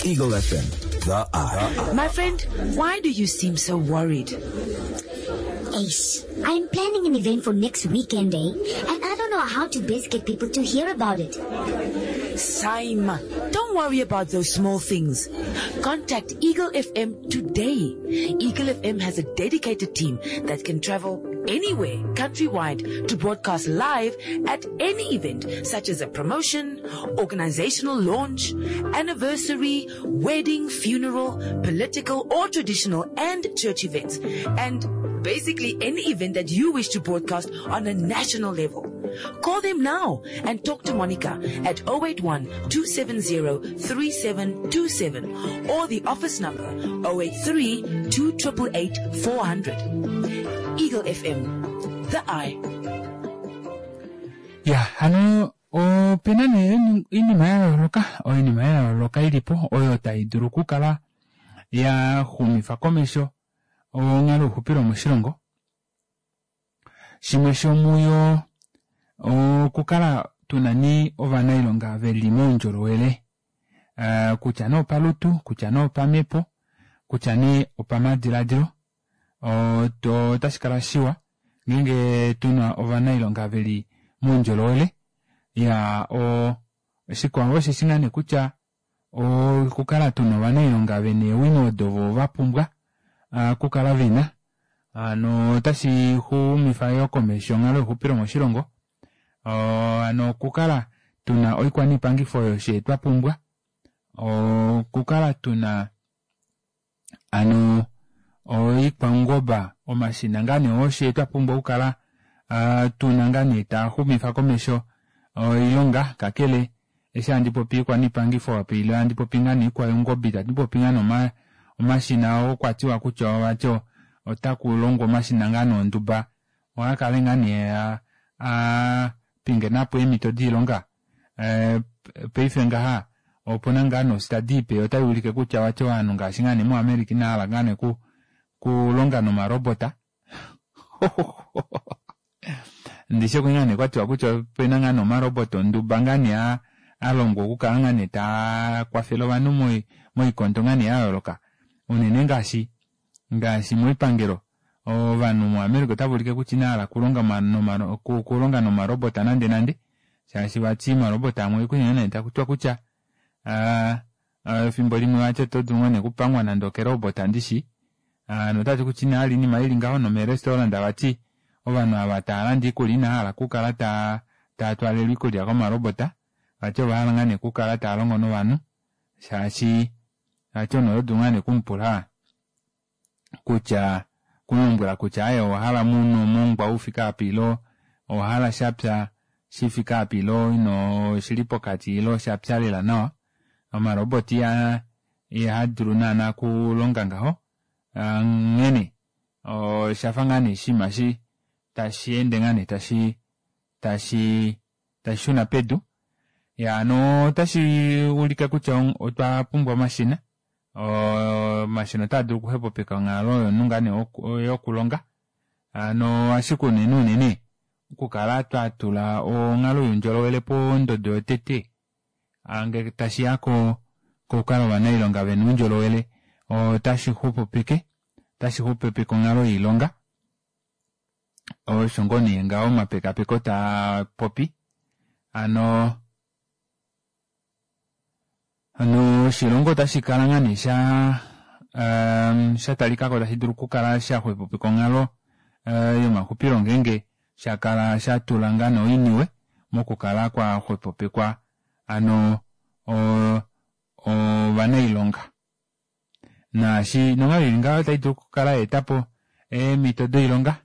Eagle F M, the eye. My friend, why do you seem so worried? Ace, I'm planning an event for next weekend, eh? And I don't know how to best get people to hear about it. Saima, don't worry about those small things. Contact Eagle F M today. Eagle F M has a dedicated team that can travel anywhere countrywide to broadcast live at any event such as a promotion, organizational launch, anniversary, wedding, funeral, political or traditional and church events, and basically any event that you wish to broadcast on a national level. Call them now and talk to Monica at oh eight one, two seven zero, three seven two seven or the office number oh eight three, two triple eight, four hundred. Eagle F M, the eye. Ya, hano opena nee oinima ya yooloka, oinima ya yooloka ilipo oyo tai dulu okukala ya xumifa komesho onghalo youxupilo moshilongo. Shimwe shomuyo okukala tuna ni ovanailonga veli moundjolowele, eh, kutya nee opalutu, kutya nee opamhepo, kutya nee opamadiladilo. Oto, otashi kala shiwa ngeenge tuna ovanailonga veli moundjolowele. Ya, o, shikwao osheshi ngaa nee kutya okukala tuna ovanailonga vena eewino odo vo va pumbwa, ah, okukala vena. Hano otashi xumifa yo komesho onghalo youxupilo moshilongo. Hano okukala tuna oikwaniipangifo oyo she twa pumbwa. Okukala tuna hano oikwaungoba, omashina ngaa nee oshe twa pumbwa okukala, ah, tuna ngaa nee taa xumifa komesho oilonga. Kakele eshi handi popi oikwaniipangifo apa, ile handi popi ngaa nee oikwaungoba, itandi popi ngaa nee oma-, omashina oo kwa tiwa kutya ovati otaku longwa omashina ngaa nee onduba, oha kale ngaa nee a-, a pingenapo eemhito doilonga. Eh, paife ngaha opuna ngaa nee ostadi ipe otai ulike kutya vati ovanhu ngaashi ngaa nee muAmerica ina hala ngaa nee ku-, kulonga nomarobota. Ndishi oku ngaa nee kwa tiwa kutya opena ngaa nee omarobota onduba ngaa nee a-, a longwa okukala ngaa nee taa kwafele ovanhu moi-, moikondo ngaa nee ya yooloka. Unene ngaashi, ngaashi moipangelo. Ovanhu muAmerica otava ulike kutya ina hala kulonga ma-, noma-, ku-, kulonga nomarobota nande nande. Shaashi vati omarobota amwe oku nene taku tiwa kutya, ah, ah, efimbo limwe vati oto dulu nee okupangwa nande okerobota ndishi. Ah, notati kutya ina hala inima ili ngaho nomerestaurant vati ovanhu ava tava landa iikulya ina hala okukala ta-, tava twalelwa iikulya komarobota. Vati ova hala ngaa nee okukala tava longo novanhu. Shaashi vati omunhu oto dulu ngaa nee okumupula kutya, kumulombwela kutya aye owa hala muno omongwa ufike apa ilo owa hala shapya shifike apa ilo ino shili pokati ilo shapya lela nawa. Omaroboti iha-, iha dulu naana okulonga ngaho. Ah, nghene oshafa ngaa nee oshinima shi tashi ende ngaa nee tashi, tashi, tashi shuna pedu. Ya, no otashi ulike kutya on-, otwa pumbwa omashina. Omashina otaa dulu okuxwepopeka onghalo yomunhu ngaa nee yoku-, yokulonga. Ano ashike unene unene okukala twa tula onghalo youndjolowele pondodo yotete. Ngele tashi ya ko-, kokukala ovanailonga vena oundjolowele, otashi xupupike, otashi xupupike onghalo yoilonga. Osho ngoo nee ngaho omapekapeko taa popi. Ano, ano oshilongo otashi kala ngaa nee sha, ehm, sha talikako tashi dulu okukala sha xwepopeka onghalo, eh, yomaxupilo ngeenge sha kala sha tula ngaa nee oiniwe mokukala kwa xwepopekwa ano, o-, ovanailonga. Naashi nonghalo ili ngaho otai dulu okukala ya etapo eemhito doilonga,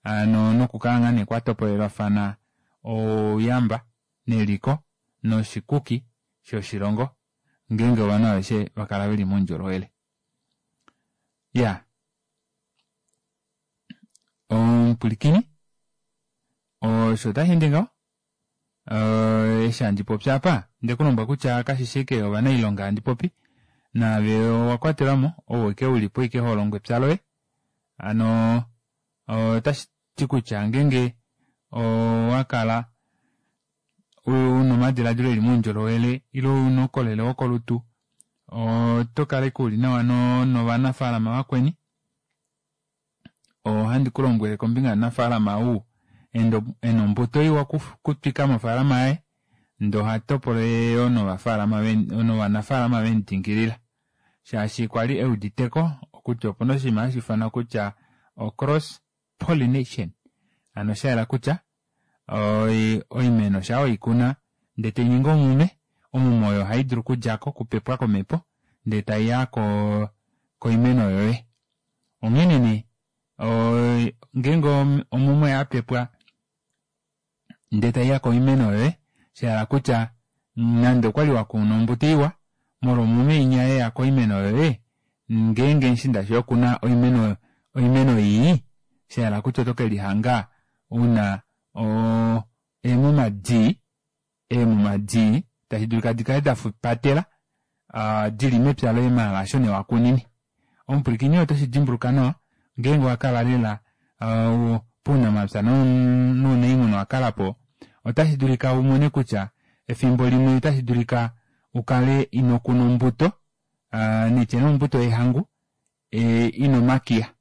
ano nokukala ngaa nee kwa topolelwafana ouyamba neliko noshikuki shoshilongo ngeenge ovanhu aveshe va kala veli moundjolowele. Ya. Omupwilikini, osho otashi ende ngaho. Eh, eshi handi popi apa, nde ku lombwela kutya kashi shi ike ovanailonga handi popi, naave owa kwatelwa mo, ou ike uli po ike ho longo epya loye. Ano, otashi ti kutya ngeenge owa kala una omadiladilo eli moundjolowele ile una oukolele wokolutu, oto kala ike uli nawa no-, novanafaalama vakweni. Ohandi ku lombwele kombinga yomunafaalama ou endo-, ena ombuto iwa kuf-, kutwika mofaalama yaye, ndee oha topolele yo novafaalama ve-, novanafaalama vemudingilila. Shaashi kwali euditeko kutya opuna oshinima hashi ifanwa kutya o cross pollination. Hano oshayela kutya oimeno shaa weikuna ndee tainingi omume, omume oyo ohaidulu okudjako okupepwa komepo ndee taiya koimeno yoye. Onghene nee ngeenge omume oyapepwa ndee taiya koimeno yoye shahala kutya nande okwali wakuna ombuto iwa molwo omume inya yeya koimeno yoye ngeenge mushiinda shoye okuna oimeno oimeno ii shahala kutya oto kelihanga una oo eemuma dii eemuma dii tashi dulika dikale dapatela dili mepya loye maala hasho nee wakunine. Omupwilikini oto shidimbuluka nawa ngeenge owakala lela pounamapya nounaimuna owakalapo ota shidulika umone kutya efimbo limwe ota shidulika ukale inokuna ombuto naitye nee ombuto yehangu ina omakiya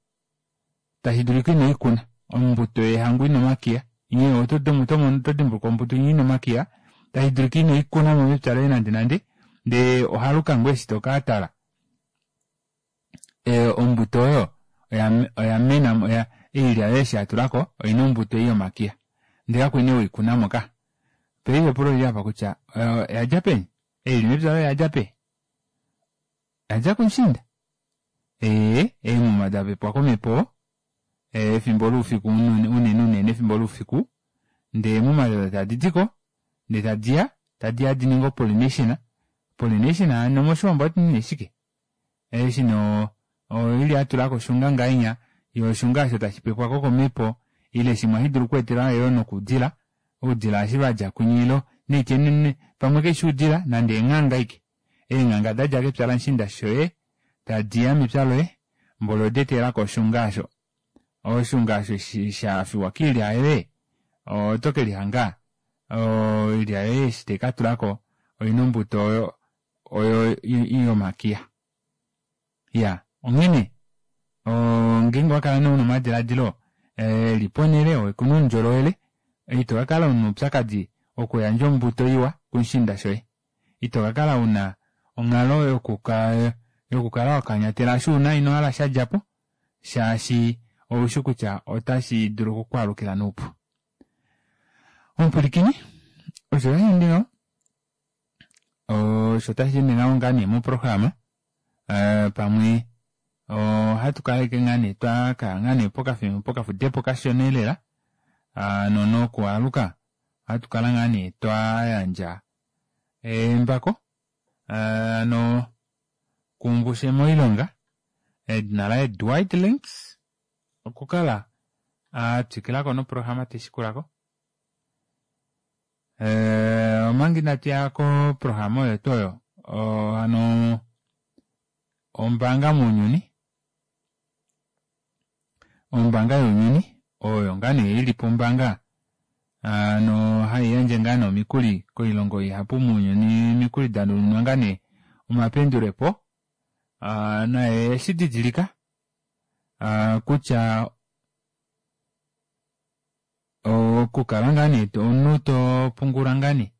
tashidulika inoikuna ombuto yehangu ina omakiya otodimbuluka ombuto inya ina omakiya tashidulika inoikunamo mepya loye nande nande ndee ohaluka ngoo eshi tokatala ombuto oyo oyamena oilya yoye eshi yatulako oina ombuto ei yomakiya ndee kakwali nee weikunamo kah. Paife epulo olili aapa kutya oyadja peni ei ili mepya loye oyadja peni oyadja kumushiinda ee eemuma dapepwa komepo efimbo loufiku unene unene efimbo loufiku ndee eemuma odo tadidiko ndee tadiya tadiya dininge o pollination pollination hano moshiwambo ohatuti nee shike eshi nee oilya yatulako oshunga ngahenya yoo oshunga aasho tashipepwako komepo ile shimwe ohashidulu okweetelwa yoo nokoudila oudila eshi vadja kwinya ile naitye pamwe kaifi oudila nande eenghanga ashike eenghanga dadja kepya lamushiinda shoye tadiya mepya loye mboli oda etelelako oshunga aasho oshunga aasho eshi shafiwa koilya yoye oto kelihanga oilya yoye eshi taikatulako oina ombuto oyo oyo yomakiya iyaa onghene ngeenge owakala nee una omadilaadilo eli ponele okuna oundjolowele itokakala una oupyakadi wokuyandja ombuto iwa kumushiinda shoye itokakala una onghalo yokukala wakanyatela osho una inohala shadjapo shaashi oushi kutya otashi dulu okukwaalukila noupu. Omupwilikini osho tasheende ngaho osho tasheende ngaho ngaa nee moprograma pamwe ohatu kala ashike ngaa nee twakaya ngaa nee pokafudepo kashona elela hano nokwaaluka ohatu kala ngaa nee twayandja embako hano kumbushe moilonga edina laye Dwight Links okukala atwikilako noprograma taishikulako omanga inatuya koprograma oyo tuu oyo hano ombaanga mounyuni ombaanga younyuni oyo ngaa nee ilipo ombaanga hano haiyandje ngaa nee omikuli koilongo ihapu mounyuni omikuli danuninwa ngaa nee omapendulepo naye eshididilika kutya okukala ngaa nee omunhu topungula ngaa nee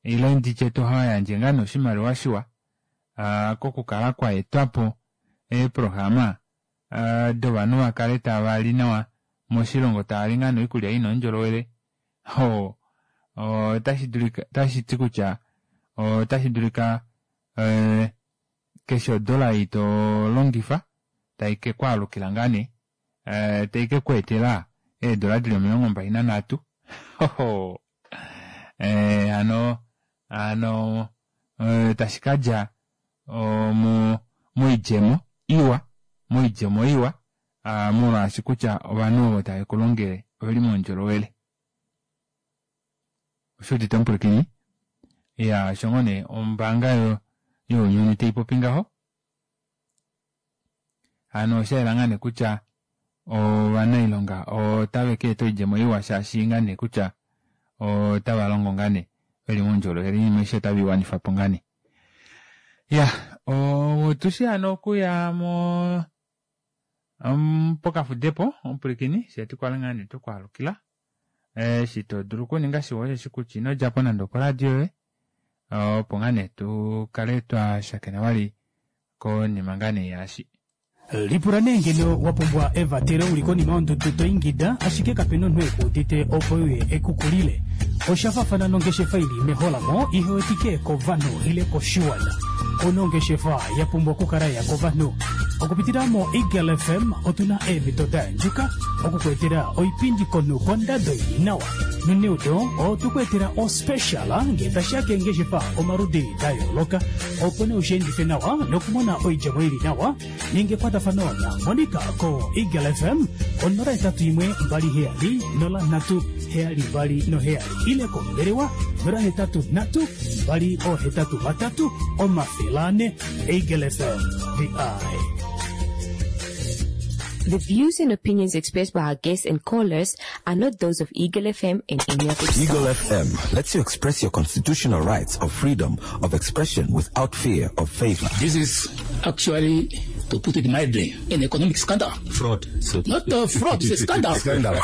ile nditye toyandje ngaa nee oshimaliwa shiwa kokukala kwaetwapo eeprograma dovanhu vakale tavali nawa moshilongo tavali ngaa nee oikulya ina oundjolowele oo otashidulika otashiti kutya otashidulika keshe odola ei tolongifa taikekwaalukila ngaa nee taikekweetela eedola dili omilongo mbali nanhatu hano hano tashikadja moidjemo iwa moidjemo iwa molwaashi kutya ovanhu ovo tavekulongele oveli moundjolowele. Oshuudite omupwilikini iya osho ngoo nee ombaanga younyuni taipopi ngaho hano oshayela ngaa nee kutya ovanailonga otave kaeta oidjemo iwa shaashi ngaa nee kutya otava longo ngaa nee veli moundjolowele oinima aishe otave iwanifapo ngaa nee. Iya otushi hano okuya mo pokafudepo omupwilikini fyee tukale ngaa nee twekwaalukila eshi todulu okuninga shiwa osheshi kutya inodjapo nande okoradio yoye opo ngaa nee tukale twashakena vali konima ngaa nee yaashi. Lipula nee ngeno wa pumbwa evatelo uli konima yondudu to ingida ashike kapena omunhu ekuudite opo uye ekukulile. Osha faafana nongeshefa ili meholamo ihewetike kovanhu ile koshiwana. Una ongeshefa ya pumbwa okukala ya kovanhu. Okupitila mo Eagle F M otuna eemhito da yandjuka okukweetela oipindi komunhu kondado ili nawa. Noneudo otukuetela ospecial ngee tashiya keengeshefa omaludi da yooloka opo nee usheendife nawa nokumona oidjemo ili nawa ninga ekwatafano na Monica ko Eagle F M onola hetatu imwe mbali heyali nola nhatu heyali mbali noheyali ile kombelewa nola hetatu nhatu mbali ohetatu vatatu omafele ane. Eagle F M, the eye. The views and opinions expressed by our guests and callers are not those of Eagle F M and any of its Eagle staff. F M lets you express your constitutional rights of freedom of expression without fear of favor. This is actually, to put it mildly, an economic scandal. Fraud. So Not a fraud, it's a scandal. Scandal.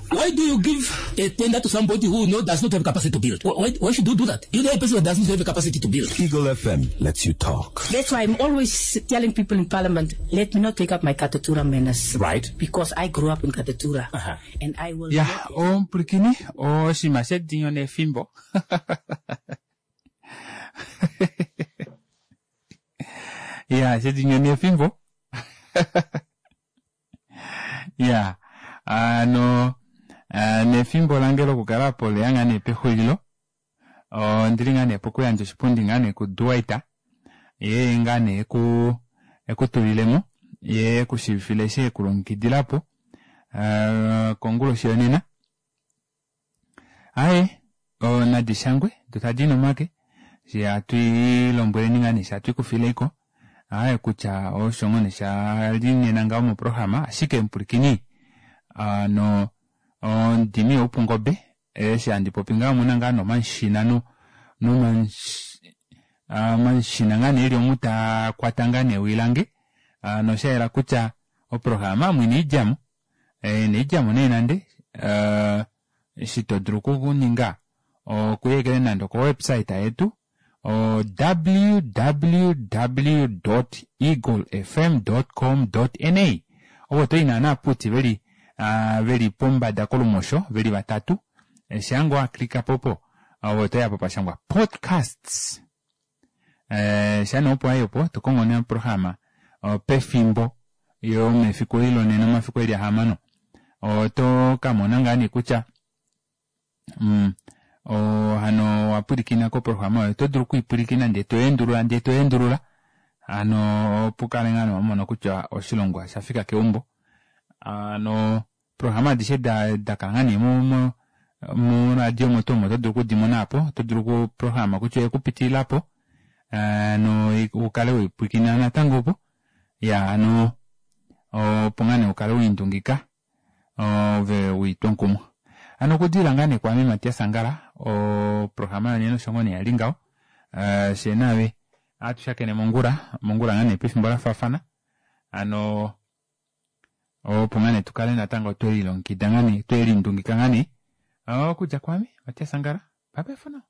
Why do you give a tender to somebody who know does not have capacity to build? Why, why should you do that? You know a person who does not have a capacity to build. Eagle F M lets you talk. That's why I'm always telling people in parliament, let me not take up my Katutura manners. Right. Because I grew up in Katutura. Uh-huh. And I will Ya not omupulikini oshinima shedinyo nefimbo ya shedinyo nefimbo ya ano ah, nefimbo lange lokukala po leya ngaa nee pexulilo ondili ngaa nee pokuyandja oshipundi ngaa nee kuDuwaita ye ngaa nee eku ekutulilemo ye ekushivifile eshi ekulongekidila po ah, konguloshi yonena aye nadi shangwe do tadi nomake she atwiilombweleni ngaa nee she atwikufileiko aye kutya osho ngoo nee shali nena ngaho moprograma ashike mupulikini ano ondimi youpungobe eshi handi popi ngaho omuna ngaa nomanshina no nomanshina ngaa nee eli omu taakwata ngaa nee ewi lange noshayela kutya oprograma omu ina idjamo ina idjamo nee nande eshi todulu okuninga okuyekele nande oko website yetu o W W W dot eagle F M dot com dot N A ovo toyi naana puti veli veli pombada kolumosho veli vatatu shaango waklikapo opo ove otoyapo pashangwa podcasts shaa nee opo wayi opo tokongo nee oprograma pefimbo yomefiku eli lonena omafiku eli ahamano oto kamona ngaa nee kutya mm, hano owapwilikina koprograma oyo oto dulu okwiipwilikina ndee toendulula ndee toendulula hano opo ukale ngaa nee wamona kutya oshilongo oshafika keumbo hano programa adishe dakala ngaa nee mo moradio omo tuu omo oto dulu okudimona aapo oto dulu okuprograma kutya oyekupitililapo hano ukale weipwilikina natango opo ya hano opo ngaa nee ukale wiindungika ove wiitwa omukumo hano okudilila ngaa nee kwaame Matias Angala oprograma yonena osho ngoo nee yali ngaho fyee naave ohatu mongula mongula ngaa nee pefimbo lafaafana hano opo ngaa nee tukale natango twelilongekida ngaa nee twelindungika ngaa nee okudja kwaame Matias Angala bye bye for now.